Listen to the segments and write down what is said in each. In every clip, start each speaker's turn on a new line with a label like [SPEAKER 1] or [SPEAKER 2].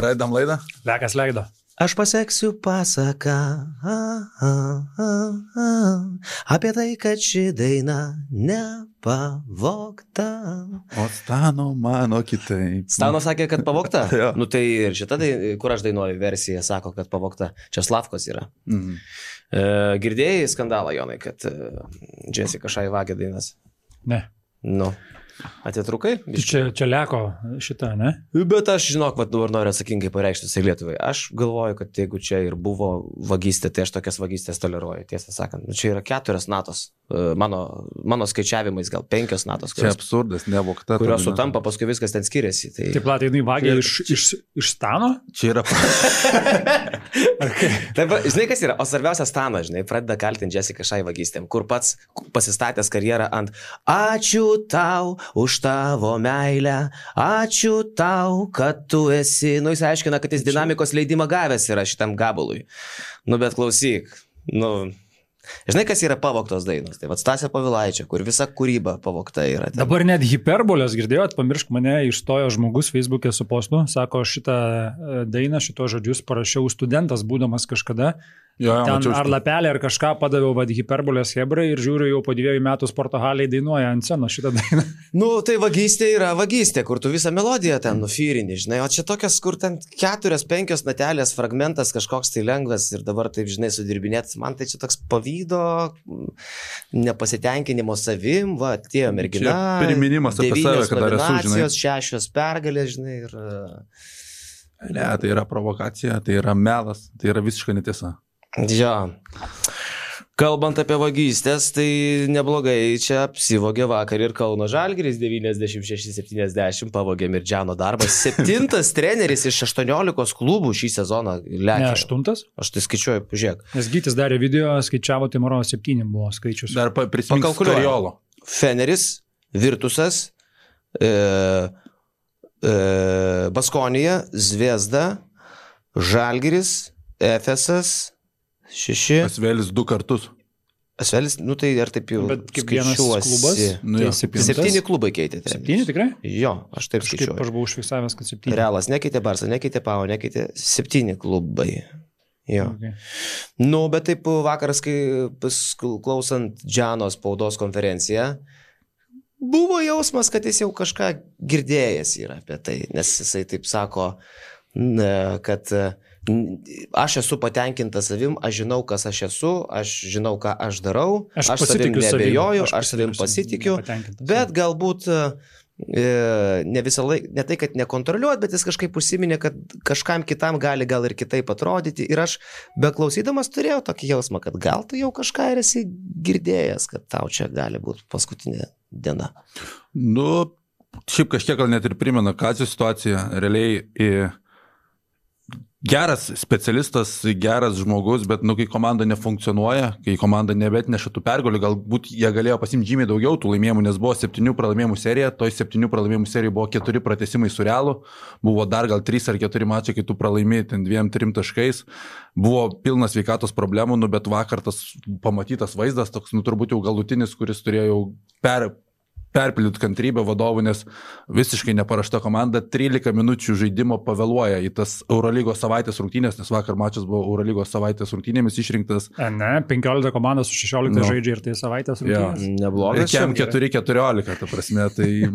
[SPEAKER 1] Pradedam laidą.
[SPEAKER 2] Lekas leido.
[SPEAKER 3] Aš paseksiu pasaką apie tai, kad ši daina nepavogta.
[SPEAKER 1] O Stano mano kitaip.
[SPEAKER 3] Stano sakė, kad pavogta?
[SPEAKER 1] Jo.
[SPEAKER 3] Nu tai ir šita, kur aš dainuoju, versija sako, kad pavogta. Čia Slavkos yra. Girdėjai skandalą, Jonai, kad Jessica Šai vagė dainas?
[SPEAKER 2] Ne.
[SPEAKER 3] Nu. Atitrukai?
[SPEAKER 2] Čia leko šitą, ne?
[SPEAKER 3] Bet aš žinok, dabar noriu atsakingai pareikšti visai Lietuvai. Aš galvoju, kad jeigu čia ir buvo vagystė, tai aš tokias vagystės toleruoju, tiesą sakant. Čia yra 4 natos. Mano skaičiavimais gal 5 natos.
[SPEAKER 1] Čia absurdas, nevogta.
[SPEAKER 3] Kurios sutampa, paskui viskas ten skiriasi. Tai...
[SPEAKER 2] Taip, platai, jinai vagė iš Stano?
[SPEAKER 1] Čia yra...
[SPEAKER 3] Taip, žinai, kas yra? O svarbiausia Stano, žinai, pradeda kaltinti Jessica Šai vagystėm, kur pats pasistatęs karjerą ant ačiū tau už tavo meilę, ačiū tau, kad tu esi. Nu, jis aiškina, kad jis dinamikos leidimą gavęs yra šitam gabalui. Nu, bet klausyk, žinai, kas yra pavogtos dainos? Tai vad Stasio Povilaičio, kur visa kūryba pavogta yra. Ten.
[SPEAKER 2] Dabar net hiperbolės girdėjot, pamiršk mane, išstojo žmogus Facebook'e su postu, sako, šitą dainą, šitos žodžius parašiau studentas, būdamas kažkada. Ten ar lapelį, ar kažką padaviau hiperbolės hebrai ir žiūriu, jau po 2 metų sporto haliai dainuoja ant scenos šitą dainą. Nu,
[SPEAKER 3] tai vagystė yra vagystė, kur tu visą melodiją ten nufyrini, žinai, o čia tokias, kur ten 4-5 natelės fragmentas kažkoks tai lengvas ir dabar taip, žinai, sudirbinėt, man tai čia toks pavydo, nepasitenkinimo savim, va, atėjo mergina, 9 nominacijos, 6 pergalės, žinai, ir...
[SPEAKER 1] Ne, tai yra provokacija, tai yra melas, tai yra visiškai netiesa.
[SPEAKER 3] Jo. Kalbant apie vagystės, tai neblogai čia apsivogė vakar ir Kauno Žalgiris 96-70 pavogė Mirdžiano darbą. 7 treneris iš 18 klubų šį sezoną lekia.
[SPEAKER 2] Ne, 8?
[SPEAKER 3] Aš tai skaičiuoju, pažiūrėk.
[SPEAKER 2] Nes Gytis darė video, skaičiavo, tai maro 7 buvo skaičius.
[SPEAKER 1] Dar prisimink Skariolo.
[SPEAKER 3] Feneris, Virtusas, Baskonija, Zvezda, Žalgiris, Efesas, 6.
[SPEAKER 1] Asvelis 2 kartus.
[SPEAKER 3] Asvelis, nu tai ar taip jau
[SPEAKER 2] bet kaip vienas klubas?
[SPEAKER 1] Nu, tai
[SPEAKER 3] 7 klubai keitė.
[SPEAKER 2] 7 tikrai?
[SPEAKER 3] Jo, aš taip skaičiuoju.
[SPEAKER 2] Aš buvau užfiksavęs, kad 7.
[SPEAKER 3] Realas nekeitė, Barsa nekeitė, Pau nekeitė, 7 klubai. Jo. Okay. Nu, bet taip vakaras, kai klausant Džiano spaudos konferenciją, buvo jausmas, kad jis jau kažką girdėjęs yra apie tai, nes jisai taip sako, kad aš esu patenkintas savim, aš žinau, kas aš esu, aš žinau, ką aš darau, aš savim nebejoju, aš savim pasitikiu, bet galbūt ne visą laiką, ne tai, kad nekontroliuot, bet jis kažkaip užsiminė, kad kažkam kitam gali gal ir kitaip atrodyti ir aš beklausydamas turėjau tokį jausmą, kad gal tu jau kažką ir esi girdėjęs, kad tau čia gali būti paskutinė diena.
[SPEAKER 1] Nu, šiaip kažkiek gal net ir primena Kazio situaciją, realiai geras specialistas, geras žmogus, bet kai komanda nefunkcionuoja, kai komanda nebetneša tų pergalių, galbūt jie galėjo pasimti žymiai daugiau tų laimėjimų, nes buvo 7 pralaimėjimų serija, toj 7 pralaimėjimų serijų buvo 4 pratęsimai su Realu, buvo dar gal 3 ar 4 mačai, kai tu pralaimėjai ten 2-3 taškais, buvo pilnas sveikatos problemų, bet vakar tas pamatytas vaizdas, toks turbūt jau galutinis, kuris turėjo perpildyti kantrybę vadovų, nes visiškai neparašta komanda 13 minučių žaidimo pavėluoja į tas Eurolygos savaitės rungtynės, nes vakar mačas buvo Eurolygos savaitės rungtynėmis išrinktas.
[SPEAKER 2] Ne, 15 komandos su 16 žaidžia ir tai savaitės rungtynės.
[SPEAKER 3] Ja, neblogas.
[SPEAKER 1] Ir 4-14, ta prasme, tai,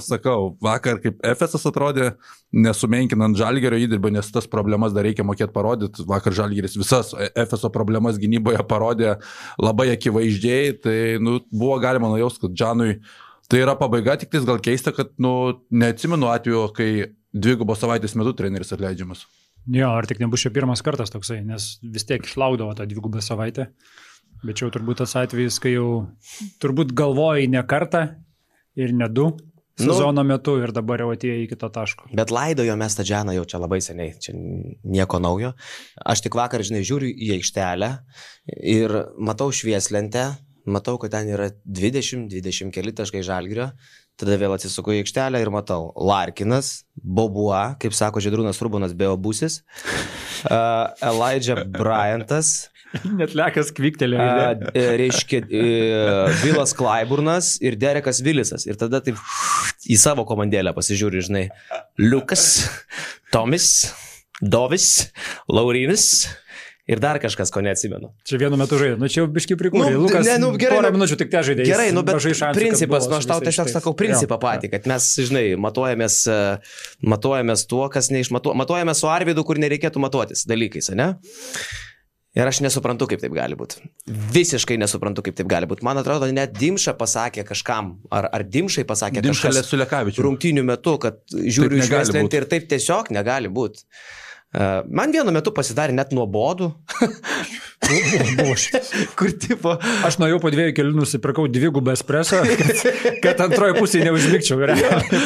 [SPEAKER 1] sakau, vakar kaip Efesas atrodė, nesumenkinant Žalgirio įdirbą, nes tas problemas dar reikia mokėti parodyti. Vakar Žalgiris visas Efeso problemas gynyboje parodė labai akivaizdžiai, tai buvo galima nujausti, kad Džanui tai yra pabaiga, tik tais gal keista, kad neatsimenu atveju, kai 2 savaitės metu treneris atleidžiamas.
[SPEAKER 2] Jo, ar tik nebus čia pirmas kartas toksai, nes vis tiek išlaukdavo tą 2 savaitę, bet čia jau turbūt tas atvejis, kai jau turbūt galvojai ne kartą ir ne 2 sezono metu ir dabar jau atėjo iki to taško.
[SPEAKER 3] Bet laidojo mes tą Džianą jau čia labai seniai, čia nieko naujo. Aš tik vakar, žiūriu į aikštelę ir matau švieslentę, matau, kad ten yra 20 keli taškai Žalgirio, tada vėl atsisuku į aikštelę ir matau Larkinas, Bobua, kaip sako Žydrūnas Rubonas, Beobusis, Elijah Bryantas,
[SPEAKER 2] net Lekas kviktelėjo.
[SPEAKER 3] Reiškia, Vilas Klaiburnas ir Derekas Vilisas. Ir tada taip į savo komandėlę pasižiūri, žinai, Liukas, Tomis, Dovis, Laurinis ir dar kažkas, ko neatsimenu.
[SPEAKER 2] Čia vienu metu žaidė, nu čia jau biški prikūrė. Lukas,
[SPEAKER 3] gerai,
[SPEAKER 2] porą minučių tik te žaidė.
[SPEAKER 3] Gerai, bet šansų, principas, aš tau tiesiog sakau principą patį, kad mes, žinai, matuojamės tuo, kas matuojamės su Arvydu, kur nereikėtų matuotis dalykais, ne? Ir aš nesuprantu, kaip taip gali būti. Visiškai nesuprantu, kaip taip gali būti. Man atrodo, net Dimša pasakė kažkam, ar Dimšai pasakė kažkas rungtynių metu, kad žiūriu iš Vestlentį ir taip tiesiog negali būti. Man vienu metu pasidarė net nuobodu. Kur tipo...
[SPEAKER 2] Aš nuėjau po 2 kelių, nusipirkau 2 espreso, kad antroji pusė neužmigčiau ir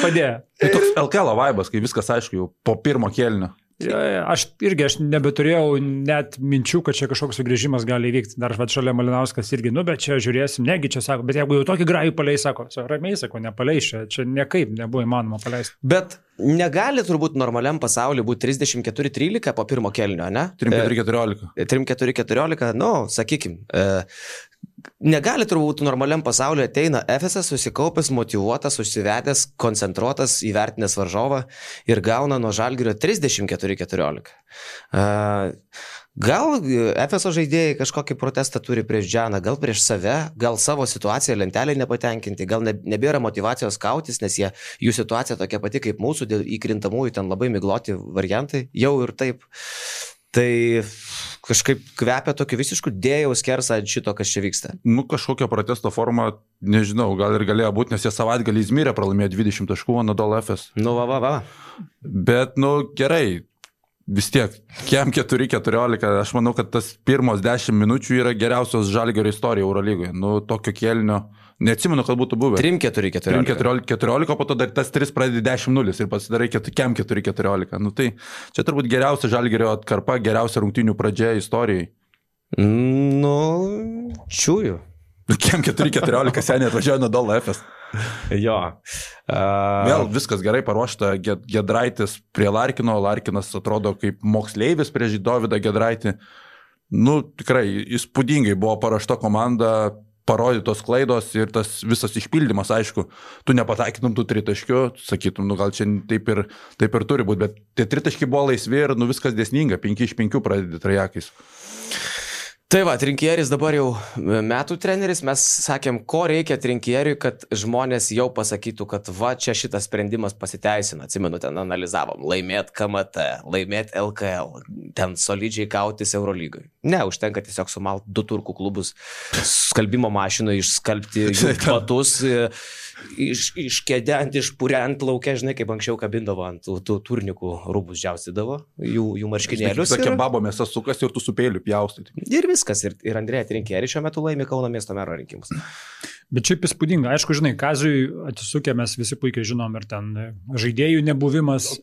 [SPEAKER 2] padėjo.
[SPEAKER 1] Tai toks LKL vaibas, kai viskas aišku jau po pirmo kėlinio.
[SPEAKER 2] Aš nebeturėjau net minčių, kad čia kažkoks sugrįžimas gali įvykti. Dar šalia Malinauskas irgi, bet čia žiūrėsim, negi čia sako, bet jeigu jau tokį grajų paleis, sako, ramiai sako, nepaleis, čia niekaip nebuvo įmanoma paleisti.
[SPEAKER 3] Bet negali turbūt normaliam pasauliu būti 34-13 po pirmo kėlinio, ne?
[SPEAKER 1] 3-4-14.
[SPEAKER 3] 3-4-14, sakykim. Negali turbūt normaliam pasauliu ateina Efesas susikaupęs, motyvuotas, užsivedęs, koncentruotas, įvertinęs varžovą ir gauna nuo Žalgirio 34-14. Gal Efeso žaidėjai kažkokį protestą turi prieš Džaną, gal prieš save, gal savo situaciją lentelėje nepatenkinti, gal nebėra motyvacijos kautis, nes jų situacija tokia pati kaip mūsų, dėl įkrintamųjų ten labai migloti variantai, jau ir taip. Tai kažkaip kvepia tokiu visišku dėjaus skersą ant šito, kas čia vyksta.
[SPEAKER 1] Kažkokia protesto forma, nežinau, gal ir galėjo būti, nes jie savaitgalį Izmyrę pralaimėjo 20 taškų, Anadolu Efes.
[SPEAKER 3] Va.
[SPEAKER 1] Bet, gerai, vis tiek, kiem 4-14, aš manau, kad tas pirmos 10 minučių yra geriausios Žalgirio istorija Eurolygoje. Tokio kėlinio, neatsimenu, kad būtų buvę.
[SPEAKER 3] 3-4-14.
[SPEAKER 1] 3-14, po to dar tas 3 pradedi 10-0 ir pasidarai kiem 4-14. Tai čia turbūt geriausia Žalgirio atkarpa, geriausia rungtynių pradžia istorijai.
[SPEAKER 3] Čiūju.
[SPEAKER 1] Kiem 4-14 seniai atvažiuoja Anadolu Efes.
[SPEAKER 3] Jo.
[SPEAKER 1] Vėl viskas gerai paruošta, Gedraitis prie Larkino, Larkinas atrodo kaip moksleivis prieš Dovydą Gedraitį. Tikrai įspūdingai buvo paruošta komanda, parodytos klaidos ir tas visas išpildymas, aišku, tu nepataikytum tų 3 taškių, sakytum, gal čia taip ir turi būti, bet tie 3 taškai buvo laisvi ir viskas dėsninga, 5 iš 5 pradedi trajakais.
[SPEAKER 3] Tai va, Trinkieris dabar jau metų treneris, mes sakėm, ko reikia Trinkieriui, kad žmonės jau pasakytų, kad va, čia šitas sprendimas pasiteisina, atsimenu, ten analizavom, laimėt KMT, laimėt LKL, ten solidžiai kautis Eurolygai. Ne, užtenka tiesiog sumalt 2 turkų klubus, skalbimo mašinoje išskalbti batus, iškėdent, išpuriant laukia, žinai, kaip anksčiau kabindavo ant tų turnikų rūbus džiaustydavo, jų marškinėlius.
[SPEAKER 1] Sakė, babo mėsa sukas ir tu su peiliu pjaustai.
[SPEAKER 3] Ir viskas, ir Andrėja Trinkierį šiuo metu laimi Kauno miesto mero rinkimus.
[SPEAKER 2] Bet šiaip įspūdinga, aišku, žinai, Kaziui atsisukę mes visi puikiai žinom ir ten žaidėjų nebuvimas,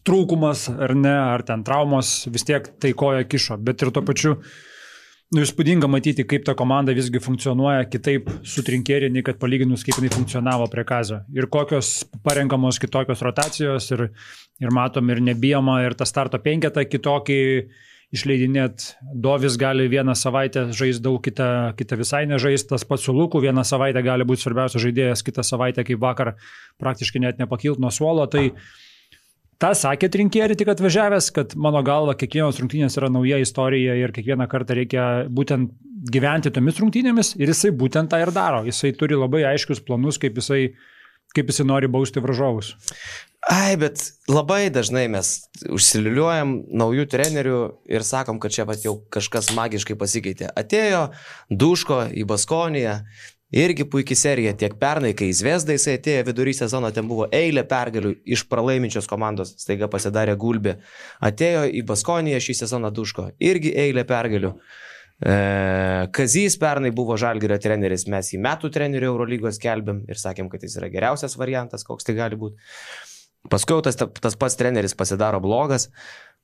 [SPEAKER 2] trūkumas ar ne, ar ten traumos, vis tiek tai koja kišo, bet ir tuo pačiu įspūdinga matyti, kaip ta komanda visgi funkcionuoja kitaip su Trinkierį, nei kad palyginus, kaip jinai funkcionavo prie Kazio. Ir kokios parenkamos kitokios rotacijos ir matom ir nebijoma ir tą starto 5 kitokį išleidinėt. Dovis gali vieną savaitę žaisti daug, kitą visai nežaisti, tas pats su Luku, vieną savaitę gali būti svarbiausias žaidėjas, kitą savaitę kaip vakar praktiškai net nepakilt nuo suolo. Tai tą sakė Trinkierį tik atvažiavęs, kad mano galva kiekvienos rungtynės yra nauja istorija ir kiekvieną kartą reikia būtent gyventi tomis rungtynėmis ir jisai būtent tą ir daro. Jisai turi labai aiškius planus, kaip jisai nori bausti varžovus.
[SPEAKER 3] Bet labai dažnai mes užsiliuliuojam naujų trenerių ir sakom, kad čia jau kažkas magiškai pasikeitė. Atėjo Duško į Baskoniją. Irgi puikiai serija, tiek pernai, kai į Zvezdą jisai atėjo vidury sezono, ten buvo eilė pergalių iš pralaiminčios komandos, staiga pasidarė Gulbė. Atėjo į Baskoniją šį sezoną Duško, irgi eilė pergalių. Kazys pernai buvo Žalgirio treneris, mes į metų trenerių Eurolygos skelbėm ir sakėm, kad jis yra geriausias variantas, koks tai gali būti. Paskui tas pats treneris pasidaro blogas.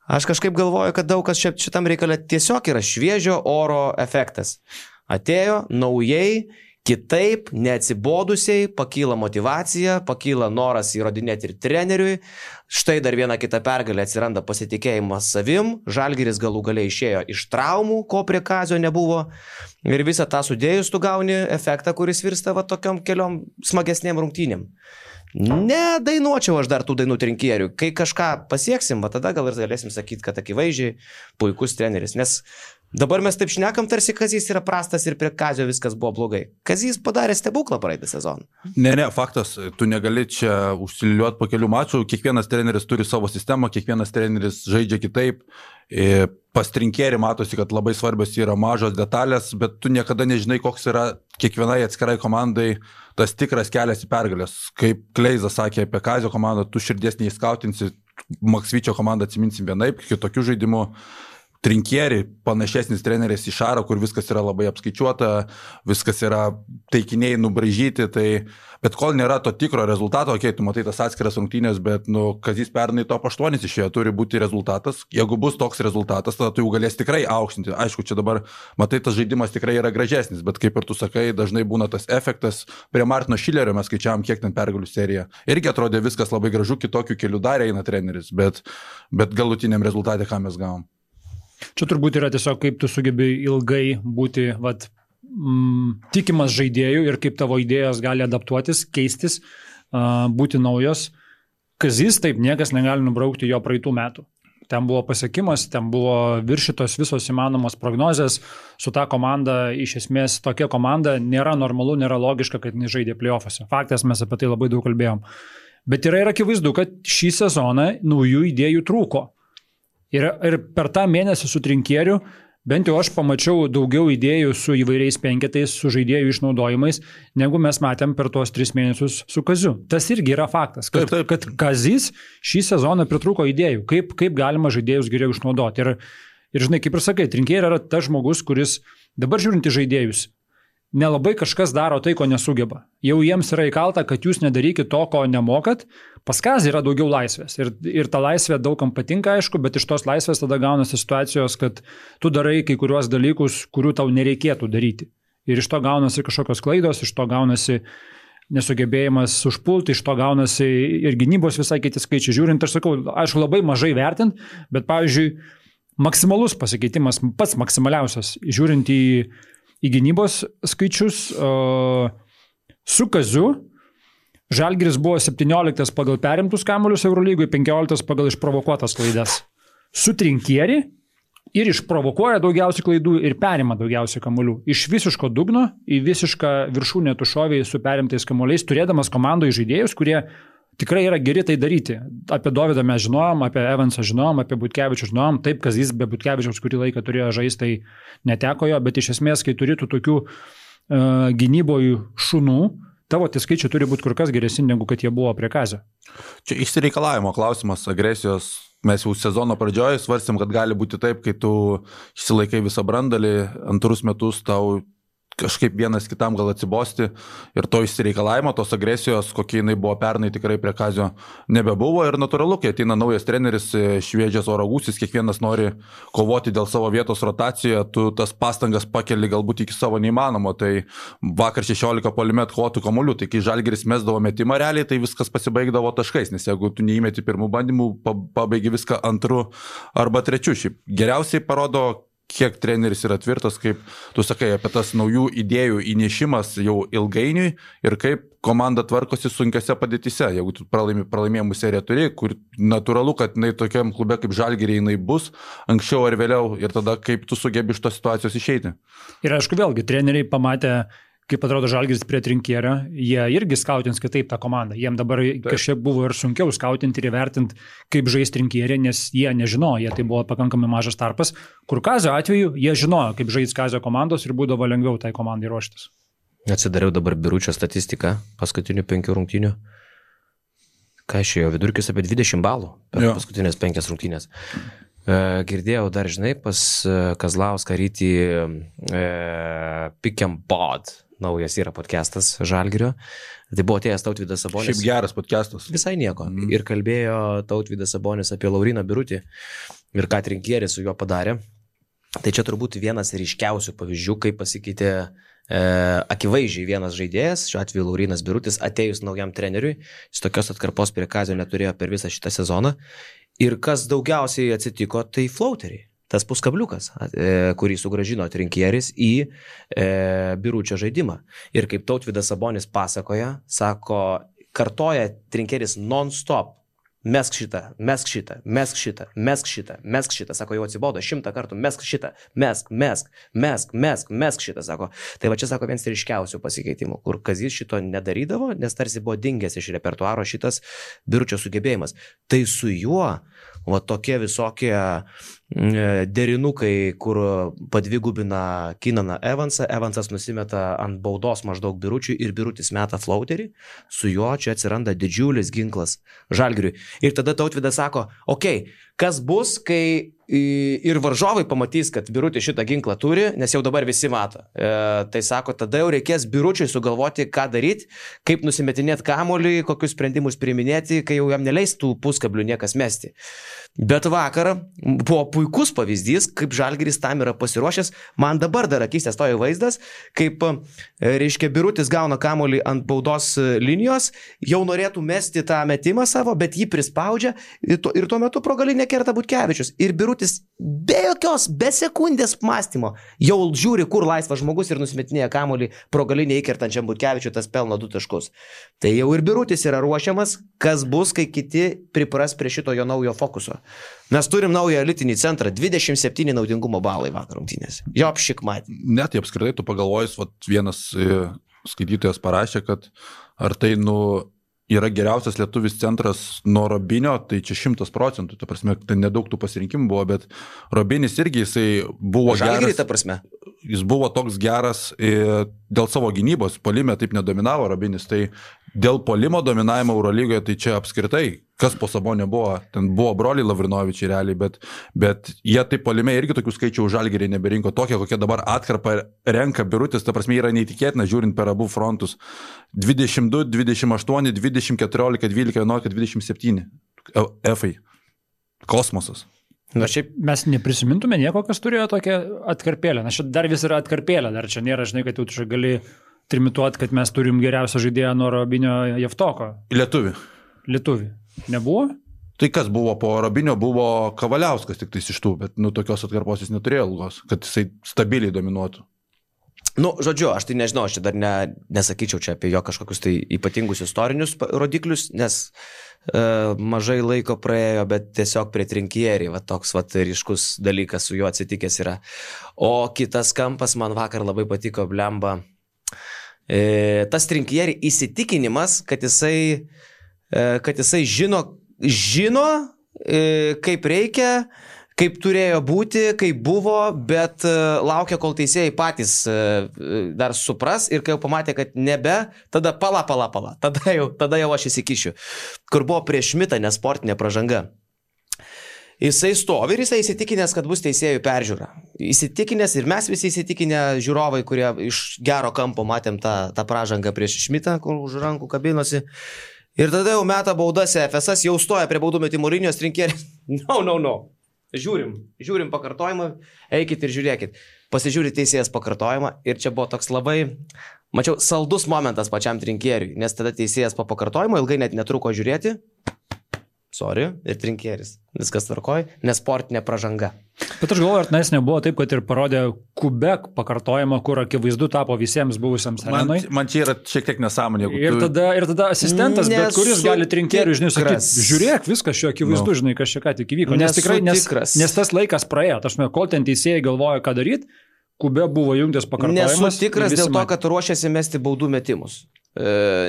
[SPEAKER 3] Aš kažkaip galvoju, kad daug kas šitam reikalė tiesiog yra šviežio oro efektas. Atėjo naujai Kitaip, neatsibodusiai, pakyla motivacija, pakyla noras įrodinėti ir treneriui. Štai dar viena kita pergalė, atsiranda pasitikėjimas savim, Žalgiris galų galiai išėjo iš traumų, ko prie Kazio nebuvo. Ir visą tą sudėjus tu gauni efektą, kuris virsta va tokiom keliom smagesnėm rungtynėm. Nedainuočiau aš dar tų dainų trinkierių. Kai kažką pasieksim, va tada gal ir galėsim sakyti, kad akivaizdžiai puikus treneris. Nes dabar mes taip šnekam, tarsi Kazys yra prastas ir prie Kazio viskas buvo blogai. Kazys padarė stebuklą praeitą sezoną.
[SPEAKER 1] Ne, faktas, tu negali čia užsiliuoti po kelių mačų, kiekvienas treneris turi savo sistemą, kiekvienas treneris žaidžia kitaip. Pas trinkierį matosi, kad labai svarbios yra mažos detalės, bet tu niekada nežinai, koks yra kiekvienai atskirai komandai tas tikras kelias į pergalės. Kaip Kleizas sakė apie Kazio komandą, tu širdies neįskautinsi, Maksvyčio komandą atsiminsim vienaip, kitokių žaidimų. Trinkieri, panašesnis treneris į Šarą, kur viskas yra labai apskaičiuota, viskas yra taikiniai nubraižyti, bet kol nėra to tikro rezultato, tu matai tas atskiras rungtynės, bet Kazys pernai top 8 išėjo, turi būti rezultatas. Jeigu bus toks rezultatas, tada tu jau galės tikrai aukštinti. Aišku, čia dabar, matai, tas žaidimas tikrai yra gražesnis, bet kaip ir tu sakai, dažnai būna tas efektas. Prie Martino Šilerio mes skaičiavom, kiek ten pergalių serija. Irgi atrodė viskas labai gražu, kitokių kelių dar eina treneris, bet galutiniam rezultatė, ką mes gavom.
[SPEAKER 2] Čia turbūt yra tiesiog, kaip tu sugebi ilgai būti tikimas žaidėjų ir kaip tavo idėjos gali adaptuotis, keistis, būti naujos. Kazys taip niekas negali nubraukti jo praeitų metų. Ten buvo pasiekimas, ten buvo viršytos visos įmanomos prognozės. Su ta komanda, iš esmės, tokia komanda nėra normalu, nėra logiška, kad jis žaidė play-offuose. Faktas, mes apie tai labai daug kalbėjom. Bet yra ir akivaizdu, kad šį sezoną naujų idėjų trūko. Ir per tą mėnesį su trinkieriu, bent jau aš pamačiau daugiau idėjų su įvairiais penketais, su žaidėjų išnaudojimais, negu mes matėm per tuos 3 mėnesius su Kaziu. Tas irgi yra faktas, kad Kazys šį sezoną pritrūko idėjų, kaip galima žaidėjus geriau išnaudoti. Ir žinai, kaip ir sakai, trinkieri yra tas žmogus, kuris dabar žiūrint į žaidėjus, nelabai kažkas daro tai, ko nesugeba. Jau jiems yra įkalta, kad jūs nedarykit to, ko nemokat. Pas Kazį yra daugiau laisvės. Ir ta laisvė daugam patinka, aišku, bet iš tos laisvės tada gaunasi situacijos, kad tu darai kai kuriuos dalykus, kurių tau nereikėtų daryti. Ir iš to gaunasi kažkokios klaidos, iš to gaunasi nesugebėjimas užpulti, iš to gaunasi ir gynybos visai kiti skaičiai. Žiūrint, aš sakau, aišku, labai mažai vertint, bet pavyzdžiui, maksimalus pasikeitimas, pats maksimaliausias, žiūrint į gynybos skaičius, su Kaziu Žalgiris buvo 17 pagal perimtus kamuolius Eurolygoje, 15 pagal išprovokuotas klaidas. Su trinkieri ir išprovokuoja daugiausiai klaidų ir perima daugiausiai kamuolių. Iš visiško dugno į visišką viršūnę tu šoviai su perimtais kamuoliais, turėdamas komandoje žaidėjus, kurie tikrai yra geri tai daryti. Apie Dovydą mes žinojom, apie Evansą žinojom, apie Butkevičių žinojom. Taip, Kazys be Butkevičiaus kurį laiką turėjo žaisti, tai neteko jo, bet iš esmės, kai turi tokių gynybojų šunų, tavo tie skaičiai turi būti kur kas geresni, negu kad jie buvo prie Kazio.
[SPEAKER 1] Čia išsireikalavimo klausimas, agresijos. Mes jau sezono pradžioje svarstėm, kad gali būti taip, kai tu išsilaikai visą brandalį, antrus metus tau kažkaip vienas kitam gal atsibosti ir to išsireikalavimo, tos agresijos, kokie jinai buvo pernai, tikrai prie Kazio nebebuvo ir natūralu, kai ateina naujas treneris, šviežias oro gūsis, kiekvienas nori kovoti dėl savo vietos rotacijoje, tu tas pastangas pakeli galbūt iki savo neįmanomo, tai vakar 16 puolime atkovotų kamuolių, tai kai Žalgiris mesdavo metimą realiai, tai viskas pasibaigdavo taškais, nes jeigu tu neįmeti pirmų bandymų, pabaigi viską antru arba trečiu. Šiaip geriausiai parodo, kiek treneris yra tvirtas, kaip tu sakai, apie tas naujų idėjų įnešimas jau ilgainiui ir kaip komanda tvarkosi sunkiose padėtise. Jeigu tu pralaimėjimų seriją turi, kur natūralu, kad jinai tokiam klube kaip Žalgiriai jinai bus anksčiau ar vėliau ir tada kaip tu sugebi iš tos situacijos išeiti.
[SPEAKER 2] Ir aišku, vėlgi, treneriai pamatė, kaip atrodo Žalgiris prie trinkierio, jie irgi skautins kitaip tą komandą. Jiem dabar kažkiek buvo ir sunkiau skautinti ir įvertinti, kaip žais trinkierė, nes jie nežinojo, tai buvo pakankamai mažas tarpas. Kur Kazio atveju, jie žinojo, kaip žais Kazio komandos ir būdavo lengviau tai komandai ruoštis.
[SPEAKER 3] Atsidariau dabar Biručio statistiką paskutinių 5 rungtynių. Ką išėjo vidurkis apie 20 balų per paskutinės 5 rungtynės. Girdėjau dar, žinai, pas Kazlauską rytį Pick and Pod. Naujas yra podcastas Žalgirio. Tai buvo atėjęs Tautvydas Sabonis.
[SPEAKER 1] Šiaip geras podcastas.
[SPEAKER 3] Visai nieko. Ir kalbėjo Tautvydas Sabonis apie Lauryną Birutį ir ką trinkierį su juo padarė. Tai čia turbūt vienas ryškiausių pavyzdžių, kaip pasikeitė akivaizdžiai vienas žaidėjas, šiuo atveju Laurinas Birutis, atėjus naujam treneriui, jis tokios atkarpos prie Kazio neturėjo per visą šitą sezoną. Ir kas daugiausiai atsitiko, tai flauteriai. Tas puskabliukas, kurį sugrąžino Trinkieris į Biručio žaidimą. Ir kaip Tautvydas Sabonis pasakoja, sako, kartoja Trinkieris non-stop. Mesk šitą, mesk šitą, mesk šitą, mesk šitą, mesk šitą, sako, jau atsibodo 100 kartų, mesk šitą, mesk šitą, sako. Tai va čia, sako, vienas ryškiausių pasikeitimų, kur Kazys šito nedarydavo, nes tarsi buvo dingęs iš repertuaro šitas Biručio sugebėjimas. Tai su juo, va tokie visokie derinukai, kur padvigubina Kinaną Evansą, Evansas nusimeta ant baudos maždaug Biručiui ir Birutis meta flauterį, su juo čia atsiranda didžiulis ginklas Žalgiriui. Ir tada Tautvydas sako, okei, kas bus, kai ir varžovai pamatys, kad Birutis šitą ginklą turi, nes jau dabar visi mato. Tai sako, tada jau reikės Biručiui sugalvoti, ką daryti, kaip nusimetinėti kamuolį, kokius sprendimus priiminėti, kai jau jam neleis tų puskablių niekas mesti. Bet vakar buvo puikus pavyzdys, kaip Žalgiris tam yra pasiruošęs. Man dabar dar akistės tojo vaizdas, kaip, reiškia, Birutis gauna kamuolį ant baudos linijos, jau norėtų mesti tą metimą savo, bet jį prispaudžia ir tuo metu pro galinę kerta Butkevičius. Ir Birutis be sekundės mąstymo jau žiūri, kur laisvas žmogus ir nusimetinėja kamuolį pro galinę įkertančiam Butkevičiui, tas pelno 2 taškus. Tai jau ir Birutis yra ruošiamas, kas bus, kai kiti pripras prie šito jo naujo fokuso. Mes turim naują elitinį centrą, 27 naudingumo balai vakar rungtynėse. Jo apšikmatį.
[SPEAKER 1] Net tai apskritai tu pagalvojus, vienas skaitytojas parašė, kad ar tai yra geriausias lietuvis centras nuo Robinio, tai čia 100%, ta prasme, tai nedaug tų pasirinkimų buvo, bet Robinis irgi jisai buvo
[SPEAKER 3] Žalgirį,
[SPEAKER 1] geras.
[SPEAKER 3] ta prasme.
[SPEAKER 1] Jis buvo toks geras dėl savo gynybos, puolime taip nedominavo Robinis, tai dėl puolimo dominavimo Eurolygoje, tai čia apskritai, kas po Sabonio buvo, ten buvo broliai Lavrinovičiai realiai, bet jie taip puolime irgi tokių skaičių Žalgirį neberinko, tokie, kokie dabar atkarpą renka Birutis, ta prasme yra neįtikėtina, žiūrint per abu frontus. 22, 28, 20, 14, 12, 11, 27 F-ai. Kosmosas.
[SPEAKER 2] Na, šiaip mes neprisimintume nieko, kas turėjo tokią atkarpėlę. Na, čia dar vis yra atkarpėlė, dar čia nėra, žinai, kad jau čia gali trimituoti, kad mes turim geriausią žaidėją nuo Robinio Javtoko. Lietuvį. Nebuvo?
[SPEAKER 1] Tai kas buvo po Robinio, buvo Kavaliauskas tik tais iš tų, bet tokios atkarpos jis neturėjo ilgos, kad jisai stabiliai dominuotų.
[SPEAKER 3] Žodžiu, aš tai nežinau, aš čia dar nesakyčiau čia apie jo kažkokius tai ypatingus istorinius rodiklius, nes mažai laiko praėjo, bet tiesiog prie Trinkierį, toks ryškus dalykas su juo atsitikęs yra. O kitas kampas man vakar labai patiko, blemba, tas Trinkierį įsitikinimas, kad jisai žino, kaip reikia, kaip turėjo būti, kaip buvo, bet laukia, kol teisėjai patys dar supras ir kai jau pamatė, kad nebe, tada pala, tada jau aš įsikišiu. Kur buvo prieš Šmitą nesportinė pražanga. Jisai stovi ir jisai įsitikinęs, kad bus teisėjų peržiūra. Įsitikinęs ir mes visi įsitikinę žiūrovai, kurie iš gero kampo matėm tą pražangą prieš Šmitą, kur už rankų kabinosi. Ir tada jau meta baudas FSS, jau stoja prie baudų metimo linijos, Trinkieris. No. Žiūrim pakartojimą, eikit ir žiūrėkit. Pasižiūri teisėjas pakartojimą ir čia buvo toks labai, mačiau, saldus momentas pačiam Trinkieriui, nes tada teisėjas po pakartojimo ilgai net netruko žiūrėti. Ir Trinkieris. Viskas tvarkoj, nesportinė pražanga.
[SPEAKER 2] Bet aš galvoju, ar tenais nebuvo taip, kad ir parodė Kubek pakartojimą, kur akivaizdu tapo visiems buvusiems arenui.
[SPEAKER 1] Man čia yra šiek tiek nesąmonė.
[SPEAKER 2] Ir tada asistentas, bet kuris gali Trinkeriui, žinai, sakyti, žiūrėk, viskas šio akivaizdu, žinai, kas čia ką tik įvyko. Nes tikrai, nes tas laikas praėjo, aš kol ten teisėjai galvoja, ką daryti, Kube buvo jungtis pakartojimas.
[SPEAKER 3] Nesu tikras dėl to, kad ruošiasi mesti baudų metimus.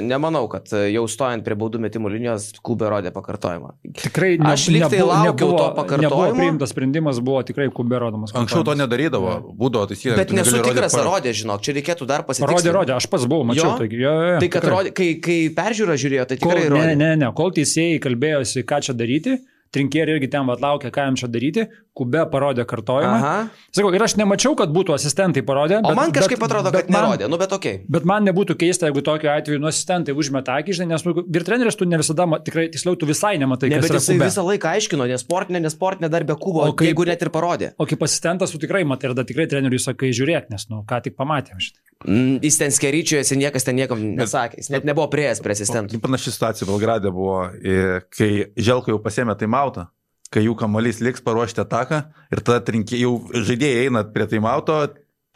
[SPEAKER 3] Nemanau, kad jau stojant prie baudų metimų linijos Kubė rodė pakartojimą.
[SPEAKER 2] Tikrai aš liktai laukiau to pakartojimo. Nebuvo priimtas sprendimas, buvo tikrai Kubė rodomas.
[SPEAKER 1] Anksčiau to nedarydavo, būdavo taisykė.
[SPEAKER 3] Bet nesu tikras, ar rodė, žinok, čia reikėtų dar pasitikslinti.
[SPEAKER 2] Rodė, aš pats buvau, mačiau.
[SPEAKER 3] Tai kad rodė, kai peržiūrą žiūrėjo, tai tikrai rodė.
[SPEAKER 2] Ne, kol teisėjai kalbėjosi, ką čia daryti, Trinkierį irgi ten laukia, ką jam čia daryti, Kubė parodė kartojimą. Sakau, ir aš nemačiau, kad būtų asistentai parodė.
[SPEAKER 3] O man kažkaip atrodo, kad nerodė, bet okei.
[SPEAKER 2] Bet man nebūtų keista, jeigu tokiu atveju asistentai užmeta akį, žinai, nes vyr treneris tu ne visada, tikrai tiksliau, tu visai nematai, kas yra Kubė.
[SPEAKER 3] Bet jisai visą laiką aiškino, nesportinė dar be Kubo, jeigu net ir parodė.
[SPEAKER 2] O kaip asistentas tu tikrai matai, ir tada tikrai treneriui sakai, žiūrėk, nes, ką tik pamatėm šitą.
[SPEAKER 3] Jis ten skeryčiuojasi, niekas ten niekam nesakė, jis net nebuvo prieėjęs prie asistentų.
[SPEAKER 1] Panaši situacija Belgrade buvo, kai Želko jau pasėmė taimauto, kai jų kamuolys liks paruošti ataką ir tada jau žaidėjai eina prie taimauto,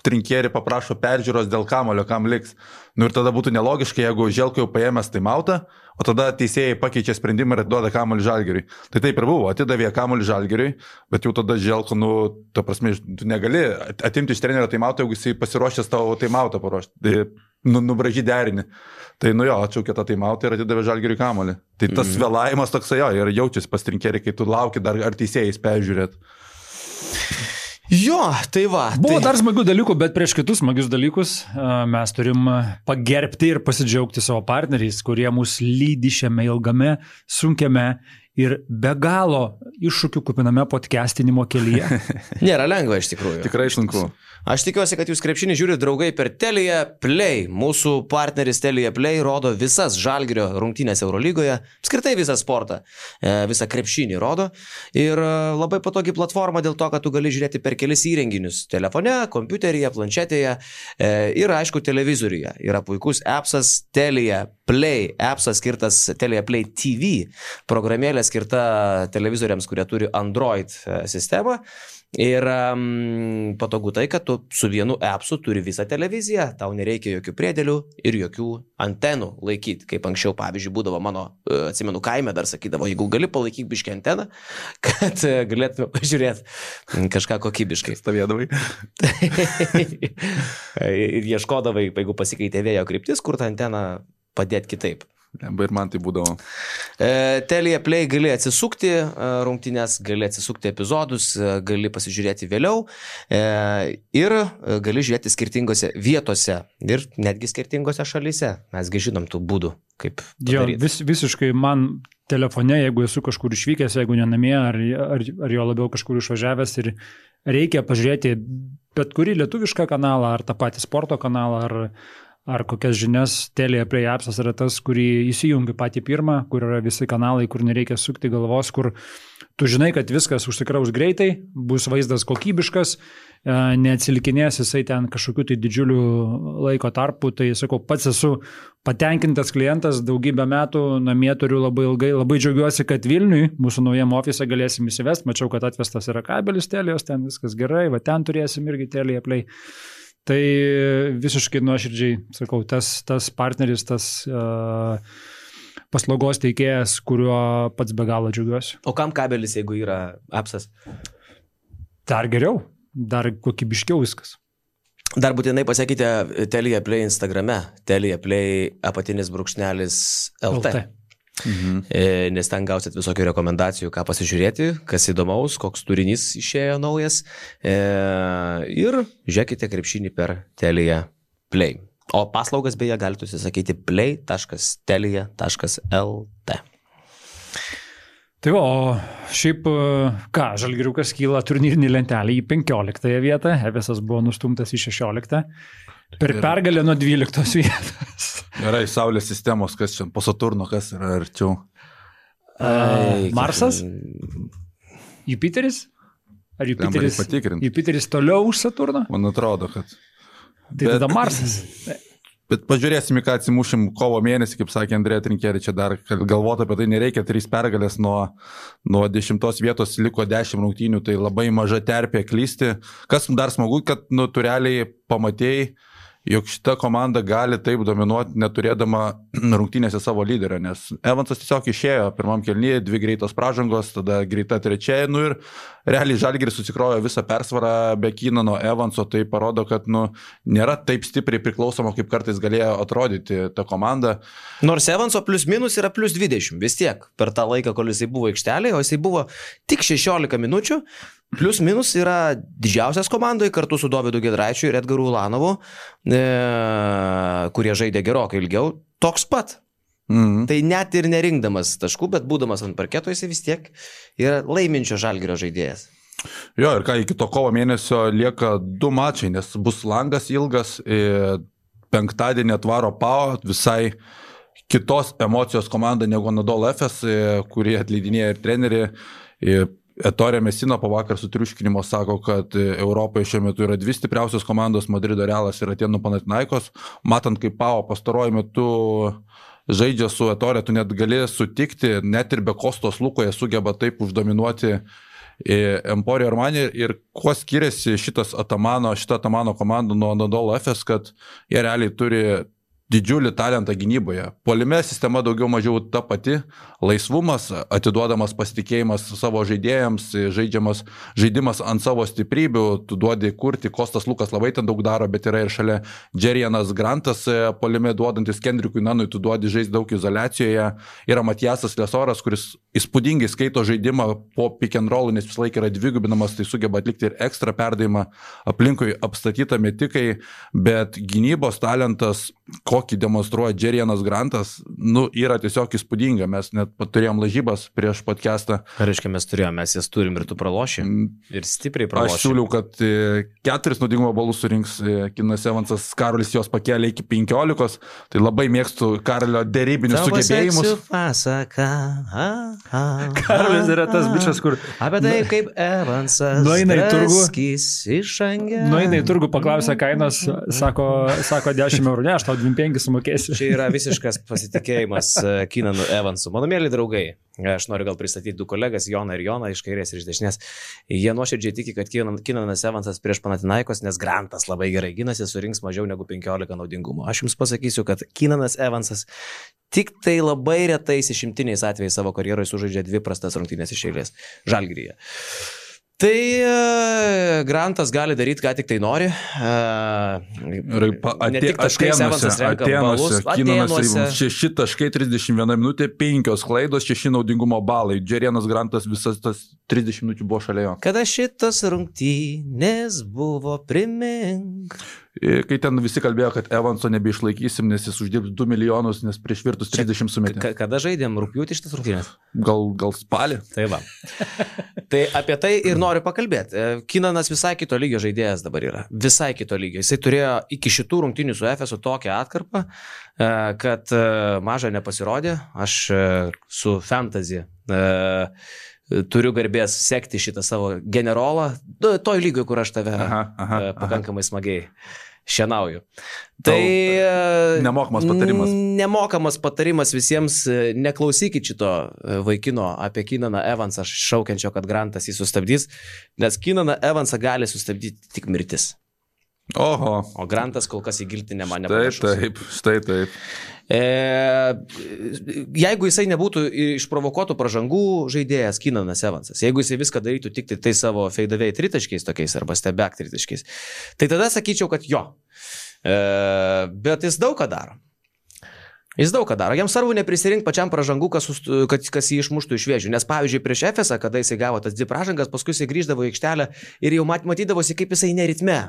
[SPEAKER 1] trinkieri paprašo peržiūros dėl kamulio, kam liks. Ir tada būtų nelogiška, jeigu Želko jau paėmęs taimautą, o tada teisėjai pakeičia sprendimą ir duoda kamulį Žalgiriui. Tai taip ir buvo, atidavė kamulį Žalgiriui, bet jau tada Želko, ta prasme, tu negali atimti iš trenerio taimautą, jeigu jisai pasiruošęs tavo taimautą paruošti, nubražy derinį. Tai jo, atšaukė tą taimautą ir atidavė Žalgiriui kamulį. Tai tas vėlavimas toksai ir jaučiasi pas trinkerį, kai tu lauki dar ar teisėjais peržiūrėt.
[SPEAKER 3] Jo, tai va.
[SPEAKER 2] Buvo dar smagių dalykų, bet prieš kitus smagius dalykus mes turim pagerbti ir pasidžiaugti savo partneriais, kurie mus lydi šiame ilgame, sunkiame ir be galo iššūkių kupiname podcastinimo kelyje.
[SPEAKER 3] Nėra lengva iš tikrųjų.
[SPEAKER 1] Tikrai sunku.
[SPEAKER 3] Aš tikiuosi, kad jūs krepšinį žiūrite draugai per Telia Play. Mūsų partneris Telia Play rodo visas Žalgirio rungtynės Eurolygoje, apskritai visą sportą, visą krepšinį rodo. Ir labai patogi platforma dėl to, kad tu gali žiūrėti per kelis įrenginius. Telefone, kompiuteryje, planšetėje ir aišku televizoriuje. Yra puikus appsas Telia Play. Appsas skirtas Telia Play TV. Programėlė skirta televizoriams, kurie turi Android sistemą. Ir patogu tai, kad tu su vienu appsu turi visą televiziją, tau nereikia jokių priedėlių ir jokių antenų laikyti, kaip anksčiau, pavyzdžiui, būdavo mano, atsimenu, kaime dar sakydavo, jeigu gali palaikyk biškį anteną, kad galėtume pažiūrėti kažką kokybiškai.
[SPEAKER 1] Stovėdavai.
[SPEAKER 3] Ir ieškodavai, jeigu pasikeitė vėjo kryptis, kur tą anteną padėti kitaip.
[SPEAKER 1] Ir man tai būdavo.
[SPEAKER 3] Telia Play gali atsisukti rungtynės, gali atsisukti epizodus, gali pasižiūrėti vėliau ir gali žiūrėti skirtingose vietose ir netgi skirtingose šalyse. Mesgi žinom tų būdų, kaip padaryti.
[SPEAKER 2] Visiškai man telefone, jeigu esu kažkur išvykęs, jeigu ne namie, ar jo labiau kažkur išvažiavęs ir reikia pažiūrėti bet kurį lietuvišką kanalą, ar tą patį sporto kanalą, ar kokias žinias, Telia Play appsas yra tas, kurį įsijungi patį pirmą, kur yra visi kanalai, kur nereikia sukti galvos, kur tu žinai, kad viskas užsikraus greitai, bus vaizdas kokybiškas, neatsilikinės jisai ten kažkokiu tai didžiuliu laiko tarpu, tai sakau, pats esu patenkintas klientas, daugybę metų namie turiu labai ilgai, labai džiaugiuosi, kad Vilniui, mūsų naujam ofise galėsim įsivesti, mačiau, kad atvestas yra kabelis Telijos, ten viskas gerai, va ten turėsim irgi Telia Play. Tai visiškai nuoširdžiai, sakau, tas partneris, tas paslaugos teikėjas, kuriuo pats be galo džiaugiuosi.
[SPEAKER 3] O kam kabelis, jeigu yra appsas?
[SPEAKER 2] Dar geriau, dar kokybiškiau viskas.
[SPEAKER 3] Dar būtinai pasakykite Telia Play Instagrame, Telia Play _LT. Nes ten gausit visokių rekomendacijų, ką pasižiūrėti, kas įdomaus, koks turinys išėjo naujas ir žiūrėkite krepšinį per Telia Play. O paslaugas beje galite užsisakyti play.telia.lt.
[SPEAKER 2] Tai o šiaip ką, Žalgiriukas kyla turnyrinį lentelį į 15 vietą, Efesas buvo nustumtas į 16. Per pergalę nuo 12 vietos.
[SPEAKER 1] Yra į Saulės sistemos, kas čia po Saturno, kas yra arčiau.
[SPEAKER 2] Marsas? Jupiteris? Ar Jupiteris toliau už Saturną?
[SPEAKER 1] Man atrodo, kad.
[SPEAKER 2] Tai tada Marsas.
[SPEAKER 1] Bet pažiūrėsim, ką atsimušim kovo mėnesį, kaip sakė Andrėja Trinkerį, čia dar galvoti apie tai nereikia, 3 pergalės nuo 10 vietos liko 10 rungtynių, tai labai maža terpė klysti. Kas dar smagu, kad tu realiai pamatėjai, jog šita komanda gali taip dominuoti, neturėdama rungtynėse savo lyderio, nes Evansas tiesiog išėjo pirmam kėlinyje, 2 greitos pražangos, tada greita trečia, ir realiai Žalgiris susikrojo visą persvarą be Kynano Evanso, tai parodo, kad nėra taip stipriai priklausoma, kaip kartais galėjo atrodyti ta komanda.
[SPEAKER 3] Nors Evanso plius minus yra plius 20, vis tiek per tą laiką, kol jisai buvo aikštelėje, o jisai buvo tik 16 minučių, plius minus yra didžiausias komandoje kartu su Dovydu Giedraičiu ir Edgaru Ulanovu, kurie žaidė gerokai ilgiau, toks pat. Tai net ir nerinkdamas taškų, bet būdamas ant parketo, jisai vis tiek yra laiminčio Žalgirio žaidėjas.
[SPEAKER 1] Jo, ir ką, iki to kovo mėnesio lieka 2 mačai, nes bus langas ilgas, penktadienį atvaro PAO, visai kitos emocijos komanda negu Anadolu Efes, kurie atleidinėja ir treneriai. Ettore Messina po vakar sutriuškinimo sako, kad Europoje šiuo metu yra 2 stipriausios komandos, Madrido Realas ir Atėnų Panathinaikos. Matant, kaip Pau pastaruoju metu žaidžia su Ettore, tu net gali sutikti, net ir be Kostos Lukoje sugeba taip uždominuoti Emporio Armani. Ir kuo skiriasi šita Atamano komanda nuo Anadolu Efes, kad jie realiai turi didžiulį talentą gynyboje. Puolime sistema daugiau mažiau ta pati, laisvumas, atiduodamas pasitikėjimas savo žaidėjams, žaidimas ant savo stiprybių, tu duodi kurti, Kostas Lukas labai ten daug daro, bet yra ir šalia Džerianas Grantas puolime duodantis Kendrikui Nanui, tu duodi žaisti daug izoliacijoje, yra Matijasas Lesoras, kuris įspūdingai skaito žaidimą po pick and roll, nes vis laik yra dvigubinamas, tai sugeba atlikti ir ekstra perdavimą, aplinkui apstatytą metikai, bet gynybos talentas, kokį demonstruoja Džerianas Grantas, yra tiesiog įspūdinga. Mes net turėjom lažybas prieš podcastą.
[SPEAKER 3] Ką reiškia mes turėjom, mes jas turim ir tu praloši. Ir stipriai praloši.
[SPEAKER 1] Aš siūliau, kad 4 naudingumo balus surinks Kinas Evansas, Karolis jos pakėlė iki 15, tai labai mėgstu Karolio dėrybinius sugebėjimus.
[SPEAKER 2] Karolis yra tas bičas, kur...
[SPEAKER 3] Apie tai, kaip Evansas draskys išangė.
[SPEAKER 2] Nueina į turgų, paklausia kainos, sako 10 eurų, ne, aš tau 25 sumokėsiu.
[SPEAKER 3] Čia yra visiškas pasitikėjimas Kinanu Evansu. Mano mėly draugai, aš noriu gal pristatyti 2 kolegas, Joną ir Joną, iš kairės ir iš dešinės. Jie nuoširdžiai tiki, kad Kinanas Evansas prieš Panathinaikos, nes Grantas labai gerai ginasi, surinks mažiau negu 15 naudingumo. Aš jums pasakysiu, kad Kinanas Evansas tik tai labai retais išimtiniais atvejais savo karjeroje sužaidžia 2 prastas rungtynės iš eilės Žalgiryje. Tai Grantas gali daryti, ką tik tai nori. Ne tik taškais Evansas renka balus.
[SPEAKER 1] Atėnuose 6 taškai, 31 minutė, 5 klaidos, 6 naudingumo balai. Džerianas Grantas visas tas 30 minučių buvo šalia jo.
[SPEAKER 3] Kada šitos rungtynės buvo, primink.
[SPEAKER 1] Kai ten visi kalbėjo, kad Evanso nebeišlaikysim, nes jis uždirbs 2 milijonus, nes prieš virtus 30 sumetė.
[SPEAKER 3] Kada žaidėm rugpjūtį šitas rungtynės?
[SPEAKER 1] Gal spalį.
[SPEAKER 3] Tai va. Tai apie tai ir noriu pakalbėti. Kinanas visai kito lygio žaidėjas dabar yra. Visai kito lygio. Jisai turėjo iki šitų rungtynių su Efesu tokią atkarpą, kad maža nepasirodė. Aš su fantasy turiu garbės sekti šitą savo generolą, toj lygiai, kur aš tave pakankamai smagiai šienauju. Tai
[SPEAKER 1] nemokamas patarimas.
[SPEAKER 3] Nemokamas patarimas visiems, neklausykit šito vaikino apie Kinaną Evansą šaukiančio, kad Grantas jį sustabdys, nes Kinaną Evansą gali sustabdyti tik mirtis.
[SPEAKER 1] Oho.
[SPEAKER 3] O Grantas kol kas į giltinę man nepanašus.
[SPEAKER 1] Štai taip.
[SPEAKER 3] Jeigu jisai nebūtų išprovokuotų pražangų žaidėjas Kinanas Evansas, jeigu jisai viską darytų tik tai savo feidavėjai tritaškiais tokiais arba stebek tritaškiais, tai tada sakyčiau, kad jo. Bet jis daug ką daro. Jam svarbu neprisirinkti pačiam pražangų, kas jį išmuštų iš vėžių. Nes pavyzdžiui, prieš Efesą, kada jisai gavo tas 2 pražangas, paskui jisai grįždavo į aikštelę ir jau matydavosi, kaip jisai neritme.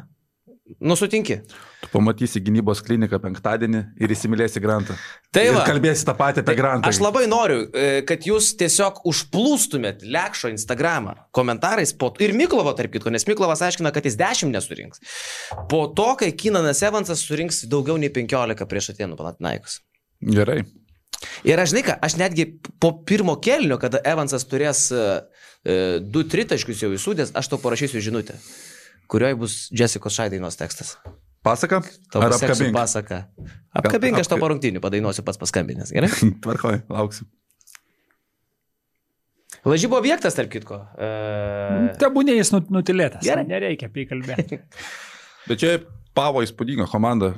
[SPEAKER 3] Sutinki.
[SPEAKER 1] Tu pamatysi gynybos kliniką penktadienį ir įsimylėsi Grantą.
[SPEAKER 3] Tai va.
[SPEAKER 1] Ir kalbėsi tą patį apie Grantą.
[SPEAKER 3] Aš labai noriu, kad jūs tiesiog užplūstumėt Lekšo Instagramą komentarais ir Miklovo, tarp kitko, nes Miklovas aiškina, kad jis 10 nesurinks. Po to, kai Kinanas Evansas surinks daugiau nei 15 prieš Atėnų Panathinaikos.
[SPEAKER 1] Gerai.
[SPEAKER 3] Ir aš žinai ką, aš netgi po pirmo kėlinio, kada Evansas turės 2 tritaškius jau įsūdęs, aš tau parašysiu žinutę, kurioje bus Jessicos Šaidainos tekstas.
[SPEAKER 1] Pasaka? Ar apkabink?
[SPEAKER 3] Pasaka. Apkabink, aš to po rungtynių padainuosiu pats paskambinęs, gerai?
[SPEAKER 1] Tvarkoj, lauksiu.
[SPEAKER 3] Lažybo objektas, tarp kitko.
[SPEAKER 2] Tebūnė jis nutilėtas. Gerai. Nereikia apie jį kalbėti.
[SPEAKER 1] Bet čia Pavo įspūdinga komanda.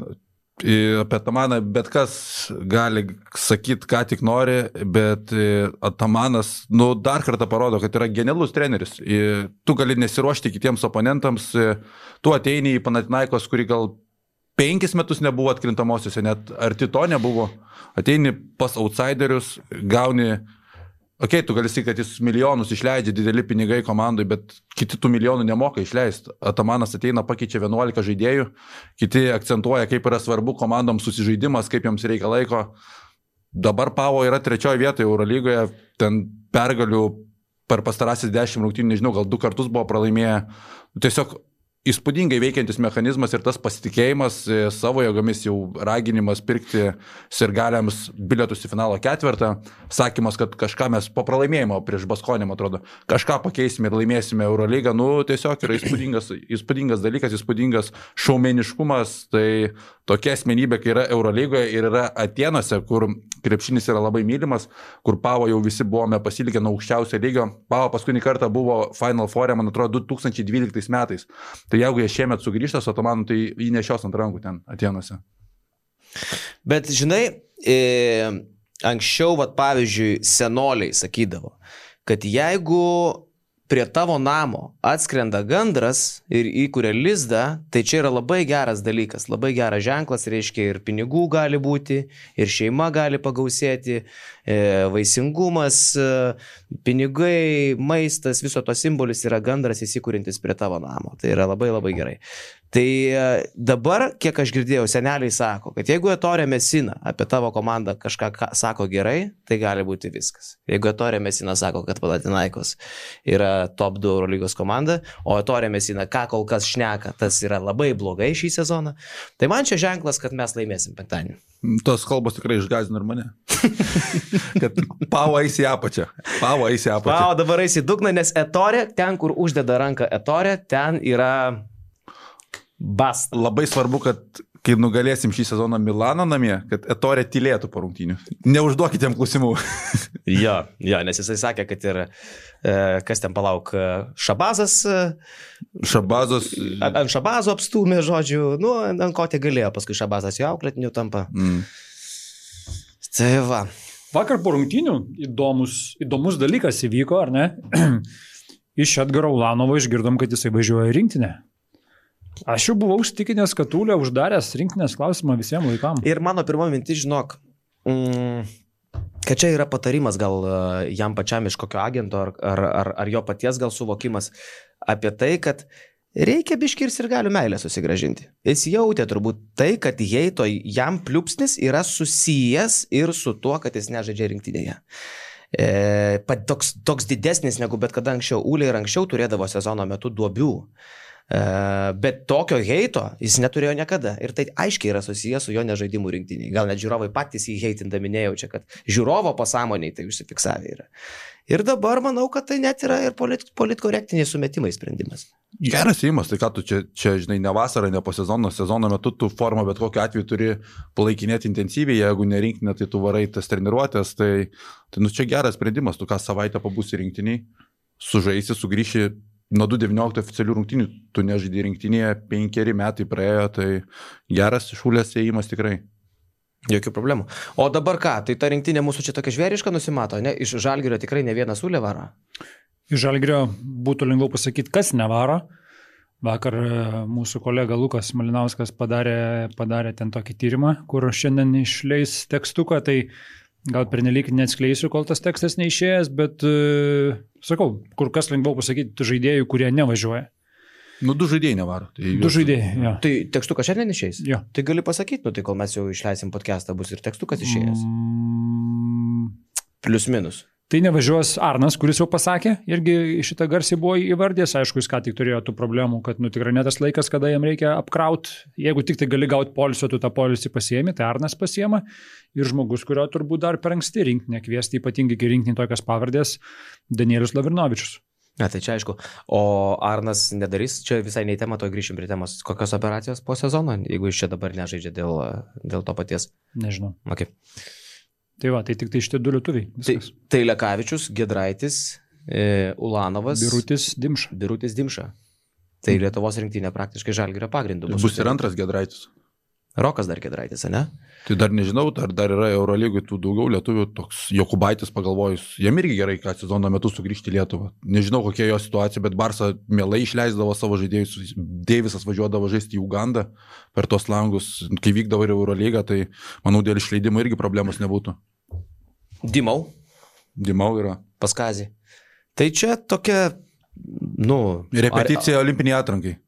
[SPEAKER 1] Apie Atamaną bet kas gali sakyti, ką tik nori, bet Atamanas dar kartą parodo, kad yra genialus treneris. Tu gali nesiruošti kitiems oponentams, tu ateini į Panathinaikos, kuri gal 5 metus nebuvo atkrintamosiuose, net arti to nebuvo. Ateini pas outsiderius, gauni... Tu gali sakyti, kad jis milijonus išleidžia, dideli pinigai komandai, bet kiti tų milijonų nemoka išleisti. Atamanas ateina, pakeičia 11 žaidėjų, kiti akcentuoja, kaip yra svarbu komandoms susižaidimas, kaip joms reikia laiko. Dabar Pavo yra 3 vietoje Eurolygoje, ten pergalių per pastarasis 10 rungtynių, nežinau, gal 2 kartus buvo pralaimėję. Tiesiog įspūdingai veikiantis mechanizmas ir tas pasitikėjimas savo jėgomis, jau raginimas pirkti sirgaliams bilietus į finalo ketvirtą, sakymas, kad kažką mes po pralaimėjimo prieš Baskonį, man atrodo, kažką pakeisime ir laimėsime Eurolygą, tiesiog yra įspūdingas dalykas, įspūdingas šaumeniškumas, tai tokia asmenybė, kai yra Eurolygoje ir yra Atėnuose, kur krepšinis yra labai mylimas, kur Pavo jau visi buvome pasilikę nuo aukščiausio lygio. Pavo paskutinį kartą buvo Final Four, man atrodo, 2012 metais. Tai jeigu jie šiemet sugrįžta su Otomanu, tai jį nešios ant rankų ten Atėnuose.
[SPEAKER 3] Bet žinai, anksčiau, pavyzdžiui, senoliai sakydavo, kad jeigu prie tavo namo atskrenda gandras ir įkuria lizdą, tai čia yra labai geras dalykas, labai geras ženklas, reiškia ir pinigų gali būti, ir šeima gali pagausėti, vaisingumas, pinigai, maistas, viso to simbolis yra gandras įsikūrintis prie tavo namo. Tai yra labai labai gerai. Tai dabar, kiek aš girdėjau, seneliai sako, kad jeigu Ettore Messina apie tavo komandą kažką sako gerai, tai gali būti viskas. Jeigu Ettore Messina sako, kad Panathinaikos yra top 2 Eurolygos komanda, o Ettore Messina ką kol kas šneka, tas yra labai blogai šį sezoną, tai man čia ženklas, kad mes laimėsim penktadienį.
[SPEAKER 1] Tos kalbos tikrai išgąsdino ir mane. Kad Pavo eis į apačią. Pavo
[SPEAKER 3] dabar eis į dugną, nes Ettore, ten kur uždeda ranką Ettore, ten yra basta.
[SPEAKER 1] Labai svarbu, kad kai nugalėsim šį sezoną Milano namie, kad Ettore tylėtų po rungtynių. Neužduokite jam klausimų.
[SPEAKER 3] Jo, nes jisai sakė, kad ir kas ten palauk, Šabazas. Ant Šabazo apstūmė, žodžiu, ant ko tai galėjo, paskui Šabazas jo auklėtiniu tampa. Tai va.
[SPEAKER 2] Vakar po rungtynių įdomus dalykas įvyko, ar ne? Iš Edgaro Ulanovo išgirdom, kad jisai važiuoja į rinktinę. Aš jau buvau užtikinęs, kad Ūlė uždaręs rinktinės klausimą visiems laikam.
[SPEAKER 3] Ir mano pirma mintis, žinok, kad čia yra patarimas gal jam pačiam iš kokio agento ar jo paties gal suvokimas apie tai, kad reikia biškį ir sirgalių meilę susigražinti. Jis jautė turbūt tai, kad jam pliupsnis yra susijęs ir su tuo, kad jis nežaidžia rinktinėje. Toks didesnis negu bet kada anksčiau. Ūlė ir anksčiau turėdavo sezono metu duobių. Bet tokio heito jis neturėjo niekada ir tai aiškiai yra susijęs su jo nežaidimu rinktiniai. Gal net žiūrovai patys jį heitindami nejaučia, kad žiūrovo pasąmoniai tai užsifiksavę yra. Ir dabar manau, kad tai net yra ir politkorektiniai sumetimai sprendimas.
[SPEAKER 1] Geras įimas, tai ką tu čia žinai, ne vasarą, ne po sezono metu tu formą bet kokiu atveju turi palaikinėti intensyviai, jeigu nerinktinė, tai tu varai tas treniruotės, tai čia geras sprendimas, tu ką savaitę pabūsi rinktiniai, sužaisi, sugrįši. Nuo 2019 oficialių rungtynių tu nežaidai rinktinėje, 5 metai praėjo, tai geras Ūlės ėjimas tikrai.
[SPEAKER 3] Jokių problemų. O dabar ką, tai ta rinktinė mūsų čia tokia žvėriška nusimato, ne? Iš Žalgirio tikrai ne vienas Ūlė varo?
[SPEAKER 2] Iš Žalgirio būtų lengviau pasakyti, kas nevaro. Vakar mūsų kolega Lukas Malinauskas padarė ten tokį tyrimą, kur šiandien išleis tekstuką, tai gal pernelyg neatskleisiu, kol tas tekstas neišėjęs, bet sakau, kur kas lengviau pasakyti žaidėjų, kurie nevažiuoja.
[SPEAKER 1] 2 žaidėjai nevaro.
[SPEAKER 2] Tai 2 žaidėjai, jo.
[SPEAKER 3] Tai tekstukas šiandien išeis?
[SPEAKER 2] Jo.
[SPEAKER 3] Tai gali pasakyti, tai kol mes jau išleisim podcastą, bus ir tekstukas išėjęs. Plius minus.
[SPEAKER 2] Tai nevažiuos Arnas, kuris jau pasakė, irgi šitą garsiai buvo įvardęs, aišku, jis ką tik turėjo tų problemų, kad tikrai ne tas laikas, kada jam reikia apkrauti, jeigu tik tai gali gauti poilsio, tu tą poilsį pasiemi, tai Arnas pasiema ir žmogus, kurio turbūt dar per anksti rinktinę kviesti, ypatingai kai rinktinė tokias pavardės, Danielius Lavrinovičius.
[SPEAKER 3] Ne, tai čia aišku, o Arnas nedarys, čia visai nei tema, to grįšim prie temos, kokios operacijos po sezono, jeigu jis čia dabar nežaidžia dėl to paties.
[SPEAKER 2] Nežinau.
[SPEAKER 3] Okay.
[SPEAKER 2] Tai va, tai tik tai šitie 2 lietuviai.
[SPEAKER 3] Tai Lekavičius, Giedraitis, Ulanovas.
[SPEAKER 2] Birutis
[SPEAKER 3] Dimša. Tai Lietuvos rinktinė praktiškai Žalgirio pagrindu.
[SPEAKER 1] Bus ir antras Giedraitis.
[SPEAKER 3] Rokas dar Giedraitis, ne?
[SPEAKER 1] Tai dar nežinau, dar yra Eurolygui tų daugiau lietuvių, toks Jokubaitis pagalvojus, jam irgi gerai, kad sezono metu sugrįžti į Lietuvą. Nežinau, kokia jo situacija, bet Barsa mielai išleisdavo savo žaidėjus, Deivisas važiuodavo žaisti į Ugandą per tos langus, kai vykdavo ir Eurolygą, tai manau, dėl išleidimo irgi problemos nebūtų. Dimau yra.
[SPEAKER 3] Paskazį. Tai čia tokia,
[SPEAKER 1] repeticija olimpiniai atrankai.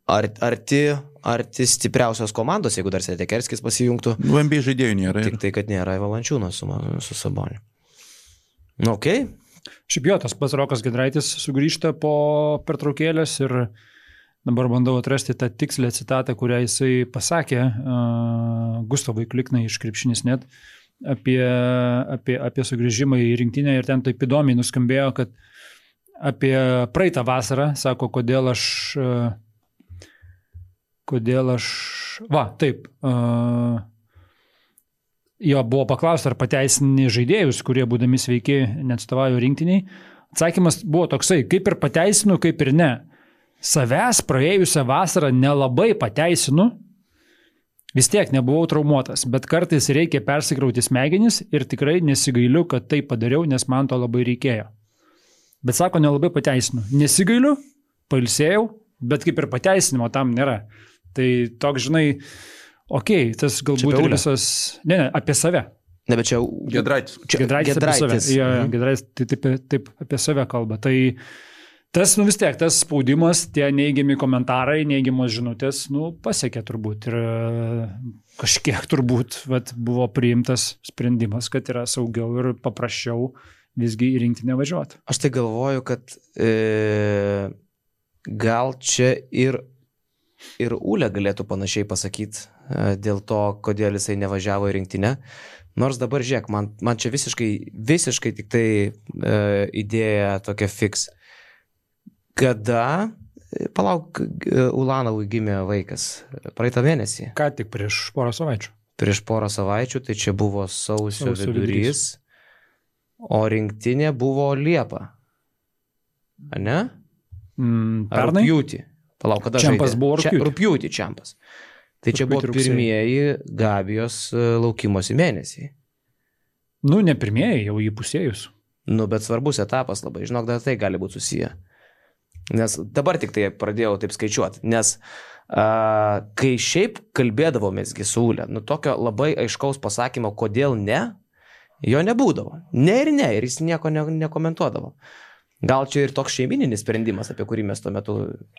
[SPEAKER 3] Arti stipriausios komandos, jeigu dar Setekerskis pasijungtų.
[SPEAKER 1] NBA žaidėjų nėra.
[SPEAKER 3] Tik tai, kad nėra Valančiūnas su Saboniu. Okay.
[SPEAKER 2] Šiaip jo, tas pats Rokas Giedraitis sugrįžta po pertraukėlės ir dabar bandau atrasti tą tikslę citatą, kurią jisai pasakė Gustavui Kliknai iš Krepšinis.net apie sugrįžimą į rinktinę ir ten taip įdomiai nuskambėjo, kad apie praeitą vasarą, sako, kodėl aš jo buvo paklausta, ar pateisini žaidėjus, kurie būdami sveiki neatstovauja rinktiniai. Atsakymas buvo toksai, kaip ir pateisinu, kaip ir ne. Savęs praėjusią vasarą nelabai pateisinu, vis tiek nebuvau traumuotas, bet kartais reikia persikrauti smegenis ir tikrai nesigailiu, kad tai padariau, nes man to labai reikėjo. Bet sako, nelabai pateisinu. Nesigailiu, pailsėjau, bet kaip ir pateisinimo tam nėra. Tai toks, žinai, okei, tas galbūt ir visas... Ne, apie save.
[SPEAKER 3] Ne, bet čia...
[SPEAKER 1] Giedraitis.
[SPEAKER 2] Giedraitis apie save. Giedraitis taip apie save kalba. Tai tas, vis tiek, tas spaudimas, tie neigiami komentarai, neigiamos žinutės, pasiekė turbūt. Ir kažkiek turbūt buvo priimtas sprendimas, kad yra saugiau ir paprasčiau visgi į rinktinę važiuoti.
[SPEAKER 3] Aš tai galvoju, kad gal čia ir Ūlė galėtų panašiai pasakyti dėl to, kodėl jisai nevažiavo į rinktinę. Nors dabar, žiūrėk, man čia visiškai tik tai idėja tokia fix. Kada, palauk, Ulanovui gimė vaikas praeitą mėnesį.
[SPEAKER 2] Ką tik prieš porą savaičių.
[SPEAKER 3] Prieš porą savaičių, tai čia buvo sausio vidurys, o rinktinė buvo Liepa. A ne?
[SPEAKER 2] Pernai?
[SPEAKER 3] Rugpjūtį. Palauk, kada
[SPEAKER 2] Čempas
[SPEAKER 3] žaidė?
[SPEAKER 2] Buvo rugpjūtį.
[SPEAKER 3] Rugpjūtį Čempas. Tai čia buvo pirmieji Gabijos laukimosi mėnesiai.
[SPEAKER 2] Ne pirmieji, jau įpusėjus.
[SPEAKER 3] Bet svarbus etapas labai. Žinok, dar tai gali būti susiję. Nes dabar tik tai pradėjau taip skaičiuoti. Nes kai šiaip kalbėdavomėsgi su Ūle, tokio labai aiškaus pasakymo, kodėl ne, jo nebūdavo. Ne, ir jis nieko nekomentuodavo. Gal čia ir toks šeimininis sprendimas, apie kurį mes tuo metu...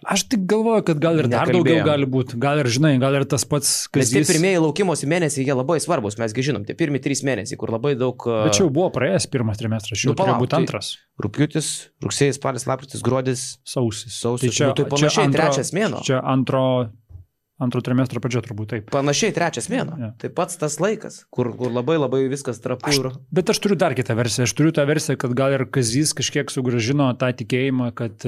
[SPEAKER 2] Aš tik galvoju, kad gal ir dar daugiau gali būti. Gal ir, žinai, gal ir tas pats...
[SPEAKER 3] Nes tie pirmieji laukimosi mėnesiai, jie labai svarbus, mesgi žinom, tie pirmi 3 mėnesiai, kur labai daug...
[SPEAKER 2] Bet čia jau buvo praėjęs pirmas trimestras, jau turėjo būti antras.
[SPEAKER 3] Rugpjūtis, rugsėjis, spalis, lapkritis, gruodis,
[SPEAKER 2] sausis.
[SPEAKER 3] Tai čia panašiai trečias mėnuo.
[SPEAKER 2] Čia antro trimestro pradžia turbūt taip.
[SPEAKER 3] Panašiai trečias mėnuo. Ja. Tai pats tas laikas, kur labai labai viskas trapu.
[SPEAKER 2] Bet aš turiu dar kitą versiją. Aš turiu tą versiją, kad gal ir Kazys kažkiek sugrąžino tą tikėjimą, kad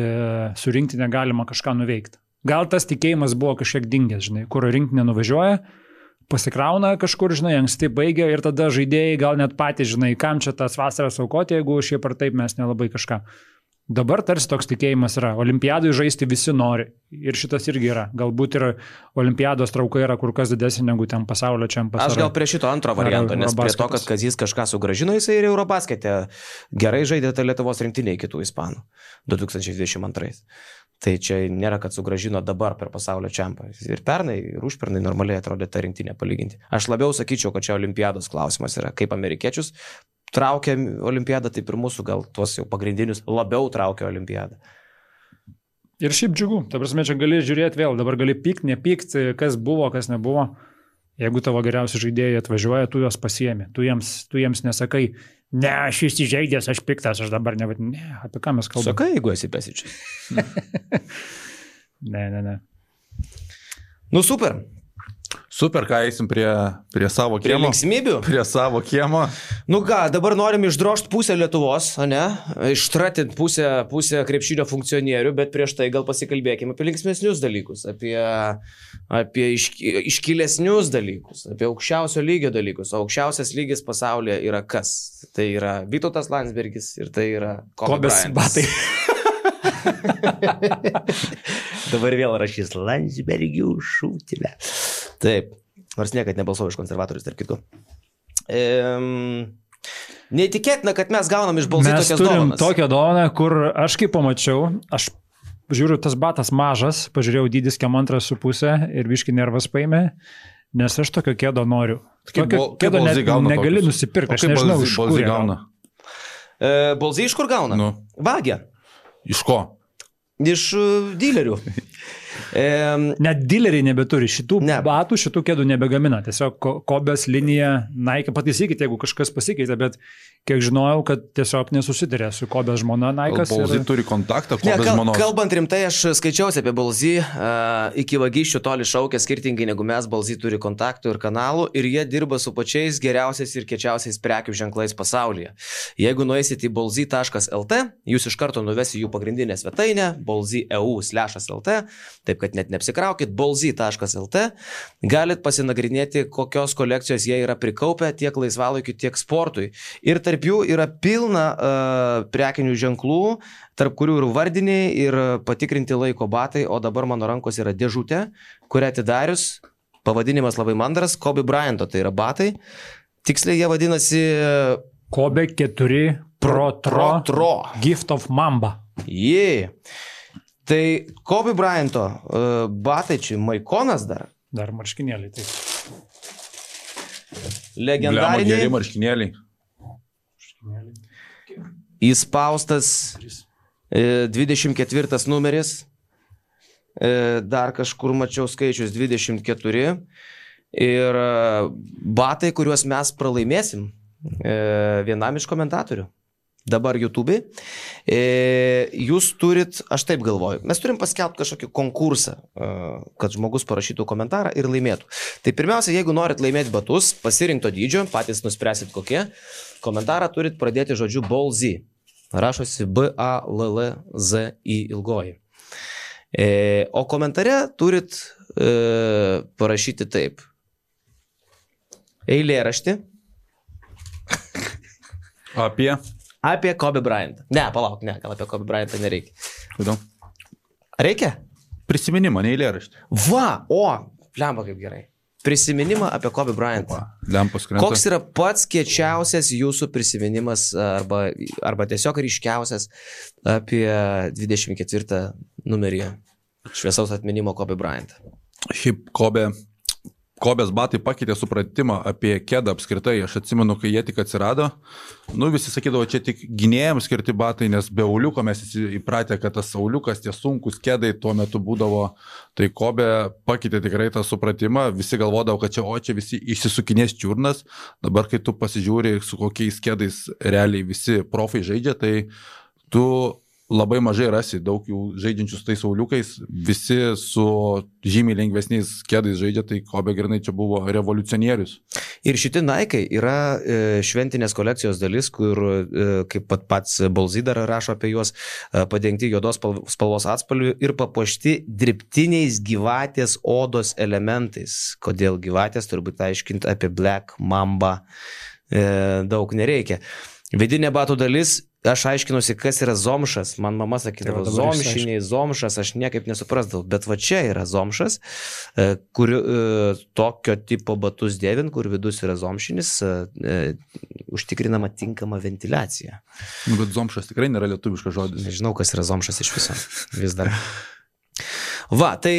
[SPEAKER 2] su rinktinė galima kažką nuveikti. Gal tas tikėjimas buvo kažkiek dingęs, žinai, kur rinktinė nuvažiuoja, pasikrauna kažkur, žinai, anksti baigia ir tada žaidėjai gal net patys, žinai, kam čia tas vasaras aukoti, jeigu šiaip ar taip mes nelabai kažką. Dabar tarsi toks tikėjimas yra. Olimpiadai žaisti visi nori. Ir šitas irgi yra. Galbūt ir olimpiados trauka yra kur kas didesnė negu ten pasaulio čempionatas.
[SPEAKER 3] Aš gal prie šito antro varianto, nes prie to, kad Kazys kažką sugrąžino, jisai ir Eurobaskete gerai žaidė tą Lietuvos rinktinę kitų ispanų 2022. Tai čia nėra, kad sugrąžino dabar per pasaulio čempionatą. Ir pernai, ir užpernai normaliai atrodė tą rinktinę palyginti. Aš labiau sakyčiau, kad čia olimpiados klausimas yra, kaip amerikiečius traukia olimpiadą, taip ir mūsų gal tuos jau pagrindinius labiau traukia olimpiadą.
[SPEAKER 2] Ir šiaip džiugu. Ta prasme, čia gali žiūrėti vėl. Dabar gali pykt, nepykt, kas buvo, kas nebuvo. Jeigu tavo geriausi žaidėjai atvažiuoja, tu juos pasiemi. Tu jiems nesakai, ne, aš įsižeidęs, aš piktas, aš dabar nevadinu. Ne, apie ką mes kalbame?
[SPEAKER 3] Sakai, jeigu esi Pesičius.
[SPEAKER 2] Ne.
[SPEAKER 3] Super.
[SPEAKER 1] Super, ką eisim prie savo kiemo.
[SPEAKER 3] Prie linksmybių?
[SPEAKER 1] Prie savo kiemo.
[SPEAKER 3] Dabar norim išdrošti pusę Lietuvos, ne? Ištratint pusę krepšinio funkcionierių, bet prieš tai gal pasikalbėkime apie linksmesnius dalykus, apie iškilesnius dalykus, apie aukščiausio lygio dalykus. O aukščiausias lygis pasaulyje yra kas? Tai yra Vytautas Landsbergis ir tai yra Kobe Bryantas. Dabar vėl rašys Landsbergių šūtilę. Taip, nors niekad nebalsau iš konservatorius, tarp kitko. Neįtikėtina, kad mes gaunam iš balsai tokias dovanas.
[SPEAKER 2] Mes turim tokią dovaną, kur aš kaip pamačiau, aš žiūriu, tas batas mažas, pažiūrėjau dydis kiam 2,5 ir biškį nervas paėmė, nes aš tokio kėdo noriu. Tokio kėdo negali nusipirkti, aš nežinau, iš kur gauna.
[SPEAKER 3] Balsai iš kur gauna? Vagia.
[SPEAKER 1] Iš ko?
[SPEAKER 3] Iš dilerių.
[SPEAKER 2] Net dileriai nebeturi šitų batų, šitų kėdų nebegamina. Tiesiog Kobės linija, Nike, pataisykite, jeigu kažkas pasikeitė, bet kiek žinojau, kad tiesiog nesusitarė su Kobės žmona Nike'as.
[SPEAKER 1] Balzy turi kontaktą Kobės žmonos.
[SPEAKER 3] Kalbant rimtai, aš skaičiausi apie Balzy, iki vagysčių toli šaukia skirtingai negu mes, Balzy turi kontaktų ir kanalų ir jie dirba su pačiais geriausiais ir kečiausiais prekių ženklais pasaulyje. Jeigu nueisit į balzy.lt, jūs iš karto nuvesi jų pagrindinę svetainę, balzy.eu/lt, taip kad net neapsikraukit, balzy.lt, galit pasinagrinėti, kokios kolekcijos jie yra prikaupę tiek laisvalaikiu, tiek sportui. Ir tarp jų yra pilna prekinių ženklų, tarp kurių ir vardiniai, ir patikrinti laiko batai, o dabar mano rankos yra dėžutė, kurią atidarius, pavadinimas labai mandras, Kobe Bryanto, tai yra batai. Tiksliai jie vadinasi
[SPEAKER 2] Kobe 4 Pro Gift of Mamba.
[SPEAKER 3] Tai Kobe Bryanto batai čia Maikonas dar.
[SPEAKER 2] Dar marškinėliai, taip.
[SPEAKER 3] Legendariniai.
[SPEAKER 1] Geri marškinėliai.
[SPEAKER 3] Įspaustas 24 numeris. Dar kažkur mačiau skaičius 24. Ir batai, kuriuos mes pralaimėsim vienam iš komentatorių. Dabar YouTube. Jūs turit, aš taip galvoju, mes turim paskelbti kažkokį konkursą, kad žmogus parašytų komentarą ir laimėtų. Tai pirmiausia, jeigu norit laimėti batus, pasirinkto dydžio, patys nuspręsit kokie, komentarą turit pradėti žodžiu Balzy. Rašosi B-A-L-L-Z-I ilgoji. O komentare turit parašyti taip. Eilėraštį. Apie Kobe Bryantą. Ne, palauk, gal apie Kobe Bryantą nereikia.
[SPEAKER 1] Kodėl?
[SPEAKER 3] Reikia?
[SPEAKER 1] Prisiminimą, ne eilėraštį.
[SPEAKER 3] Lemba kaip gerai. Prisiminimą apie Kobe Bryantą.
[SPEAKER 1] Lempas krenta.
[SPEAKER 3] Koks yra pats kiečiausias jūsų prisiminimas arba tiesiog ryškiausias apie 24 numerį šviesaus atminimo Kobe Bryantą?
[SPEAKER 1] Šiaip Kobės batai pakeitė supratimą apie kedą apskritai. Aš atsimenu, kai jie tik atsirado, visi sakydavo, čia tik gynėjams skirti batai, nes be auliuko mes įpratę, kad tas auliukas, tie sunkus kedai tuo metu būdavo. Tai Kobė pakeitė tikrai tą supratimą. Visi galvodavo, kad čia visi išsisukinės čiurnas. Dabar, kai tu pasižiūri, su kokiais kedais realiai visi profai žaidžia, tai tu labai mažai rasi daug jų žaidžiančių su tais auliukais, visi su žymiai lengvesniais kedais žaidžia, tai Kobe grinai čia buvo revoliucionierius.
[SPEAKER 3] Ir šitie Nike yra šventinės kolekcijos dalis, kur, kaip pats Balzy dar rašo apie juos, padengti juodos spalvos atspalvių ir papuošti dirbtiniais gyvatės odos elementais. Kodėl gyvatės, turbūt aiškinti apie Black Mamba daug nereikia. Vidinė batų dalis, aš aiškinusi, kas yra zomšas. Man mama sakydavo, zomšiniai, zomšas, aš niekaip nesuprasdavau. Bet va čia yra zomšas, kur tokio tipo batus dėvint, kur vidus yra zomšinis, užtikrinama tinkama ventiliacija.
[SPEAKER 1] Bet zomšas tikrai nėra lietuviškas žodis.
[SPEAKER 3] Nežinau, kas yra zomšas iš viso. Vis dar. Tai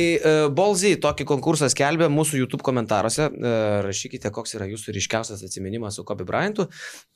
[SPEAKER 3] Balzy tokį konkursą skelbė mūsų YouTube komentaruose. Rašykite, koks yra jūsų ryškiausias atsiminimas su Kobe Bryantu.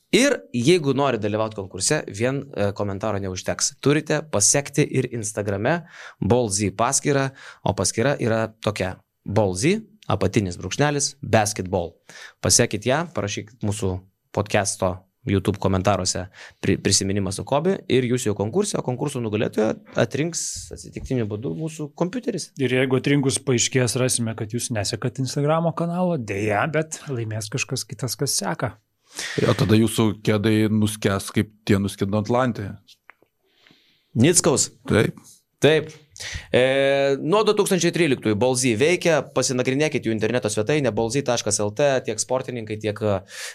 [SPEAKER 3] Ir jeigu nori dalyvauti konkurse, vien komentaro neužteks. Turite pasekti ir Instagrame Balzy paskyrą, o paskyra yra tokia: Balzy, apatinis brūkšnelis, basketball. Pasekit ją, parašykit mūsų podcast'o YouTube komentaruose prisiminimas su Kobe ir jūs jau konkursą, o konkursų nugalėtoją atrinks atsitiktiniu būdu mūsų kompiuteris.
[SPEAKER 2] Ir jeigu atrinkus paaiškės, rasime, kad jūs nesekat Instagramo kanalo, dėja, bet laimės kažkas kitas, kas seka.
[SPEAKER 1] O tada jūsų kedai nuskęs, kaip tie nuskendo Atlantėje.
[SPEAKER 3] Nickaus. Taip. Nuo 2013 Balzy veikia, pasinagrinėkit jų interneto svetainę balzy.lt, tiek sportininkai, tiek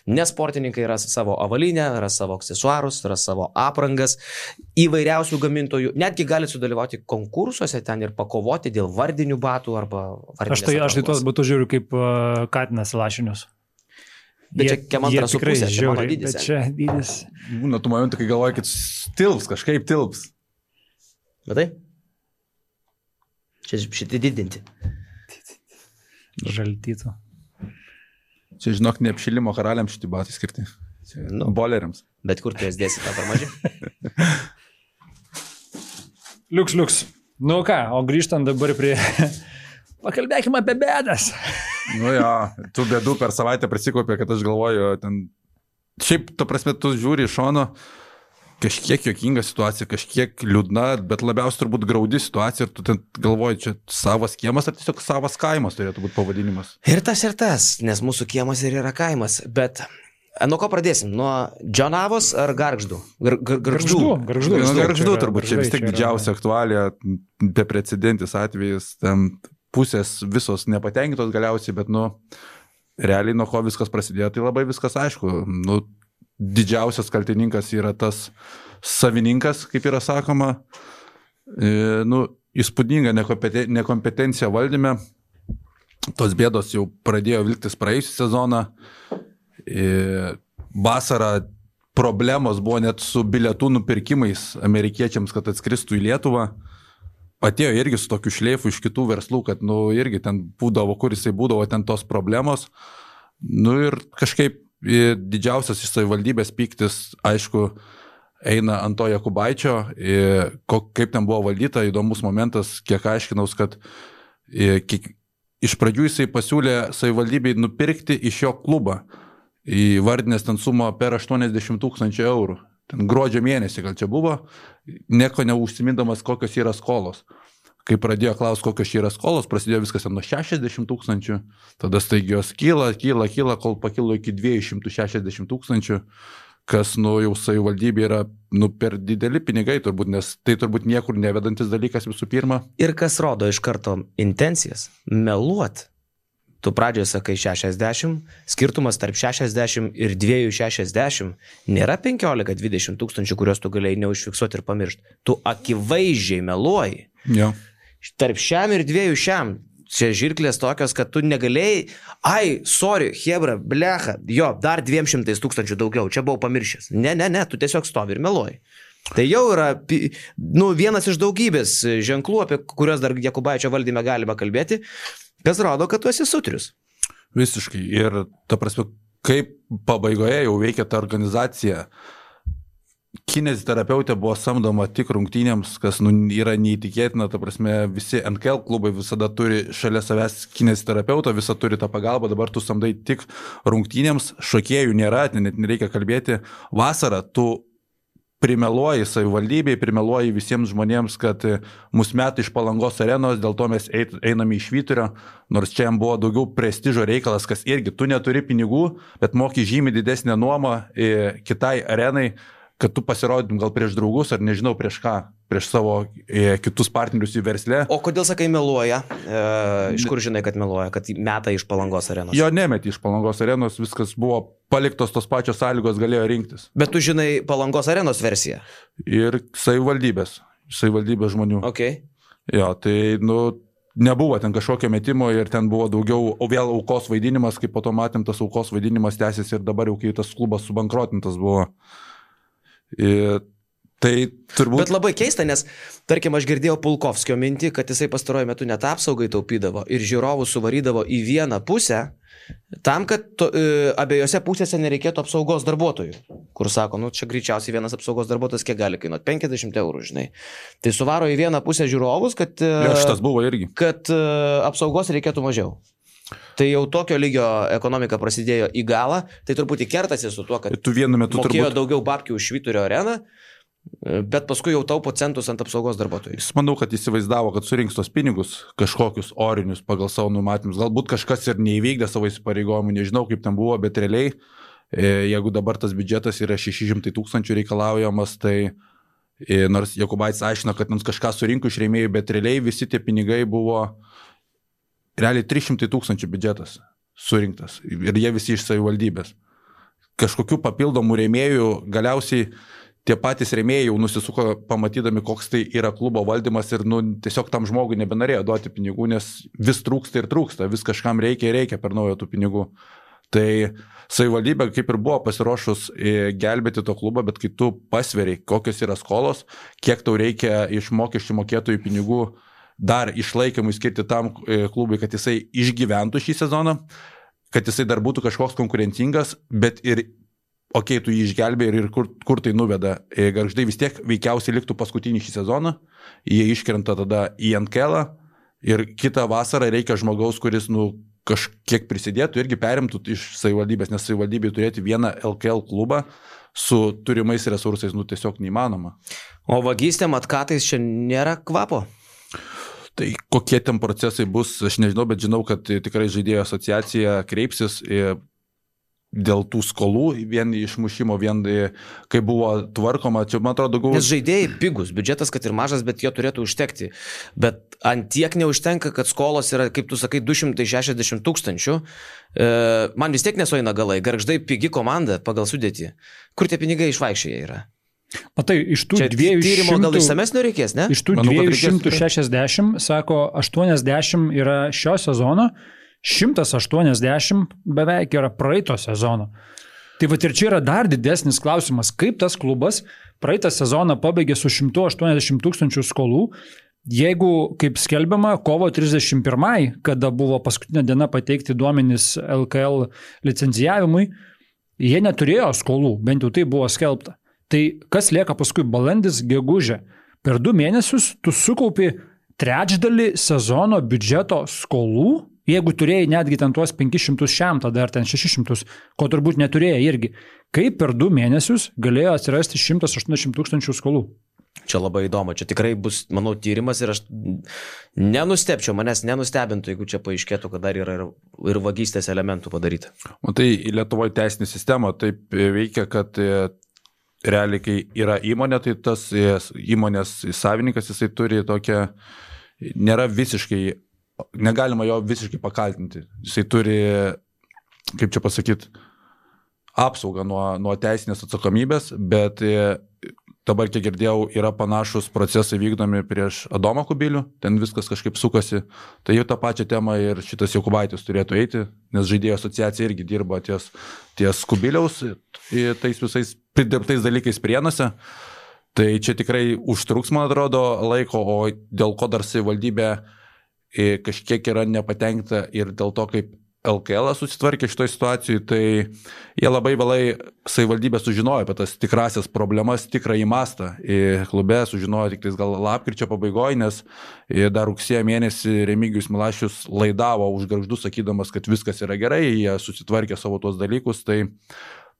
[SPEAKER 3] nesportininkai ras savo avalinę, ras savo aksesuarus, ras savo aprangas, įvairiausių gamintojų, netgi galite sudalyvauti konkursuose ten ir pakovoti dėl vardinių batų arba vardinės aprangos. Aš
[SPEAKER 2] tai tuos batus žiūriu kaip katinas lašinius.
[SPEAKER 3] Bet čia kem antras su pusė, čia mano dydis.
[SPEAKER 2] Bet čia dydis.
[SPEAKER 1] Būna tų momentų, kai galvoja, kad tilps, kažkaip tilps.
[SPEAKER 3] Matai? Čia šitai didinti.
[SPEAKER 2] Žaltytų.
[SPEAKER 1] Čia, žinok, ne apšilimo karaliams šitai batai skirti. Boleriams.
[SPEAKER 3] Bet kur tu jas dėsi, tą per mažai?
[SPEAKER 2] Liuks. Nu ką, o grįžtant dabar prie... Pakalbėkime apie bėdas.
[SPEAKER 1] Nu jo, tų bėdų per savaitę prisikopė, kad aš galvoju, ten... Šiaip, ta prasme, tu žiūri iš šono, kažkiek juokinga situacija, kažkiek liūdna, bet labiausiai turbūt graudi situacija ir tu ten galvoji, čia savas kiemas ar tiesiog savas kaimas turėtų būti pavadinimas.
[SPEAKER 3] Ir tas, nes mūsų kiemas ir yra kaimas, bet... Nuo ko pradėsim? Nuo Džonavos ar Gargždų?
[SPEAKER 1] Gargždų turbūt čia vis tiek didžiausia aktualija, beprecedentis atvejis, ten pusės visos nepatenkintos galiausiai, bet, realiai nuo ko viskas prasidėjo, tai labai viskas aišku. Didžiausias kaltininkas yra tas savininkas, kaip yra sakoma, įspūdinga nekompetencija valdyme. Tos bėdos jau pradėjo vilktis praėjusią sezoną. Vasarą problemos buvo net su bilietų nupirkimais amerikiečiams, kad atskristų į Lietuvą. Atėjo irgi su tokiu šleifu iš kitų verslų, kad irgi ten būdavo, kur jisai būdavo, ten tos problemos. Ir kažkaip didžiausias iš savivaldybės pyktis, aišku, eina ant to Jakubaičio, kaip ten buvo valdyta, įdomus momentas, kiek aiškinaus, kad iš pradžių jisai pasiūlė savivaldybei nupirkti iš jo klubą. Įvardinės ten sumą per 80 000 eurų. Ten gruodžio mėnesį gal čia buvo, nieko neužsimindamas, kokios yra skolos. Kai pradėjo klausti, kokios yra skolos, prasidėjo viskas nuo 60 000, tada staigios kyla, kol pakilo iki 260 000, kas jau savivaldybė yra per dideli pinigai turbūt, nes tai turbūt niekur nevedantis dalykas visų pirma.
[SPEAKER 3] Ir kas rodo iš karto intencijas? Meluot. Tu pradžioje sakai 60, skirtumas tarp 60 ir 260 nėra 15-20 tūkstančių, kuriuos tu galėjai neužfiksuoti ir pamiršti. Tu akivaizdžiai meluoji.
[SPEAKER 1] Ja.
[SPEAKER 3] Tarp šiam ir 200. Čia žirklės tokios, kad tu negalėjai, sorry, hebra, blecha, dar 200 000 daugiau, čia buvau pamiršęs. Ne, tu tiesiog stovi ir meluoji. Tai jau yra vienas iš daugybės ženklų, apie kuriuos dar Jakubaičio valdyme galima kalbėti, kas rodo, kad tu esi sutrius.
[SPEAKER 1] Visiškai. Ir ta prasme, kaip pabaigoje jau veikia ta organizacija, kineziterapeutė buvo samdoma tik rungtynėms, kas yra neįtikėtina, ta prasme, visi NKL klubai visada turi šalia savęs kineziterapeutą, visą turi tą pagalbą, dabar tu samdai tik rungtynėms, šokėjų nėra, net nereikia kalbėti. Vasarą tu primeluoji savivaldybei, primeluoji visiems žmonėms, kad mus meta iš Palangos arenos, dėl to mes einame iš Švyturio, nors čia jam buvo daugiau prestižo reikalas, kas irgi tu neturi pinigų, bet moki žymiai didesnę nuomą kitai arenai, kad tu pasirodytum gal prieš draugus ar nežinau prieš ką, prieš savo kitus partnerius į versle.
[SPEAKER 3] O kodėl sakai meluoja? Iš kur žinai, kad meluoja, kad meta iš Palangos arenos?
[SPEAKER 1] Jo nemeti iš Palangos arenos, viskas buvo paliktos tos pačios sąlygos, galėjo rinktis.
[SPEAKER 3] Bet tu žinai Palangos arenos versiją?
[SPEAKER 1] Ir savivaldybės žmonių.
[SPEAKER 3] Okay.
[SPEAKER 1] Jo, tai nebuvo ten kažkokio metimo ir ten buvo daugiau, o vėl aukos vaidinimas, kaip po to matėm, tas aukos vaidinimas tęsiasi ir dabar jau kai tas klubas subankrotintas buvo. Tai turbūt...
[SPEAKER 3] Bet labai keista, nes, tarkim, aš girdėjau Pulkovskio mintį, kad jisai pastaruoju metu net apsaugai taupydavo ir žiūrovų suvarydavo į vieną pusę, tam, kad abiejose pusėse nereikėtų apsaugos darbuotojų. Kur sako, čia greičiausiai vienas apsaugos darbuotojas kiek gali kainuoti? 50 eurų, žinai. Tai suvaro į vieną pusę žiūrovus, kad...
[SPEAKER 1] Šitas buvo irgi.
[SPEAKER 3] Kad apsaugos reikėtų mažiau. Tai jau tokio lygio ekonomika prasidėjo į galą, tai turbūt įkertasi su tuo, kad mokėjo daugiau babkių už Švyturio areną, bet paskui jau taupo centus ant apsaugos darbuotojų.
[SPEAKER 1] Jis manau, kad įsivaizdavo, kad surinks tos pinigus, kažkokius orinius pagal savo numatymus. Galbūt kažkas ir neįvykdė savo įsipareigojimų, nežinau kaip ten buvo, bet realiai, jeigu dabar tas biudžetas yra 600 000 reikalaujamas, tai nors Jakubaitis aiškino, kad mums kažką surinko iš rėmėjų, bet realiai visi tie pinigai buvo... Realiai 300 000 biudžetas surinktas ir jie visi iš savivaldybės. Kažkokių papildomų rėmėjų galiausiai tie patys rėmėjai jau nusisuko pamatydami, koks tai yra klubo valdymas ir tiesiog tam žmogui nebenorėjo duoti pinigų, nes vis trūksta ir trūksta, vis kažkam reikia per naujo tų pinigų. Tai savivaldybė kaip ir buvo pasiruošus gelbėti to klubą, bet kai tu pasveri, kokios yra skolos, kiek tau reikia iš mokesčių mokėtojų pinigų dar išlaikymui skirti tam klubui, kad jisai išgyventų šį sezoną, kad jisai dar būtų kažkoks konkurencingas, bet ir tu jį išgelbėjai ir kur tai nuveda. Gargždai vis tiek veikiausiai liktų paskutinį šį sezoną, jie iškrenta tada į NKL ir kitą vasarą reikia žmogaus, kuris, kažkiek prisidėtų, irgi perimtų iš savivaldybės, nes savivaldybė turėti vieną LKL klubą su turimais resursais, tiesiog neįmanoma.
[SPEAKER 3] O vagystėm atkatais čia nėra kvapo?
[SPEAKER 1] Tai kokie ten procesai bus, aš nežinau, bet žinau, kad tikrai žaidėjų asociacija kreipsis dėl tų skolų, vien išmušimo, vien kai buvo tvarkoma, čia man atrodo daugiau.
[SPEAKER 3] Nes žaidėjai pigus, biudžetas kad ir mažas, bet jo turėtų užtekti. Bet ant tiek neužtenka, kad skolos yra, kaip tu sakai, 260 000. Man vis tiek nesueina galai, Gargždai pigi komanda pagal sudėtį. Kur tie pinigai išvaikščiai yra?
[SPEAKER 2] Matai, iš tų 200...
[SPEAKER 3] Tyrimo gal išsamesnio reikės, ne?
[SPEAKER 2] Iš tų 260, sako, 80 yra šio sezono, 180 beveik yra praeito sezono. Tai va ir čia yra dar didesnis klausimas, kaip tas klubas praeitą sezoną pabaigė su 180 000 skolų, jeigu, kaip skelbiama, kovo 31, kada buvo paskutinė diena pateikti duomenys LKL licencijavimui, jie neturėjo skolų, bent jau tai buvo skelbta. Tai kas lieka paskui balandis, gegužė? Per 2 mėnesius tu sukaupi trečdalį sezono biudžeto skolų, jeigu turėjai netgi ten tuos 500 šiam, tada ar ten 600, ko turbūt neturėjai irgi. Kaip per 2 mėnesius galėjo atsirasti 180 000 skolų?
[SPEAKER 3] Čia labai įdomu, čia tikrai bus, manau, tyrimas ir aš nenustebčiau, manęs nenustebintų, jeigu čia paaiškėtų, kad dar yra ir vagystės elementų padaryta.
[SPEAKER 1] O tai Lietuvoje teisinė sistema taip veikia, kad realiai, kai yra įmonė, tai tas įmonės savininkas, jisai turi tokią, nėra visiškai, negalima jo visiškai pakaltinti. Jisai turi, kaip čia pasakyti, apsaugą nuo teisinės atsakomybės, bet dabar, kiek girdėjau, yra panašus procesai vykdomi prieš Adomą Kubilių, ten viskas kažkaip sukasi. Tai jau tą pačią temą ir šitas Jokubaitis turėtų eiti, nes žaidėjų asociacija irgi dirba ties Kubiliaus, tais visais pridirbtais dalykais Prienuose. Tai čia tikrai užtruks, man atrodo, laiko, o dėl ko dar savivaldybė kažkiek yra nepatenkta ir dėl to, kaip LKL susitvarkė šitoje situacijoje, tai jie labai vėlai savivaldybė sužinojo apie tas tikrasias problemas, tikrąjį mastą. Klube sužinojo tik gal lapkričio pabaigoje, nes dar rugsėjo mėnesį Remigijus Milašius laidavo už Gargždus, sakydamas, kad viskas yra gerai, jie susitvarkė savo tuos dalykus, tai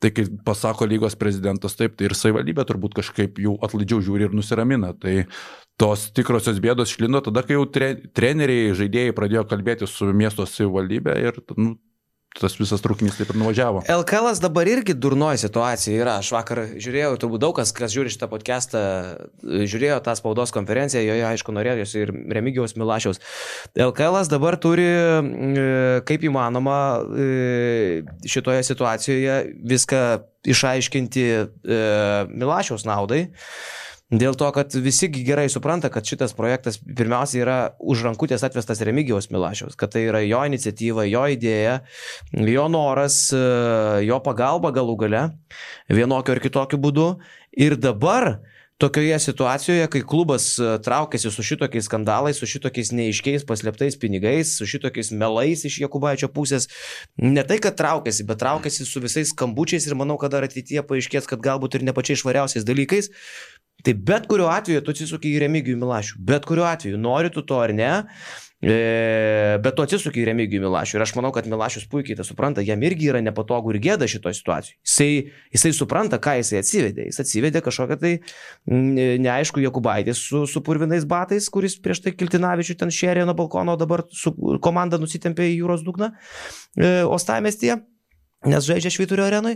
[SPEAKER 1] kai pasako lygos prezidentas taip, tai ir savivaldybė turbūt kažkaip jų atlaidžiau žiūri ir nusiramina. Tai tos tikrosios bėdos išlindo tada, kai jau treneriai, žaidėjai pradėjo kalbėti su miesto savivaldybė ir tas visas trūkinys taip ir nuvažiavo.
[SPEAKER 3] LKL dabar irgi durnoji situacija yra. Aš vakar žiūrėjau, turbūt daug kas žiūri šitą podcastą, žiūrėjo tą spaudos konferenciją, joje aišku norėjosi ir Remigijaus Milašiaus. LKL dabar turi, kaip įmanoma, šitoje situacijoje viską išaiškinti Milašiaus naudai. Dėl to, kad visi gerai supranta, kad šitas projektas pirmiausia yra už rankutės atvestas Remigijaus Milašiaus, kad tai yra jo iniciatyva, jo idėja, jo noras, jo pagalba galų gale, vienokio ir kitokiu būdu. Ir dabar tokioje situacijoje, kai klubas traukiasi su šitokiais skandalais, su šitokiais neiškiais paslėptais pinigais, su šitokiais melais iš Jokubaičio pusės, ne tai, kad traukiasi, bet traukiasi su visais skambučiais ir manau, kad dar ateityje paaiškės, kad galbūt ir ne pačiais švariausiais dalykais. Tai bet kuriuo atveju tu atsisuki į Remigijų Milašių, bet kuriuo atveju, nori tu to ar ne, bet tu atsisuki į Remigijų Milašių ir aš manau, kad Milašius puikiai tai supranta, jam irgi yra nepatogu ir gėda šitoje situacijoje. Jisai supranta, ką jisai atsivedė. Jis atsivedė kažkokią tai neaišku Jokubaitį su purvinais batais, kuris prieš tai Kiltinavičių ten šėrė nuo balkono, dabar su komanda nusitempė į jūros dugną Uostamiestyje, nes žaidžia Švyturio arenui.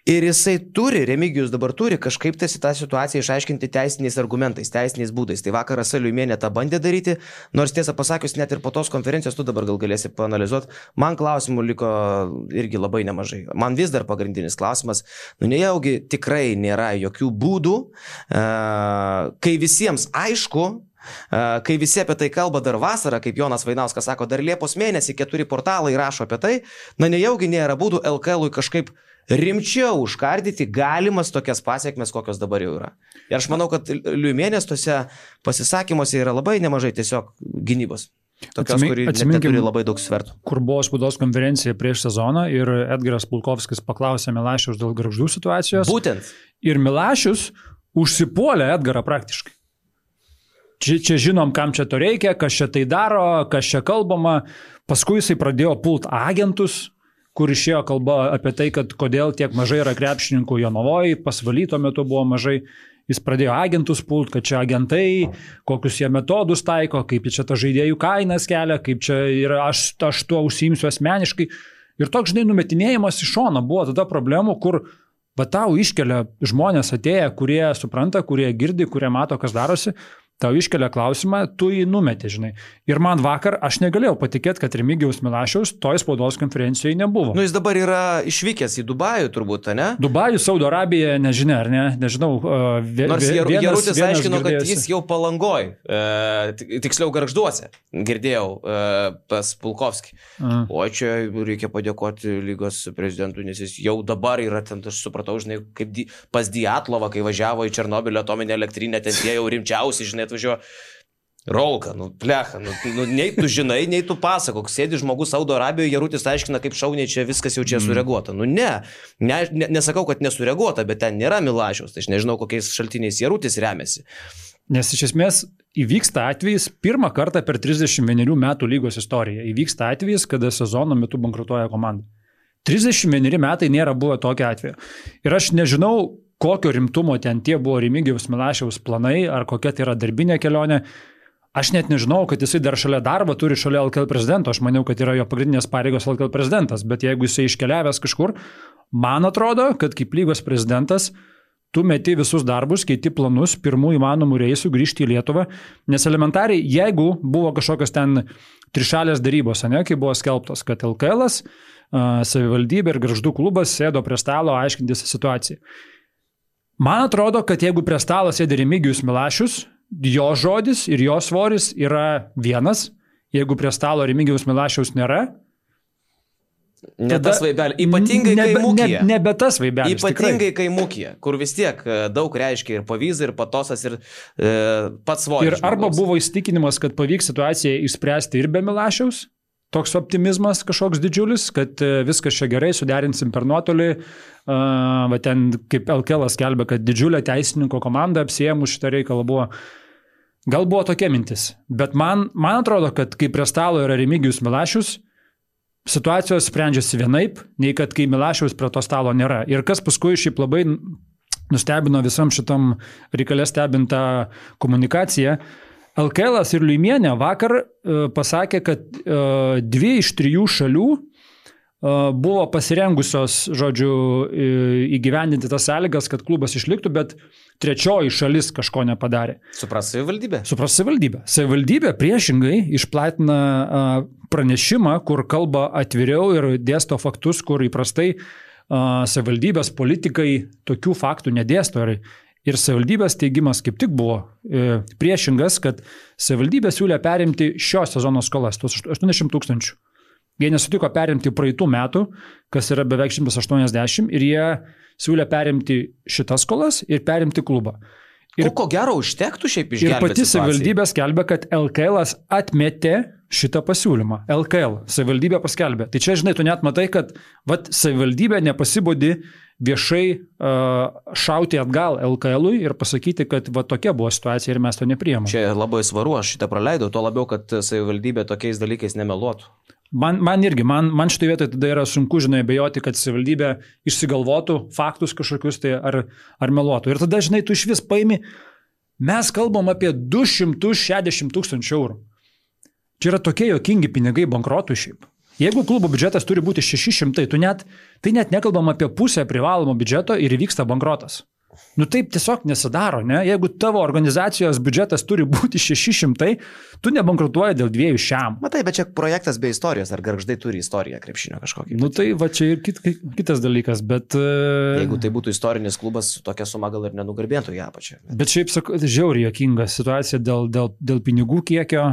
[SPEAKER 3] Ir jisai turi, Remigijus dabar turi kažkaip tą situaciją išaiškinti teisiniais argumentais, teisiniais būdais. Tai vakar Rasa Liuimienė tą bandė daryti, nors tiesą pasakius, net ir po tos konferencijos tu dabar gal galėsi paanalizuoti. Man klausimų liko irgi labai nemažai. Man vis dar pagrindinis klausimas, nejaugi tikrai nėra jokių būdų, kai visiems aišku, kai visi apie tai kalba dar vasarą, kaip Jonas Vainauskas sako, dar Liepos mėnesį 4 portalai rašo apie tai, nejaugi nėra būdų LKL-ui kažkaip rimčiau užkardyti galimas tokias pasiekmes, kokios dabar jau yra. Ir aš manau, kad Liuimienės tose pasisakymuose yra labai nemažai tiesiog gynybos. Tokios, kuri neturi labai daug svertų.
[SPEAKER 2] Kur buvo spaudos konferencija prieš sezoną ir Edgaras Pulkovskis paklausė Milašiaus dėl Gargždų situacijos.
[SPEAKER 3] Būtent.
[SPEAKER 2] Ir Milašius užsipuolė Edgarą praktiškai. Čia žinom, kam čia to reikia, kas čia tai daro, kas čia kalbama. Paskui jisai pradėjo pult agentus, kur išėjo kalba apie tai, kad kodėl tiek mažai yra krepšininkų Jonavoje, Pasvaly tuo metu buvo mažai. Jis pradėjo agentus pult, kad čia agentai, kokius jie metodus taiko, kaip čia ta žaidėjų kainas kelia, kaip čia yra, aš tuo užsiimsiu asmeniškai. Ir toks, žinai, numetinėjimas iš šono buvo tada problemų, kur tau iškelia žmonės atėję, kurie supranta, kurie girdi, kurie mato, kas darosi. Tau iškelia klausimą, tu jį numeti, žinai. Ir man vakar aš negalėjau patikėti, kad Remigijaus Milašiaus toj spaudos konferencijoje nebuvo.
[SPEAKER 3] Nu, jis dabar yra išvykęs į Dubajų turbūt, ne?
[SPEAKER 2] Dubajų, Saudo Arabija, nežinia, ar ne? Nežinau.
[SPEAKER 3] Nors Jarutis aiškino, kad jis jau Palangoj, tiksliau Gargžduose, girdėjau pas Pulkovskį. O čia reikia padėkoti lygos prezidentui, nes jis jau dabar yra ten, aš supratau, žinai, kaip pas Diatlovą, kai važiavo į Černobylio atominę elektrinę, ten tie jau rimčiausi, žinai, atvažiuoja Rolka, plecha, nei tu žinai, nei tu pasakok, sėdi žmogus Saudo Arabijoje, Jarutis aiškina, kaip šauniai čia viskas jau čia sureaguota. Nesakau, kad nesureaguota, bet ten nėra Milašiaus, tai aš nežinau, kokiais šaltiniais Jarutis remiasi.
[SPEAKER 2] Nes iš esmės įvyksta atvejis, pirmą kartą per 31 metų lygos istoriją, įvyksta atvejis, kada sezono metu bankrutuoja komanda. 31 metai nėra buvę tokio atveju. Ir aš nežinau, kokio rimtumo ten tie buvo Remigijaus Milašiaus planai, ar kokia tai yra darbinė kelionė. Aš net nežinau, kad jisai dar šalia darbo turi šalia LKL prezidento, aš maniau, kad yra jo pagrindinės pareigos LKL prezidentas, bet jeigu jisai iškeliavęs kažkur, man atrodo, kad kaip lygos prezidentas tu meti visus darbus, keiti planus, pirmų įmanomų reisų grįžti į Lietuvą, nes elementariai, jeigu buvo kažkokios ten trišalės darybos, ne, kai buvo skelbtos, kad LKL'as, savivaldybė ir Gargždų klubas sėdo prie stalo aiškintis situaciją. Man atrodo, kad jeigu prie stalo sėdi Remigijus Milašius, jo žodis ir jo svoris yra vienas, jeigu prie stalo Remigijaus Milašiaus nėra,
[SPEAKER 3] ne tas vaibelis, ypatingai kai Mūkija.
[SPEAKER 2] Nebe tas vaibelis.
[SPEAKER 3] Ypatingai kai Mūkija, kur vis tiek daug reiškia ir Pavyza, ir Patosas, ir pats svoris.
[SPEAKER 2] Ir arba buvo įsitikinimas, kad pavyks situaciją išspręsti ir be Milašiaus, toks optimizmas kažkoks didžiulis, kad viskas čia gerai, suderinsim per nuotolį. Ten kaip LKL skelbia, kad didžiulė teisininko komanda apsiėmus šitą reikalą buvo. Gal buvo tokia mintis, bet man atrodo, kad kai prie stalo yra Remigijus Milašius, situacijos sprendžiasi vienaip, nei kad kai Milašiaus prie to stalo nėra. Ir kas paskui šiaip labai nustebino visam šitam reikalė stebintą komunikaciją, LKL'as ir Liuimienė vakar pasakė, kad 2 iš 3 šalių buvo pasirengusios, žodžiu, įgyvendinti tas sąlygas, kad klubas išliktų, bet 3 šalis kažko nepadarė.
[SPEAKER 3] Supras savivaldybė?
[SPEAKER 2] Supras savivaldybė. Savivaldybė priešingai išplatina pranešimą, kur kalba atviriau ir dėsto faktus, kur įprastai savivaldybės politikai tokių faktų nedėsto. Ir savivaldybės teigimas kaip tik buvo priešingas, kad savivaldybė siūlė perimti šio sezono skolas, tuos 800 000. Jie nesutiko perimti praeitų metų, kas yra beveik 180, ir jie siūlė perimti šitas skolas ir perimti klubą. Ir
[SPEAKER 3] ko gero užtektų šiaip išgelbėti
[SPEAKER 2] situaciją. Ir pati savivaldybė skelbia, kad LKL'as atmetė šitą pasiūlymą. LKL savivaldybė paskelbė. Tai čia, žinai, tu net matai, kad savivaldybė nepasibodi viešai šauti atgal LKL'ui ir pasakyti, kad tokia buvo situacija ir mes to nepriėmėm.
[SPEAKER 3] Čia labai svaru, aš šitą praleidau, to labiau, kad savivaldybė tokiais dalykais nemeluotų.
[SPEAKER 2] Man irgi, man šitoje vietoje tada yra sunku, žinai, abejoti, kad savivaldybė išsigalvotų faktus kažkokius tai ar meluotų. Ir tada, žinai, tu iš vis paimi, mes kalbam apie 260 000 eurų. Čia yra tokie jokingi pinigai bankrotų šiaip. Jeigu klubo biudžetas turi būti 600, tai net nekalbam apie pusę privalomo biudžeto ir įvyksta bankrotas. Nu taip tiesiog nesidaro, ne? Jeigu tavo organizacijos biudžetas turi būti 600, tu nebankrutuoji dėl 200.
[SPEAKER 3] Matai, bet čia projektas be istorijos, ar Gargždai turi istoriją krepšinio kažkokį?
[SPEAKER 2] Nu tai va čia ir kitas dalykas, bet...
[SPEAKER 3] Jeigu tai būtų istorinis klubas, tokia suma gal ir nenugarbėtų į apačią.
[SPEAKER 2] Bet šiaip, sakau, žiauriai jokinga situacija dėl pinigų kiekio,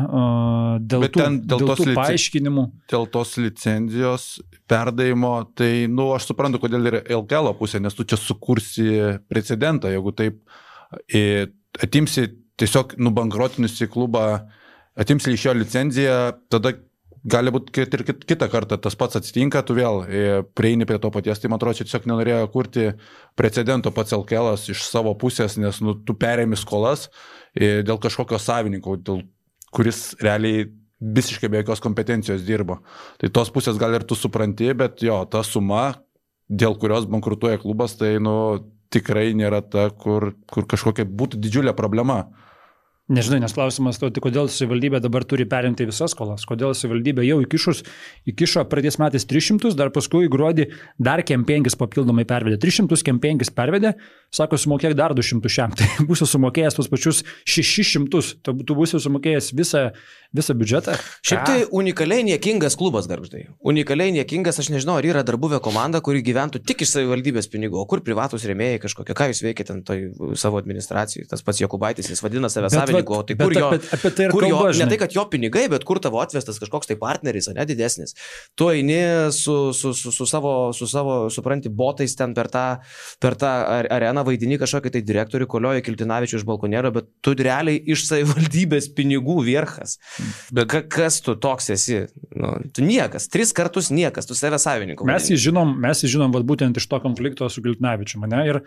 [SPEAKER 2] dėl tų paaiškinimų.
[SPEAKER 1] Dėl tos licenzijos perdavimo, tai, aš suprantu, kodėl yra LKL pusė, nes tu čia sukursi precedentą, jeigu taip atimsi tiesiog nubankrotinusi klubą atims iš jo licenciją, tada gali būti, kad ir kitą kartą tas pats atsitinka, tu vėl prieini prie to paties, tai man atrodo, čia tiesiog nenorėjo kurti precedento pats LKL iš savo pusės, nes tu perėmi skolas dėl kažkokio savininko, kuris realiai visiškai be jokios kompetencijos dirbo. Tai tos pusės gal ir tu supranti, bet jo, ta suma, dėl kurios bankrutuoja klubas, tai tikrai nėra ta, kur kažkokia būtų didžiulė problema.
[SPEAKER 2] Nežinai, nes klausimas, tai kodėl savivaldybė dabar turi perimti visas skolas, kodėl savivaldybė jau įkišo praeitais metais 300, dar paskui gruodį dar kem 5 papildomai pervedė, 300 kem 5 pervedė, sako, sumokėk dar 200 šiam, tai būsiu sumokėjęs tos pačius 600, tu būsi sumokėjęs visą biudžetą.
[SPEAKER 3] Šiaip tai unikaliai niekingas klubas, Gargždai. Unikaliai niekingas, aš nežinau, ar yra dar buvę komanda, kuri gyventų tik iš savivaldybės pinigų, o kur privatus rėmėjai kažkokie, ką jūs veikėte ant savo administracijai, tas pats Jokubaitis, jis vadina save savininku, o tai kur jo, ne tai, kad jo pinigai, bet kur tavo atvestas kažkoks tai partneris, ne didesnis. Tu eini su savo, supranti, botais ten per tą areną vaidini kažkokį tai direktorių, kolioja Kiltinavičių iš balkonėlio, bet tu realiai iš savivaldybės pinigų vierchas. Bet kas tu toks esi? Tu niekas, 3 kartus niekas, tu save savininku.
[SPEAKER 2] Mes jį žinom vat, būtent iš to konflikto su Kiltinavičiu, mane, ir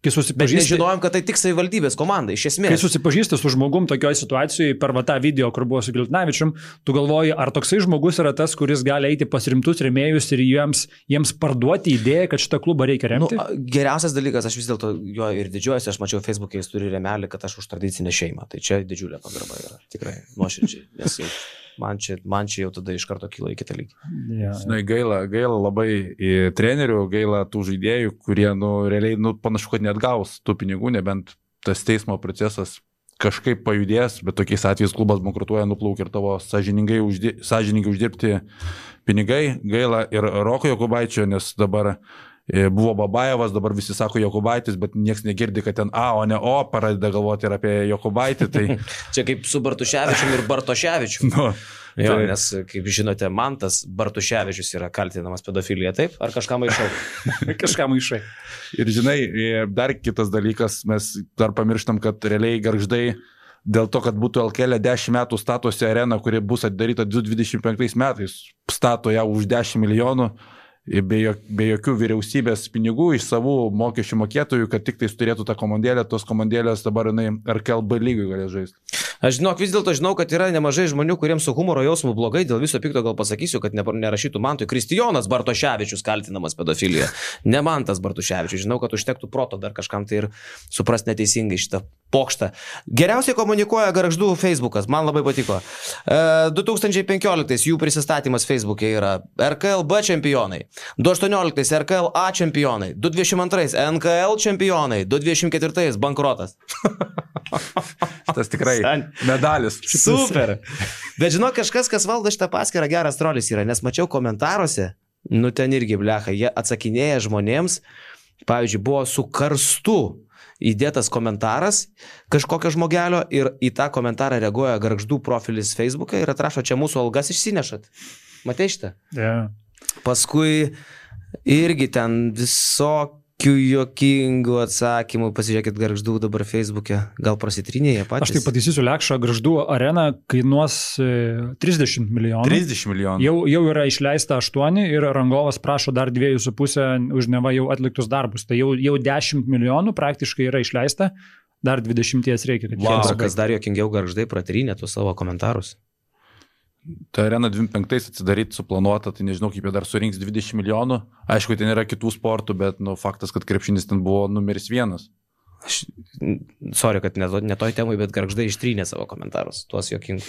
[SPEAKER 2] kai susipažįsti...
[SPEAKER 3] Bet nežinojom, kad tai tik savivaldybės komanda, iš esmės.
[SPEAKER 2] Kai susipažįsti su žmogum tokioje situacijoje per tą video, kur buvo su Kiltinavičium, tu galvoji, ar toksai žmogus yra tas, kuris gali eiti pas rimtus rėmėjus ir jiems parduoti idėją, kad šitą klubą reikia remti?
[SPEAKER 3] Geriausias dalykas, aš vis dėlto jo ir didžiuojuosi, aš mačiau Facebook'e, jis turi rėmelį, kad aš už tradicinę šeimą. Tai čia didžiulė pagarba yra, tikrai, nuoširdžiai. Nes man čia jau tada iš karto kyla į kitą lygį.
[SPEAKER 1] Žinai, gaila labai trenerių, gaila tų žaidėjų, kurie, realiai, panašu, kad net gaus tų pinigų, nebent tas teismo procesas kažkaip pajudės, bet tokiais atvejais klubas bankrutuoja, nuplaukia ir tavo sąžiningai uždirbti pinigai. Gaila ir Roko Jokubaičio, nes dabar buvo Babajevas, dabar visi sako Jokubaitis, bet nieks negirdi, kad ten A, o ne O, pradeda galvoti ir apie Jokubaitį. Tai...
[SPEAKER 3] Čia kaip su Bartuševičium ir Bartoševičium. Jo, nes, kaip žinote, Mantas Bartuševičius yra kaltinamas pedofilija, taip? Ar kažką maišau?
[SPEAKER 2] Kažką maišai.
[SPEAKER 1] Ir žinai, dar kitas dalykas, mes dar pamirštam, kad realiai Gargždai dėl to, kad būtų LKL 10 metų statosi arena, kuri bus atidaryta 2025 metais, stato ją už 10 milijonų. Be jokių vyriausybės pinigų iš savų mokesčių mokėtojų, kad tik tai turėtų tą komandėlę, tos komandėlės dabar RKL B lygui galės žaisti.
[SPEAKER 3] Aš vis dėlto žinau, kad yra nemažai žmonių, kuriems su humoro jausmu blogai, dėl viso pikto gal pasakysiu, kad nerašytų Mantui. Kristijonas Bartoševičius kaltinamas pedofilija. Ne Mantas Bartoševičius. Žinau, kad užtektų proto dar kažkam tai ir suprast neteisingai šitą pokštą. Geriausiai komunikuoja Gargždų Facebookas. Man labai patiko. 2015 jų prisistatymas Facebook'e yra RKL B čempionai. 2018 RKL A čempionai. 2022 NKL čempionai. 2024 bankrotas.
[SPEAKER 1] Tas tikrai medalis.
[SPEAKER 3] Super. Bet žinok, kažkas, kas valdo šitą paskyrą, geras trolis yra, nes mačiau komentaruose, ten irgi blecha, jie atsakinėja žmonėms, pavyzdžiui, buvo su karstu įdėtas komentaras kažkokio žmogelio ir į tą komentarą reaguoja Gargždų profilis Facebook'e ir atrašo, čia mūsų algas išsinešat. Matei šitą?
[SPEAKER 2] Yeah.
[SPEAKER 3] Paskui irgi ten visokių juokingų atsakymų, pasižiūrėkit Gargždų dabar Facebook'e, gal prasitrynėje patys.
[SPEAKER 2] Aš tai pataisysiu Lekšą, Gargždų arena kainuos 30 milijonų.
[SPEAKER 1] 30 milijonų.
[SPEAKER 2] Jau yra išleista 8 ir rangovas prašo dar 2,5 už neva jau atliktus darbus. Tai jau 10 milijonų praktiškai yra išleista, dar 20 reikia.
[SPEAKER 3] Kas dar juokingiau Gargždai pratrynė tuos savo komentarus.
[SPEAKER 1] Ta arena 25 atsidaryti suplanuota, tai nežinau, kaip jie dar surinks 20 milijonų. Aišku, ten yra kitų sportų, bet faktas, kad krepšinis ten buvo numeris 1.
[SPEAKER 3] Sorry, kad ne toj temai, bet Gargždai ištrynė savo komentarus, tuos juokingus.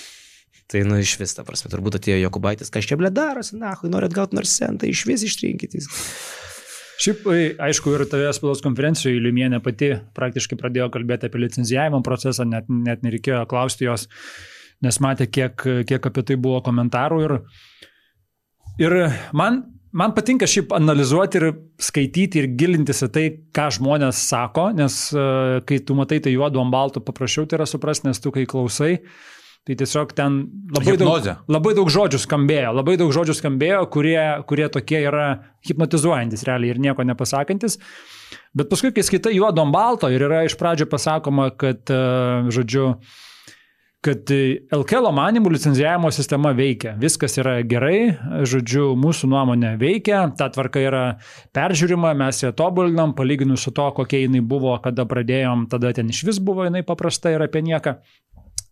[SPEAKER 3] Tai iš vis, ta prasme, turbūt atėjo Jokubaitis, kas čia darosi, norit gauti nors centą, iš vis ištrinkit.
[SPEAKER 2] Šiaip, aišku, ir tavęs spaudos konferencijoje Liumienė pati praktiškai pradėjo kalbėti apie licencijavimo procesą, net nereikėjo klausti jos, nes matė, kiek apie tai buvo komentarų ir man patinka šiaip analizuoti ir skaityti ir gilintis į tai, ką žmonės sako, nes kai tu matai tai juodu ant balto, paprasčiau tai yra suprasti, nes tu kai klausai, tai tiesiog ten labai daug žodžių skambėjo, kurie tokie yra hipnotizuojantis realiai ir nieko nepasakantis. Bet paskui, kai skaitai juodu ant balto ir yra iš pradžio pasakoma, kad, žodžiu, kad LKL manimų licenzijavimo sistema veikia. Viskas yra gerai, žodžiu, mūsų nuomonė veikia, ta tvarka yra peržiūrima, mes ją tobulinam, palyginus su to, kokia jinai buvo, kada pradėjom, tada ten iš vis buvo jinai paprasta ir apie nieką.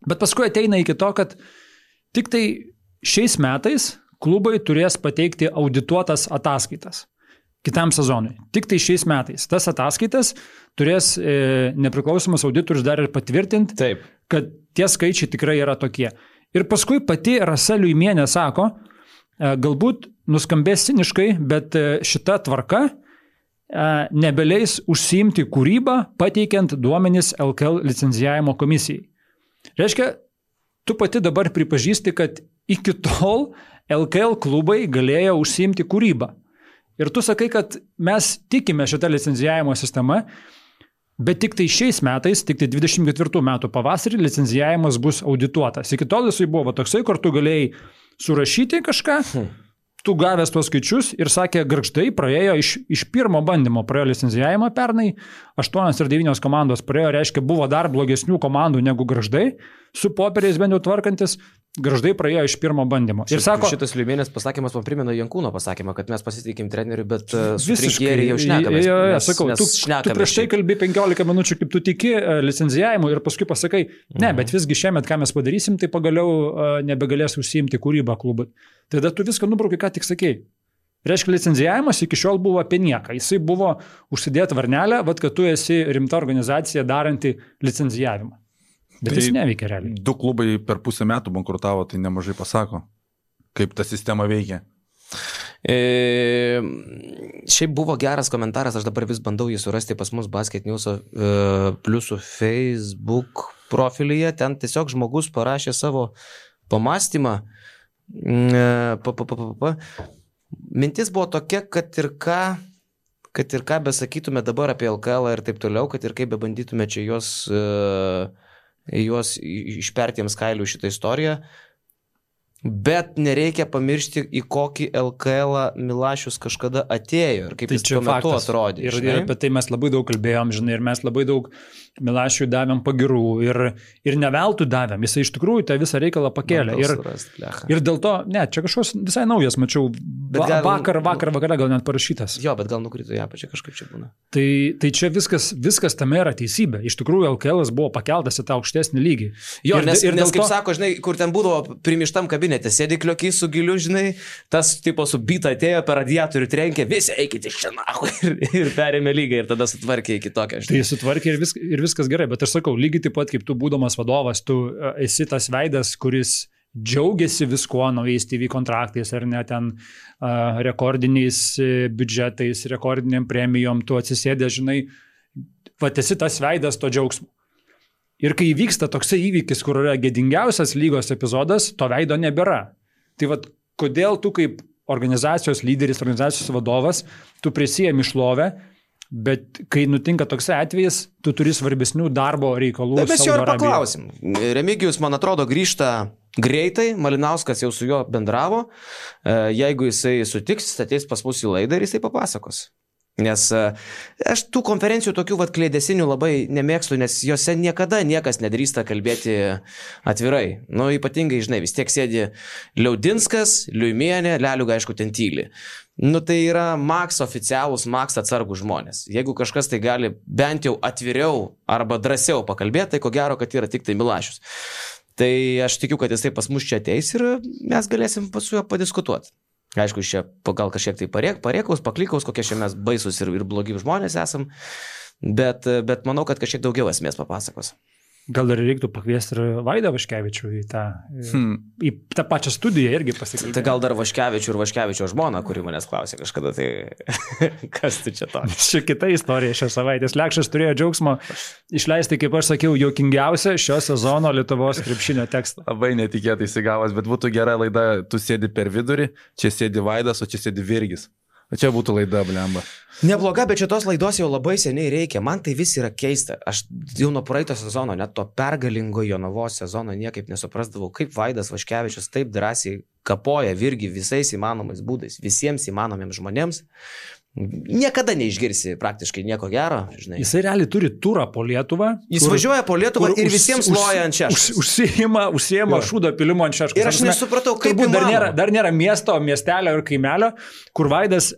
[SPEAKER 2] Bet paskui ateina iki to, kad tik tai šiais metais klubai turės pateikti audituotas ataskaitas kitam sezonui. Tik tai šiais metais. Tas ataskaitas turės nepriklausomas auditorius dar ir patvirtinti,
[SPEAKER 3] Taip.
[SPEAKER 2] kad tie skaičiai tikrai yra tokie. Ir paskui pati Rasa Liuimienė sako, galbūt nuskambės ciniškai, bet šita tvarka nebeleis užsiimti kūrybą, pateikiant duomenis LKL licenzijavimo komisijai. Reiškia, tu pati dabar pripažįsti, kad iki tol LKL klubai galėjo užsiimti kūrybą. Ir tu sakai, kad mes tikime šitą licenzijavimo sistemą, bet tik tai šiais metais, tik tai 24 metų pavasarį licenzijavimas bus audituotas. Iki tol jisai buvo toksai, kur tu galėjai surašyti kažką, tu gavęs tuos skaičius ir sakė, Gargždai praėjo iš pirmo bandymo, praėjo licenzijavimą pernai, 8 ir 9 komandos praėjo, reiškia, buvo dar blogesnių komandų negu Gargždai, su popieriais bent jau tvarkantis, Gargždai praėjo iš pirmo bandymo. Ir sako,
[SPEAKER 3] šitas Liuimienės pasakymas man primena Jankūno pasakymą, kad mes pasitikim treneriu, bet su trinkėrį jau šnekame.
[SPEAKER 2] Sakau, tu prieš tai kalbi 15 minučių, kaip tu tiki licenzijavimu ir paskui pasakai, ne, bet visgi šiemet, ką mes padarysim, tai pagaliau nebegalės užsiimti kūrybą klubai. Tada tu viską nubraukai, ką tik sakei. Reiškia, licenzijavimas iki šiol buvo apie nieką. Jisai buvo užsidėti varnelę, kad tu esi rimta organizacija daranti licenzijavimą. Bet jis neveikia realiai.
[SPEAKER 1] 2 klubai per pusę metų bankrutavo, tai nemažai pasako, kaip ta sistema veikia.
[SPEAKER 3] Šiaip buvo geras komentaras, aš dabar vis bandau jį surasti pas mus Basket News pliusų Facebook profilyje, ten tiesiog žmogus parašė savo pamastymą. Mintis buvo tokia, kad ir ką besakytume dabar apie LKL ir taip toliau, kad ir kaip bebandytume čia juos išpertiems kailių šitą istoriją, bet nereikia pamiršti, į kokį LKL Milašius kažkada atėjo ir kaip tai jis tuo metu atrodė.
[SPEAKER 2] Ir apie tai mes labai daug kalbėjom, žinai, ir mes labai daug Milašiui davėm pagirų ir neveltui davėm. Jis iš tikrųjų tą visą reikalą pakėlė. Ir dėl to, ne, čia kažkoks visai naujas, mačiau, vakar gal net parašytas.
[SPEAKER 3] Jo, bet gal nukrito ją pačią kažkaip čia būna.
[SPEAKER 2] Tai čia viskas tame yra teisybė. Iš tikrųjų, LKL buvo pakeltas į tą aukštesnį lygį.
[SPEAKER 3] Jo, nes kaip sako, žinai, kur ten būdavo primištam kabinete, sėdi kliokį su giliu, žinai, tas tipo su byta atėjo per radiatorių trenkė, visi eikite iš čia nahu ir perėmė lygą ir tada sutvarkė iki tokio.
[SPEAKER 2] Tai sutvarkė ir viskas gerai, bet aš sakau, lygiai taip pat kaip tu būdamas vadovas, tu esi tas veidas, kuris džiaugiasi viskuo, naujais TV kontraktais ar net ten rekordiniais biudžetais, rekordiniam premijom, tu atsisėdė, žinai, esi tas veidas to džiaugsmo. Ir kai įvyksta toksai įvykis, kur yra gėdingiausias lygos epizodas, to veido nebėra. Tai kodėl tu kaip organizacijos lyderis, organizacijos vadovas, tu prisijemi šlovę, bet kai nutinka toksai atvejis, tu turi svarbesnių darbo reikalų.
[SPEAKER 3] Tai mes jo ir paklausim. Remigijus, man atrodo, grįžta greitai, Malinauskas jau su juo bendravo. Jeigu jisai sutiks, ateis pas mus į laidą ir jisai papasakos. Nes aš tų konferencijų tokių klėdesinių labai nemėgstu, nes jose niekada niekas nedrįsta kalbėti atvirai. Nu, ypatingai, žinai, vis tiek sėdi Liaudinskas, Liuimienė, Leliuga, aišku, ten tyli. Nu, tai yra maks oficialūs, maks atsargų žmonės. Jeigu kažkas tai gali bent jau atviriau arba drąsiau pakalbėti, tai ko gero, kad yra tik tai Milašius. Tai aš tikiu, kad jisai pas mus čia ateis ir mes galėsim su juo padiskutuoti. Aišku, čia gal kažkiek tai parėkaus, paklikaus, kokie čia mes baisus ir blogi žmonės esam, bet manau, kad kažkiek daugiau esmės papasakos.
[SPEAKER 2] Gal dar reiktų pakviesti ir Vaidą Vaškevičių į tą pačią studiją irgi pasikalbėti.
[SPEAKER 3] Tai gal dar Vaškevičių ir Vaškevičio žmona, kuri manęs klausė kažkada, tai kas tu čia to?
[SPEAKER 2] Čia kita istorija šią savaitę. Lekšas turėjo džiaugsmo išleisti, kaip aš sakiau, juokingiausią šio sezono Lietuvos krepšinio tekstą.
[SPEAKER 1] Labai netikėtai įsigavęs, bet būtų gera laida, tu sėdi per vidurį, čia sėdi Vaidas, o čia sėdi Virgis. O čia būtų laida, blemba.
[SPEAKER 3] Nebloga, bet šitos laidos jau labai seniai reikia. Man tai vis yra keista. Aš jau nuo praeito sezono, net to pergalingo Jonavos sezono niekaip nesuprasdavau, kaip Vaidas Vaškevičius taip drąsiai kapoja Virgį visais įmanomais būdais, visiems įmanomiems žmonėms. Niekada neišgirsi praktiškai nieko gero, žinai.
[SPEAKER 2] Jisai realiai turi turą po Lietuvą.
[SPEAKER 3] Jis važiuoja po Lietuvą ir visiems loja ant šeškos.
[SPEAKER 2] Užsijima šūdo pilimo ant šeškos.
[SPEAKER 3] Ir aš nesupratau, kaip
[SPEAKER 2] dar nėra miesto, miestelio ir kaimelio, kur Vaidas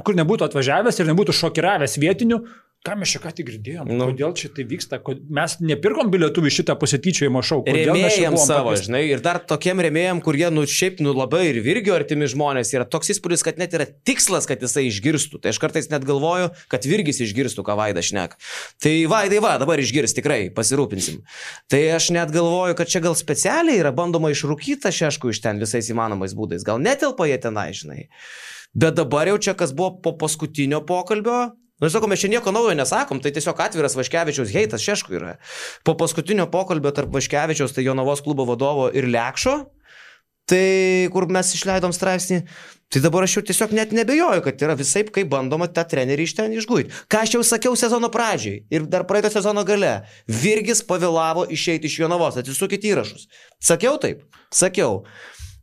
[SPEAKER 2] kur nebūtų atvažiavęs ir nebūtų šokiravęs vietinių. Ką mes čia ką tik girdėjom? Kodėl čia tai vyksta? Mes nepirkom bilietų į šitą pasityčiojimo šou.
[SPEAKER 3] Rėmėjams savo, žinai, ir dar tokiem rėmėjams, kurie, šiaip, labai ir Virgio artimi žmonės, yra toks įspūdis, kad net yra tikslas, kad jisai išgirstų. Tai aš kartais net galvoju, kad Virgis išgirstų, ką Vaidas šneka. Tai Vaidai, dabar išgirs, tikrai, pasirūpinsim. Tai aš net galvoju, kad čia gal specialiai yra bandoma išrūkyti tą šeškų iš ten visais įmanomais būdais. Gal netelpa jie tenai, žinai. Bet dabar jau čia, kas buvo po paskutinio pokalbio, sakau, mes čia nieko naujo nesakom, tai tiesiog atviras Vaškevičiaus heitas šeškų yra. Po paskutinio pokalbio tarp Vaškevičiaus, tai Jonavos klubo vadovo ir Lekšo, tai kur mes išleidom straipsnį, tai dabar aš jau tiesiog net nebejoju, kad yra visaip, kaip bandoma tą trenerį iš ten išguiti. Ką aš jau sakiau sezono pradžiai ir dar praeito sezono gale. Virgis pavėlavo išeiti iš Jonavos, atsisukit įrašus. Sakiau taip? Sakiau.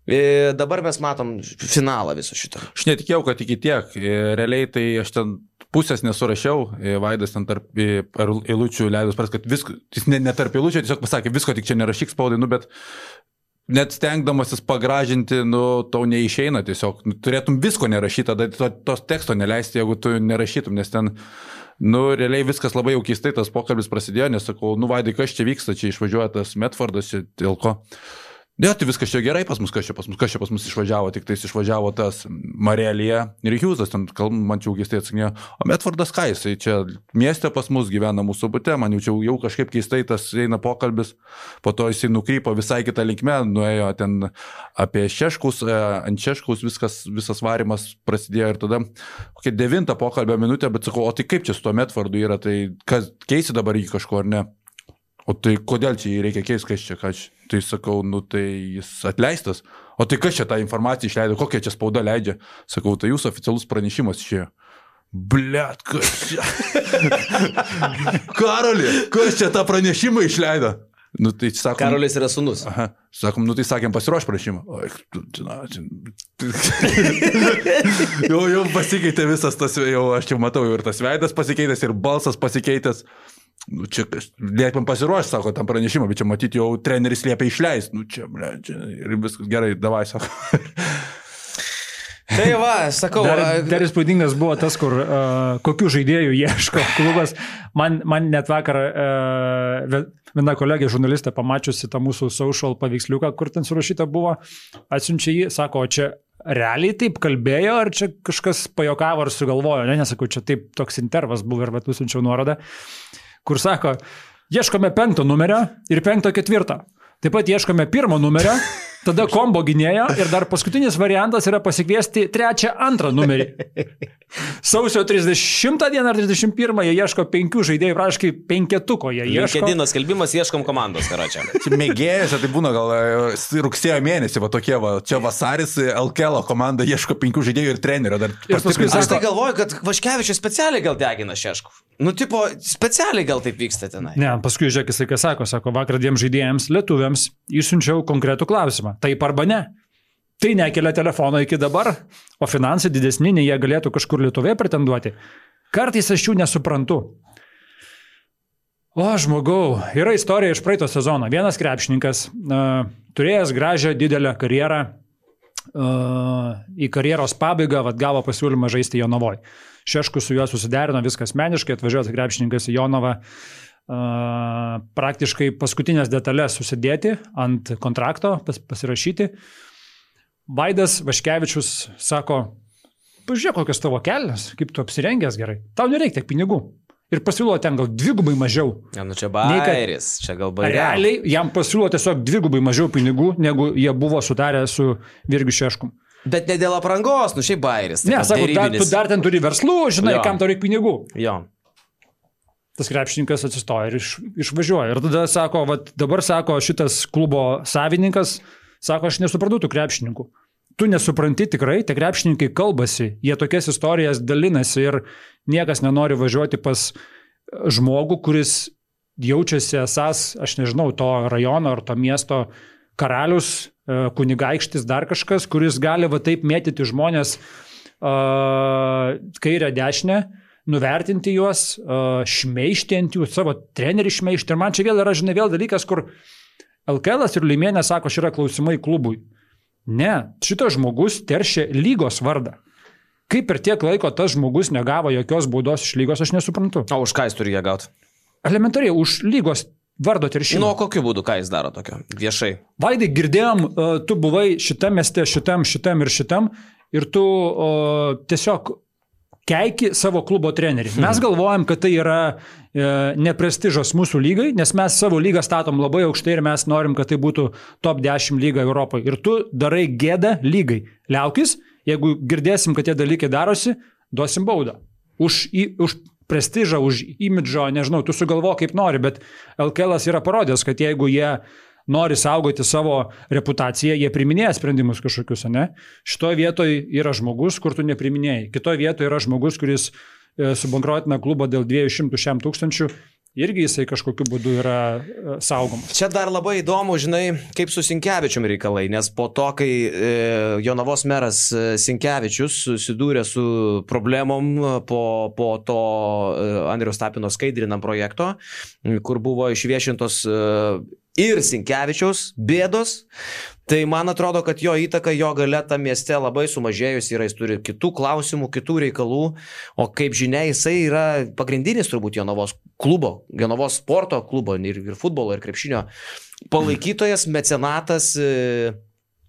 [SPEAKER 3] Dabar mes matom finalą viso šito.
[SPEAKER 1] Aš netikėjau, kad iki tiek. Realiai tai aš ten pusės nesurašiau. Vaidas ten tarp eilučių leidus pras, kad visko, jis ne tarp eilučių, tiesiog pasakė, visko tik čia nerašyk spaudai, bet net stengdamasis pagražinti, tau neišeina tiesiog. Turėtum visko nerašyti, tada tos teksto neleisti, jeigu tu nerašytum, nes ten, realiai viskas labai jau keistai, tas pokalbis prasidėjo, nes sakau, Vaidai, kas čia vyksta, čia išvažiuoja tas Medfordas, čia dėl ko. Ne, tai viskas čia gerai pas mus, kas čia pas mus išvažiavo, tik tais išvažiavo tas Marelija ir Hjūzas, ten man čia keistai atsakinėjo, o Medfordas ką jisai čia mieste pas mus gyvena mūsų bute, man jau kažkaip keistai tas eina pokalbis, po to jisai nukrypo visai kitą linkmę, nuėjo ten apie šeškus, ant šeškus visas varimas prasidėjo ir tada kokia 9 pokalbio minutė, bet sakau, o tai kaip čia su to Medfordu yra, tai kas keisi dabar jį kažko ar ne? O tai kodėl čia jį reikia keisti, kas čia, tai sakau, tai jis atleistas, o tai kas čia tą informaciją išleido, kokia čia spauda leidžia, sakau, tai jūsų oficialus pranešimas išėjo. Blet, kas čia? Karoli, kas čia tą pranešimą išleido? Tai sakom,
[SPEAKER 3] Karolis yra sūnus.
[SPEAKER 1] Aha, sakom, tai sakėm pasiruoš prašymą. Jau pasikeitė visas tas, jau aš jau matau, ir tas veidas pasikeitęs, ir balsas pasikeitęs. Čia liepėm pasiruošti, sako, tam pranešimą, bet čia matyti jau treneris liepia išleisti. Čia, ir viskas gerai, davai, sako.
[SPEAKER 3] Tai va, sakau.
[SPEAKER 2] Dar įspūdingas buvo tas, kur kokių žaidėjų ieško klubas. Man net vakar viena kolegė žurnalistė pamačiusi tą mūsų social paveiksliuką, kur ten surašyta buvo, atsiunčia jį, sako, čia realiai taip kalbėjo, ar čia kažkas pajokavo ar sugalvojo, nesakau, čia taip toks intervas buvo ir nusiunčiau nuorodą, kur sako, ieškome 5 numerio ir 5 4. Taip pat ieškome 1 numerio, tada kombo gynėjo ir dar paskutinis variantas yra pasikviesti 3, 2 numerį. Sausio 30 dieną ar 31 jie ieško 5 žaidėjų, praškai 5-tuko jie ieško.
[SPEAKER 3] LinkedIn skelbimas ieškom komandos, karočią.
[SPEAKER 1] Čia mėgėjasi, tai būna gal rugsėjo mėnesį, va tokie, va, čia vasaris, LKL komanda ieško 5 žaidėjų ir trenerio.
[SPEAKER 3] Aš tai galvoju, kad Vaškevičius specialiai gal degina šeškų. Tipo, specialiai gal taip vyksta tenai.
[SPEAKER 2] Ne, paskui žiūrėk, jisai ką sako, vakar 2 žaidėjams lietuviams išsiunčiau konkretų klausimą. Taip arba ne. Tai nekelia telefono iki dabar, o finansai didesni, nei jie galėtų kažkur Lietuvoje pretenduoti. Kartais aš jų nesuprantu. O, žmogau, yra istorija iš praeito sezono. Vienas krepšininkas, turėjęs gražią didelę karjerą, į karjeros pabaigą gavo pasiūlymą žaisti Jonavoje. Šeškus su juo susiderino, viskas meniškai, atvažiuotas krepšininkas į Jonavą, praktiškai paskutinės detalės susidėti ant kontrakto, pasirašyti. Vaidas Vaškevičius sako, pažiūrėk, kokios tavo kelnes, kaip tu apsirengęs gerai, tau nereikia tiek pinigų. Ir pasiūlo ten gal 2 mažiau.
[SPEAKER 3] Ja, čia bairis, čia gal bairis.
[SPEAKER 2] Realiai jam pasiūlo tiesiog 2 mažiau pinigų, negu jie buvo sutarę su Virgiu Šeškum.
[SPEAKER 3] Bet ne dėl aprangos, šiaip bairis.
[SPEAKER 2] Ne, sako, tu dar ten turi verslų, žinai, kam tau reikia pinigų.
[SPEAKER 3] Jo.
[SPEAKER 2] Tas krepšininkas atsistoja ir išvažiuoja. Ir tada sako, dabar sako šitas klubo savininkas, sako, aš nesuprantu tų krepšininkų. Tu nesupranti tikrai, tie krepšininkai kalbasi, jie tokias istorijas dalinasi ir niekas nenori važiuoti pas žmogų, kuris jaučiasi esas, aš nežinau, to rajono ar to miesto karalius, kunigaikštis, dar kažkas, kuris gali taip mėtyti žmonės kairę dešinę, nuvertinti juos, šmeižti ant jų, savo trenerį šmeižti. Ir man čia vėl yra, žinai, vėl dalykas, kur LKL ir Liuimienė sako, šia yra klausimai klubui. Ne, šitas žmogus teršia lygos vardą. Kaip per tiek laiko tas žmogus negavo jokios baudos iš lygos, aš nesuprantu.
[SPEAKER 3] O už ką jis turi ją gauti?
[SPEAKER 2] Elementariai, už lygos vardo teršimą.
[SPEAKER 3] Nu, kokiu būdu, ką jis daro tokio, viešai?
[SPEAKER 2] Vaidai, girdėjom, tu buvai šitam mieste, šitam ir šitam, ir tu tiesiog keiki savo klubo trenerį. Mes galvojam, kad tai yra neprestižas mūsų lygai, nes mes savo lygą statom labai aukštai ir mes norim, kad tai būtų top 10 lyga Europoje. Ir tu darai gėdą lygai. Liaukis, jeigu girdėsim, kad tie dalykai darosi, duosim baudą. Už prestižą, už imidžo, nežinau, tu sugalvo kaip nori, bet LKL yra parodęs, kad jeigu jie nori saugoti savo reputaciją, jie priminėja sprendimus kažkokius, ne? Šitoje vietoje yra žmogus, kur tu nepriminėjai. Kitoje vietoje yra žmogus, kuris subankrotina klubą dėl 200 tūkstančių. Irgi jisai kažkokiu būdu yra saugomas.
[SPEAKER 3] Čia dar labai įdomu, žinai, kaip su Sinkevičium reikalai, nes po to, kai Jonavos meras Sinkevičius susidūrė su problemom po to Andriaus Tapino skaidrinam projekto, kur buvo išviešintos ir Sinkevičiaus bėdos, tai man atrodo, kad jo įtaka, jo galia tam mieste labai sumažėjus yra, jis turi kitų klausimų, kitų reikalų, o kaip žinia, jisai yra pagrindinis turbūt Jonavos klubo, Jonavos sporto klubo ir futbolo ir krepšinio palaikytojas, mecenatas.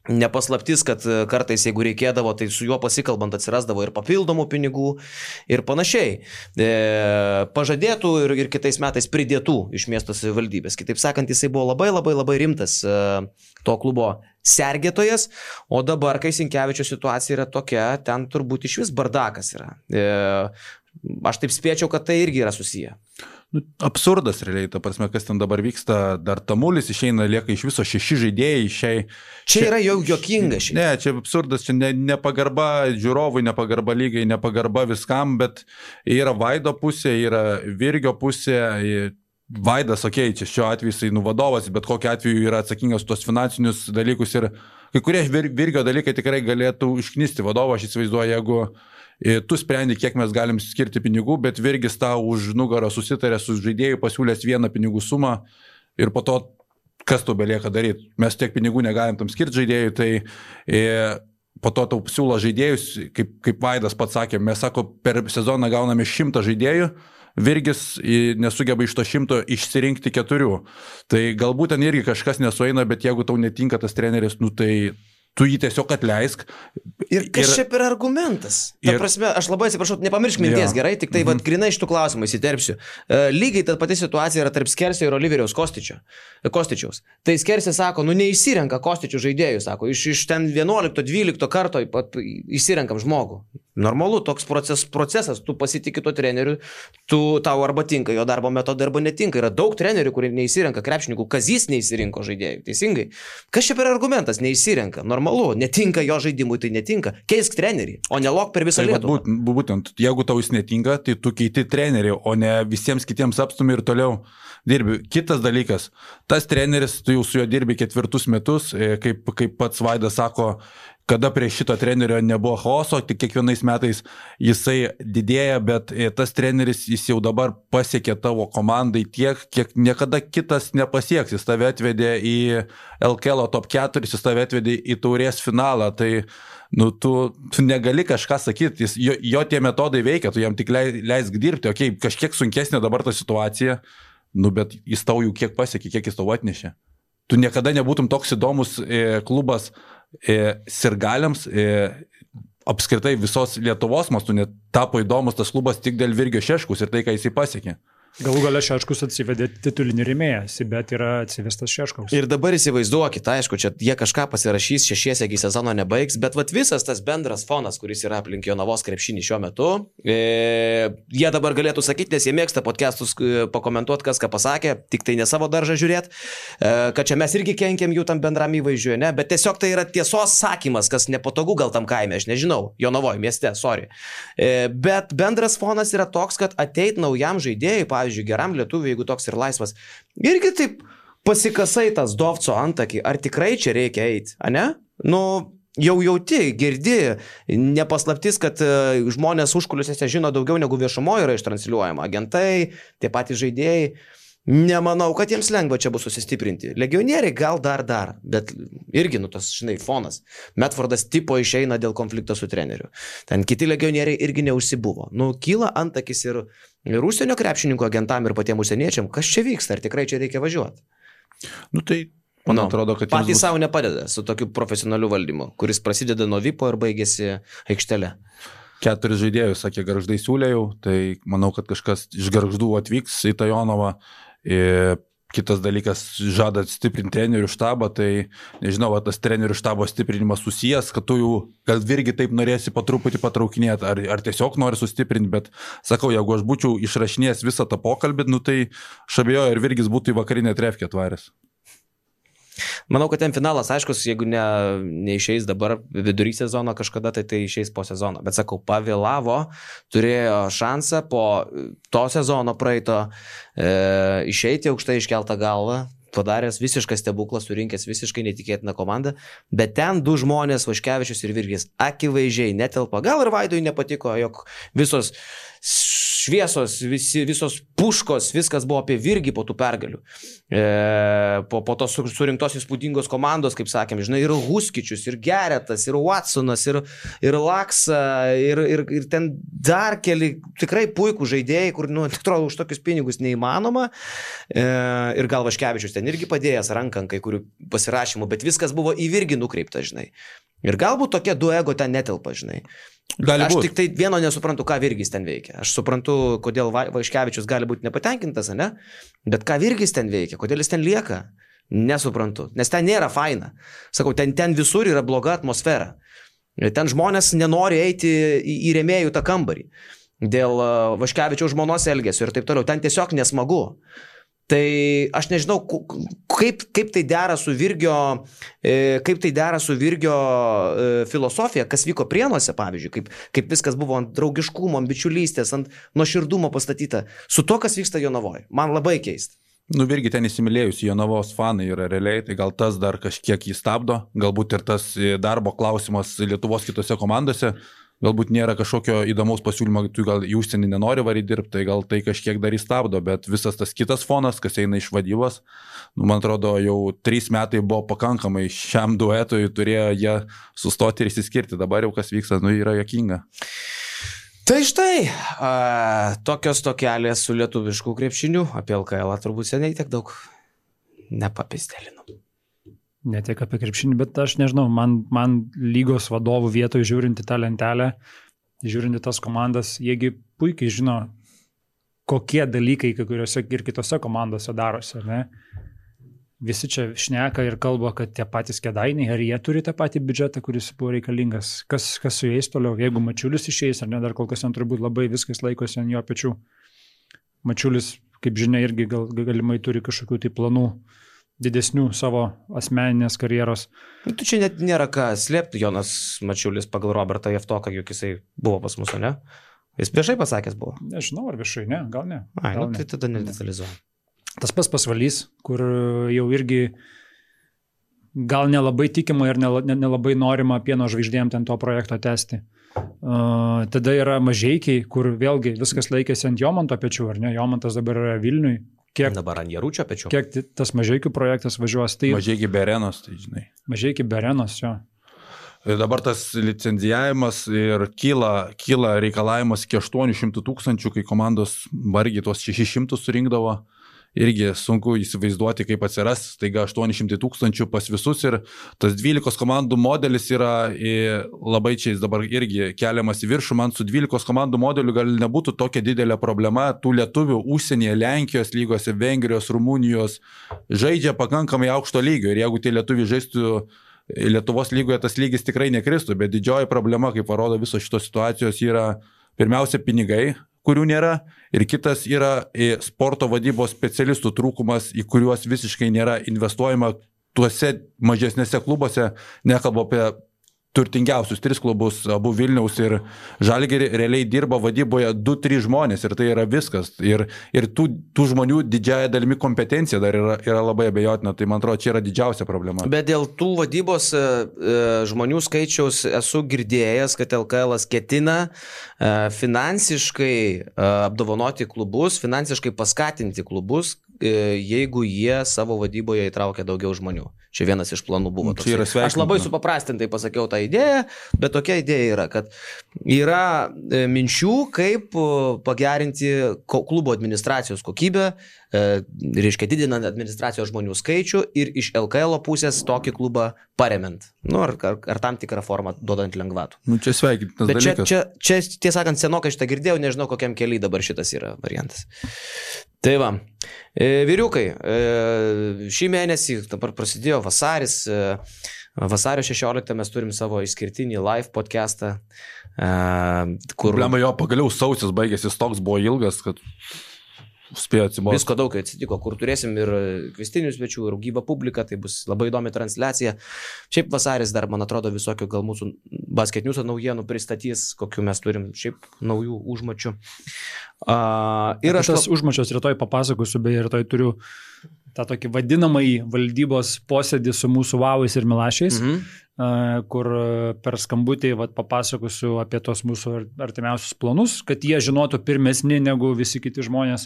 [SPEAKER 3] Nepaslaptis, kad kartais, jeigu reikėdavo, tai su juo pasikalbant atsirasdavo ir papildomų pinigų ir panašiai. Pažadėtų ir kitais metais pridėtų iš miesto savivaldybės. Kitaip sakant, jisai buvo labai rimtas to klubo sergėtojas, o dabar, kai Sinkevičio situacija yra tokia, ten turbūt iš vis bardakas yra. Aš taip spėčiau, kad tai irgi yra susiję.
[SPEAKER 1] Absurdas realiai, ta prasme, kas ten dabar vyksta, dar Tamulis išeina, lieka iš viso 6 žaidėjai.
[SPEAKER 3] Čia yra jau juokinga šiai.
[SPEAKER 1] Ne, čia absurdas, čia nepagarba žiūrovui, nepagarba lygai, nepagarba viskam, bet yra Vaido pusė, yra Virgio pusė. Vaidas, čia šiuo atveju jisai vadovas, bet kokiu atveju yra atsakingas tos finansinius dalykus ir kai kurie Virgio dalykai tikrai galėtų išknisti vadovą, aš įsivaizduoju, jeigu tu sprendi, kiek mes galim skirti pinigų, bet Virgis tau už nugarą susitarė su žaidėjų, pasiūlės vieną pinigų sumą ir po to kas tau belieka daryti. Mes tiek pinigų negalim tam skirti žaidėjų, tai po to tau siūlo žaidėjus, kaip Vaidas pats sakė, mes sako, per sezoną gauname 100 žaidėjų, Virgis nesugeba iš to 100 išsirinkti 4. Tai galbūt ten irgi kažkas nesueina, bet jeigu tau netinka tas treneris, tai tu jį tiesiog atleisk.
[SPEAKER 3] Ir kas čia per argumentas? Ta prasme, aš labai atsiprašau, nepamiršk minties, gerai, tik tai grinai iš tų klausimų įsiterpsiu. Lygiai ta pati situacija yra tarp Skersio ir Oliveriaus Kostičiaus. Tai Skersio sako, neįsirenka Kostičių žaidėjų, sako, iš ten 11-12 karto įsirenkam žmogų. Normalu, toks procesas, tu pasitikė to treneriu, tau arba tinka jo darbo metodai, arba netinka. Yra daug trenerių, kurie neįsirenka krepšininkų, Kazys neįsirinko žaidėjų, teisingai. Kas čia per argumentas, neįsirenka? Normalu, netinka jo žaidimui, tai netinka. Keisk trenerį, o nelok per visą Lietuvą.
[SPEAKER 1] Būtent, jeigu tau jis netinka, tai tu keiti trenerį, o ne visiems kitiems apstumi ir toliau dirbi. Kitas dalykas, tas treneris, tu jau su juo dirbi 4 metus, kaip pats Vaidas sako, kada prie šito trenerio nebuvo chaoso, tik kiekvienais metais jisai didėja, bet tas treneris jis jau dabar pasiekė tavo komandai tiek, kiek niekada kitas nepasieks. Jis tave atvedė į LKL top 4, jis tave atvedė į taurės finalą, tai tu negali kažką sakyti, jo tie metodai veikia, tu jam tik leisk dirbti, kažkiek sunkesnė dabar ta situacija, bet jis tau jau kiek pasiekė, kiek jis tau atnešė. Tu niekada nebūtum toks įdomus klubas sirgaliams, apskritai visos Lietuvos mastu net tapo įdomus tas klubas tik dėl Virgio Šeškus ir tai, ką jisai pasiekė.
[SPEAKER 2] Galų gale Šeškus atsivedė titulinį rėmėją, bet yra atsivestas Šeškaus.
[SPEAKER 3] Ir dabar įsivaizduokit, aišku, čia jie kažką pasirašys, 6 sezono nebaigs, bet visas tas bendras fonas, kuris yra aplink Jonavos krepšinį šiuo metu, jie dabar galėtų sakyti, nes jie mėgsta podcastus pakomentuoti, kas ką pasakė, tik tai ne savo daržą žiūrėti, kad čia mes irgi kenkiam jų tam bendram įvaizdžiui, ne, bet tiesiog tai yra tiesos sakymas, kas nepatogu gal tam kaime, aš nežinau, Jonavoje mieste, sorry. Bet bendras fonas yra toks, kad ateit naujam žaidėjui, pavyzdžiui, geram lietuviui, jeigu toks ir laisvas, irgi taip pasikasai tas Dovco antakį, ar tikrai čia reikia eiti, ane? jau jauti, girdi, nepaslaptis, kad žmonės užkulisiuose žino daugiau negu viešumoje yra ištransliuojama. Agentai, tie patys žaidėjai. Nemanau, kad jiems lengva čia bus susistiprinti. Legionieriai gal dar, bet irgi, tas, fonas. Medfordas tipo išeina dėl konflikto su treneriu. Ten kiti legionieriai irgi neužsibuvo. Kyla antakis ir užsienio krepšininkų agentam ir patiems užsieniečiam, kas čia vyksta, ar tikrai čia reikia važiuoti.
[SPEAKER 1] Tai man atrodo, kad
[SPEAKER 3] patys savo nepadeda su tokiu profesionaliu valdymu, kuris prasideda nuo vipo ir baigėsi aikštele.
[SPEAKER 1] 4 žaidėjus, sakė, Gargždai siūlėjau, tai manau, kad kažkas iš Gargždų atvyks į Tajonovą. Kitas dalykas, žada stiprinti trenerių štabą, tai nežinau, tas trenerių štabo stiprinimas susijęs, kad tu jau gal irgi taip norėsi po truputį patraukinėti, ar tiesiog nori sustiprinti, bet sakau, jeigu aš būčiau išrašinėjęs visą tą pokalbį, tai aš abejoju, ir Virgis būtų į vakarinę trefkę atvaręs.
[SPEAKER 3] Manau, kad ten finalas, aiškus, jeigu neišeis dabar vidury sezono kažkada, tai išeis po sezono. Bet sakau, pavėlavo, turėjo šansą po to sezono praeito išeiti aukštai iškeltą galvą, padaręs visišką stebuklą, surinkęs visiškai netikėtiną komandą, bet ten 2 žmonės, Vaškevičius ir Virgis, akivaizdžiai netelpa. Gal ir Vaidui nepatiko, jog visos šviesos, visos puškos, viskas buvo apie Virgį po tų pergalių. Po tos surinktos įspūdingos komandos, kaip sakėm, ir Huskičius, ir Geretas, ir Watsonas, ir Laksa, ir ten dar keli tikrai puikų žaidėjai, kur, atrodo, už tokius pinigus neįmanoma. Ir gal Vaškevičius ten irgi padėjęs ranką kai kurių pasirašymų, bet viskas buvo į Virgį nukreipta, Ir galbūt tokie 2 ego ten netelpa, Aš tik tai vieno nesuprantu, ką Virgis ten veikia. Aš suprantu, kodėl Vaškevičius gali būti nepatenkintas, ne? Bet ką Virgis ten veikia, kodėl jis ten lieka, nesuprantu. Nes ten nėra faina. Sakau, ten visur yra bloga atmosfera. Ten žmonės nenori eiti į rėmėjų tą kambarį. Dėl Vaškevičiaus žmonos elgesio ir taip toliau. Ten tiesiog nesmagu. Tai aš nežinau, kaip tai dera su Virgio, filosofija, kas vyko Prienuose, pavyzdžiui, kaip viskas buvo ant draugiškumo, ant bičiulystės, ant nuoširdumo pastatyta, su to, kas vyksta Jonavoje. Man labai keista.
[SPEAKER 1] Virgi ten įsimylėjus Jonavos fanai yra realiai, tai gal tas dar kažkiek jį stabdo, galbūt ir tas darbo klausimas Lietuvos kitose komandose. Galbūt nėra kažkokio įdomaus pasiūlymo, tu gal į užsienį nenori varyti dirbti, tai gal tai kažkiek dar įstabdo, bet visas tas kitas fonas, kas eina iš vadybos, man atrodo, jau 3 metai buvo pakankamai šiam duetui, turėjo jie sustoti ir įsiskirti, dabar jau kas vyksta, yra juokinga.
[SPEAKER 3] Tai štai, tokios tokelės su lietuvišku krepšiniu, apie LKL turbūt seniai tiek daug nepapistelinu.
[SPEAKER 2] Ne tiek apie krepšinį, bet aš nežinau, man lygos vadovų vietoje žiūrinti tą lentelę, žiūrinti tas komandas, jiegi puikiai žino, kokie dalykai kai kuriuose ir kitose komandose darosi, ne? Visi čia šneka ir kalba, kad tie patys Kėdainiai, ar jie turi tą patį biudžetą, kuris buvo reikalingas, kas su jais toliau, jeigu Mačiulis išeis, ar ne, dar kol kas ten turbūt labai viskas laikosi ant jo pečių. Mačiulis, kaip žinia, irgi galimai turi kažkokių tai planų didesnių savo asmeninės karjeros.
[SPEAKER 3] Tu čia net nėra ką slėpti, Jonas Mačiulis pagal Robertą Jeftoką, juk jisai buvo pas mus, ne? Jis viešai pasakęs buvo.
[SPEAKER 2] Nežinau, ar viešai, ne, gal ne.
[SPEAKER 3] Gal tai tada nedetalizuoju.
[SPEAKER 2] Tas pats Pasvalys, kur jau irgi gal nelabai tikima ir nelabai norima Pieno žvaigždėm ten to projekto tęsti. Tada yra Mažeikiai, kur vėlgi viskas laikėsi ant Jomanto pečių, ar ne? Jomantas dabar yra Vilniui.
[SPEAKER 3] Dabar ant Jaručio pečių.
[SPEAKER 2] Kiek tas Mažeikių projektas važiuos? Tai
[SPEAKER 1] Mažeikiai be arenos, tai žinai.
[SPEAKER 2] Mažeikiai be arenos, jo.
[SPEAKER 1] Ir dabar tas licenzijavimas ir kyla reikalavimas iki 800 000, kai komandos vargiai tuos 600 surinkdavo. Irgi sunku įsivaizduoti, kaip atsiras, taiga 800 000 pas visus ir tas 12 komandų modelis yra labai čia jis dabar irgi keliamas į viršų, man su 12 komandų modeliu gal nebūtų tokia didelė problema, tų lietuvių užsienyje, Lenkijos lygose, Vengrijos, Rumunijos žaidžia pakankamai aukšto lygio ir jeigu tie lietuviai žaistų Lietuvos lygoje, tas lygis tikrai nekristų, bet didžioji problema, kaip parodo visos šitos situacijos, yra pirmiausia pinigai, kurių nėra, ir kitas yra sporto vadybos specialistų trūkumas, į kuriuos visiškai nėra investuojama tuose mažesnėse klubuose, nekalbu apie turtingiausius 3 klubus, abu Vilniaus ir Žalgirį, realiai dirba vadyboje 2-3 žmonės ir tai yra viskas. Ir tų žmonių didžiąją dalimi kompetencija dar yra labai abejotina, tai man atrodo, čia yra didžiausia problema.
[SPEAKER 3] Bet dėl tų vadybos žmonių skaičiaus esu girdėjęs, kad LKL ketina finansiškai apdovanoti klubus, finansiškai paskatinti klubus, jeigu jie savo vadyboje įtraukia daugiau žmonių. Čia vienas iš planų buvo. Aš labai supaprastintai pasakiau tą idėją, bet tokia idėja yra, kad yra minčių, kaip pagerinti klubo administracijos kokybę, reiškia didinant administracijos žmonių skaičių ir iš LKL pusės tokį klubą paremiant. Ar tam tikrą formą duodant lengvatų.
[SPEAKER 1] Čia sveikintinas dalykas.
[SPEAKER 3] Čia tiesąkant senokai šitą girdėjau, nežinau kokiam keliui dabar šitas yra variantas. Tai va, vyriukai, šį mėnesį dabar prasidėjo vasaris, vasario 16 mes turim savo išskirtinį live podcastą, kur...
[SPEAKER 1] Problema jo, pagaliau sausis baigėsi, toks buvo ilgas, kad spėjo atsibosti.
[SPEAKER 3] Visko daug atsitiko, kur turėsim ir kvestinių svečių, ir gyvą publiką, tai bus labai įdomi transliacija. Šiaip vasaris dar, man atrodo, visokių gal mūsų basketniusų naujienų pristatys, kokiu mes turim šiaip naujų užmačių.
[SPEAKER 2] Ir aš tas užmačios rytoj papasakosiu, beje, rytoj turiu tą tokį vadinamąjį valdybos posėdį su mūsų Vauais ir Milašiais, kur per skambutį papasakosiu apie tos mūsų artimiausius planus, kad jie žinotų pirmesni negu visi kiti žmonės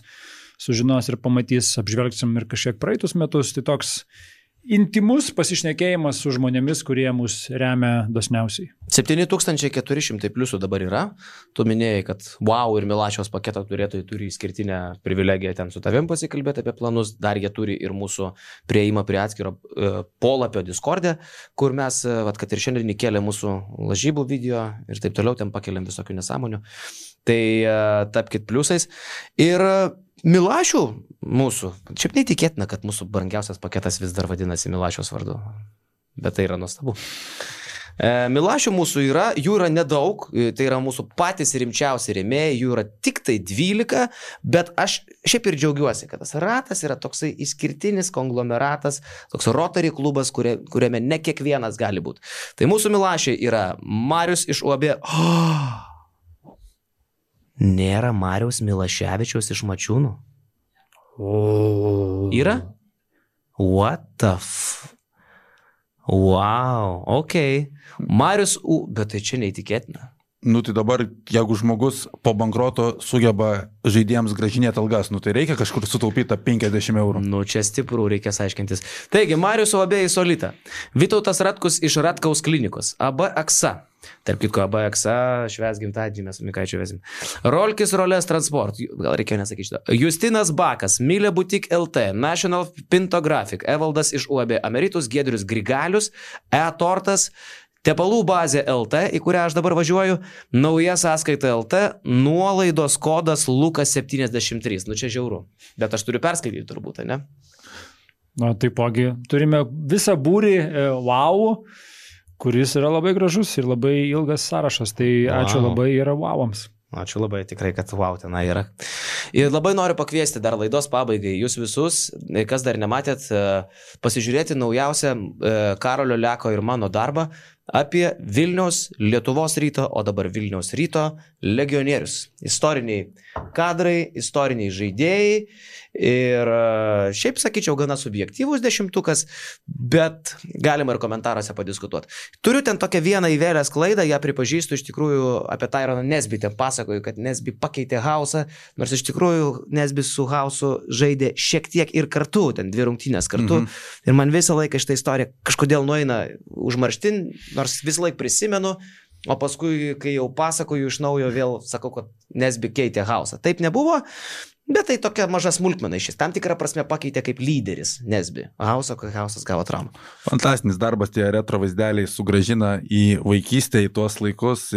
[SPEAKER 2] sužinos ir pamatys, apžvelgsim ir kažkiek praeitus metus. Tai toks intimus pasišnekėjimas su žmonėmis, kurie mus remia dosniausiai.
[SPEAKER 3] 7400 pliusų dabar yra. Tu minėjai, kad Wow ir Milašiaus paketo turėtojai turi išskirtinę privilegiją ten su tavim pasikalbėti apie planus. Dar jie turi ir mūsų prieimą prie atskiro polapio Discord'e, kur mes, kad ir šiandien įkėlė mūsų lažybų video ir taip toliau, ten pakeliam visokių nesąmonių. Tai tapkit pliusais. Ir Milašių mūsų, šiaip neįtikėtina, kad mūsų brangiausias paketas vis dar vadinasi Milašiaus vardu, bet tai yra nuostabu. Milašių mūsų yra, jų yra nedaug, tai yra mūsų patys rimčiausi rėmėjai, jų yra tik tai 12, bet aš šiaip ir džiaugiuosi, kad tas ratas yra toksai išskirtinis konglomeratas, toks Rotary klubas, kuriame ne kiekvienas gali būti. Tai mūsų Milašiai yra Marius iš UAB. Nėra Mariaus Milaševičiaus iš Mačiūnų. Yra? What the Wow, ok. Marius bet tai čia neįtikėtina.
[SPEAKER 1] Tai dabar, jeigu žmogus po bankroto sugeba žaidėjams grąžinėti algas, tai reikia kažkur sutaupyti 50 eurų.
[SPEAKER 3] Čia stiprų, reikės aiškintis. Taigi, Marius UAB į Solitą. Vytautas Ratkus iš Ratkaus klinikos. AB Aksa. Tarp kitko, AB Aksa švęs gimtadienį, mes su Mikaičiu vesim. Rolkis Rolės Transport. Gal reikėjo nesakyti šitą. Justinas Bakas, Milė Butik LT, National Pintographic, Evaldas iš UAB Ameritus, Giedrius Grigalius, E-Tortas, Tepalų bazė LT, į kurią aš dabar važiuoju, nauja sąskaita LT, nuolaidos kodas Lukas 73. Čia žiauru, bet aš turiu perskaityti turbūt, ne?
[SPEAKER 2] Taipogi, turime visą būrį Wow, kuris yra labai gražus ir labai ilgas sąrašas, tai ačiū labai yra Wow'ams.
[SPEAKER 3] Ačiū labai, tikrai, kad Wow tenai yra. Ir labai noriu pakviesti dar laidos pabaigai jūs visus, kas dar nematėt, pasižiūrėti naujausią Karolio Leko ir mano darbą apie Vilniaus Lietuvos ryto, o dabar Vilniaus ryto legionierius. Istoriniai kadrai, istoriniai žaidėjai ir šiaip sakyčiau gana subjektyvus 10-tukas, bet galima ir komentaruose padiskutuoti. Turiu ten tokią vieną įvėlęs klaidą, ją pripažįstu, iš tikrųjų apie Tyroną Nesbį ten pasakoju, kad Nesbį pakeitė Hausą, nors iš tikrųjų Nesbį su Hausu žaidė šiek tiek ir kartu, ten 2 rungtynės kartu, ir man visą laiką šitą istoriją kažkodėl nueina užmarštin, nors visą laiką prisimenu, o paskui, kai jau pasakoju iš naujo, vėl sakau, kad Nesbį keitė Hausą. Taip nebuvo, bet tai tokia maža smulkmena iš jis. Tam tikrą prasme pakeitė kaip lyderis Nesbį. Hausą, kai Hausas gavo traumą.
[SPEAKER 1] Fantastinis darbas, tie retro vaizdeliai sugrąžina į vaikystę, į tuos laikus.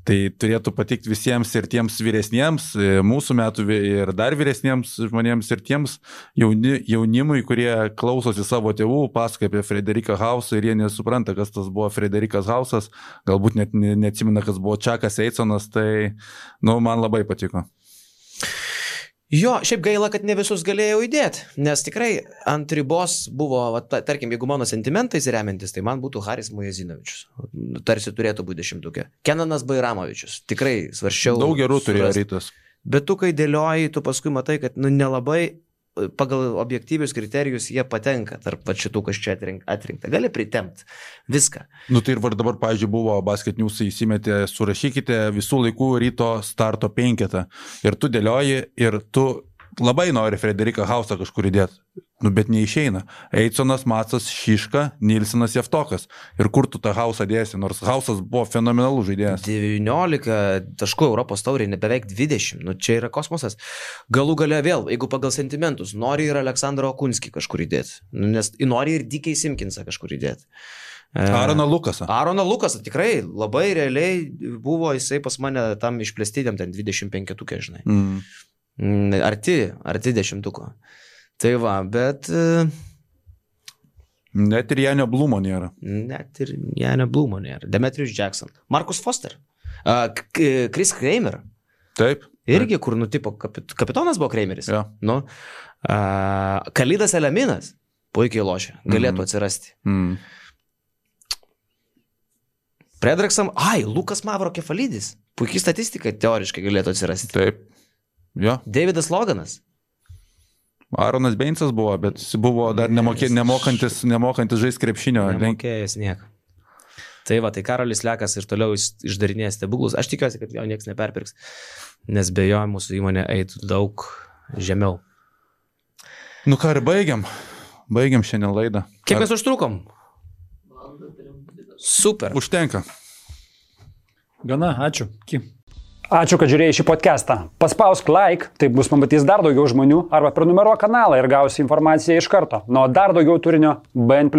[SPEAKER 1] Tai turėtų patikti visiems ir tiems vyresniems, mūsų metų ir dar vyresniems žmonėms ir tiems jaunimui, kurie klausosi savo tėvų, pasakoja apie Frederiką Hausą ir jie nesupranta, kas tas buvo Frederikas Hausas, galbūt net neatsimena, kas buvo Čakas Eisonas, tai man labai patiko.
[SPEAKER 3] Jo, šiaip gaila, kad ne visus galėjau įdėti, nes tikrai ant ribos buvo, tarkim, jeigu mano sentimentais remiantis, tai man būtų Haris Mujezinovičius. Tarsi turėtų būti 10. Kenanas Bairamovičius. Tikrai svarsčiau.
[SPEAKER 1] Daug gerų turėjo Rytas.
[SPEAKER 3] Bet tu, kai dėlioji, tu paskui matai, kad nelabai pagal objektyvius kriterijus jie patenka tarp šitų, kas čia atrinkta. Gali pritempt viską.
[SPEAKER 1] Tai ir dabar, pavyzdžiui, buvo Basket News įsimetė, surašykite visų laikų Ryto starto 5. Ir tu dėlioji ir tu labai nori Frederiką Hausą kažkur įdėti. Bet neišeina. Eitsonas, Matsas, Šiška, Nilsenas, Jeftokas. Ir kur tu tą Hausą dėsi, nors Hausas buvo fenomenalus žaidėjas. 19
[SPEAKER 3] taškų Europos taurėje, beveik 20. Čia yra kosmosas. Galų gale vėl, jeigu pagal sentimentus, nori ir Aleksandrą Okunskį kažkur įdėti. Nes nori ir Dikei Simkinsą kažkur įdėti.
[SPEAKER 1] Aroną Lukasą.
[SPEAKER 3] Aroną Lukasą, tikrai, labai realiai buvo jisai pas mane tam išplėstydėm, ten 25, žinai. Arti 10. Tai va, bet...
[SPEAKER 1] Net ir Janio Blumo nėra.
[SPEAKER 3] Demetrius Jackson. Marcus Foster. Chris Kramer.
[SPEAKER 1] Taip.
[SPEAKER 3] Irgi, kur nutipo kapitonas buvo Krameris.
[SPEAKER 1] Ja.
[SPEAKER 3] Kalidas Eleminas. Puikiai lošia. Galėtų atsirasti. Predraksam. Lukas Mavrokefalidis. Puikiai statistika teoriškai galėtų atsirasti.
[SPEAKER 1] Taip. Ja.
[SPEAKER 3] Davidas Loganas.
[SPEAKER 1] Aronas Beinsas buvo, bet jis buvo dar nemokantis žaisti krepšinio.
[SPEAKER 3] Nemokėjęs nieko. Tai va, tai Karolis Lekas ir toliau išdarinės stebuklus. Aš tikiuosi, kad jo niekas neperpirks, nes be jo mūsų įmonė eitų daug žemiau.
[SPEAKER 1] Ką ir baigiam. Baigiam šiandien laidą.
[SPEAKER 3] Kiek mes užtrukom? Super.
[SPEAKER 1] Užtenka.
[SPEAKER 2] Gana, ačiū. Ačiū, kad žiūrėjai šį podcastą. Paspausk like, taip bus pamatys dar daugiau žmonių, arba prenumeruok kanalą ir gausi informaciją iš karto. Nuo dar daugiau turinio BN+.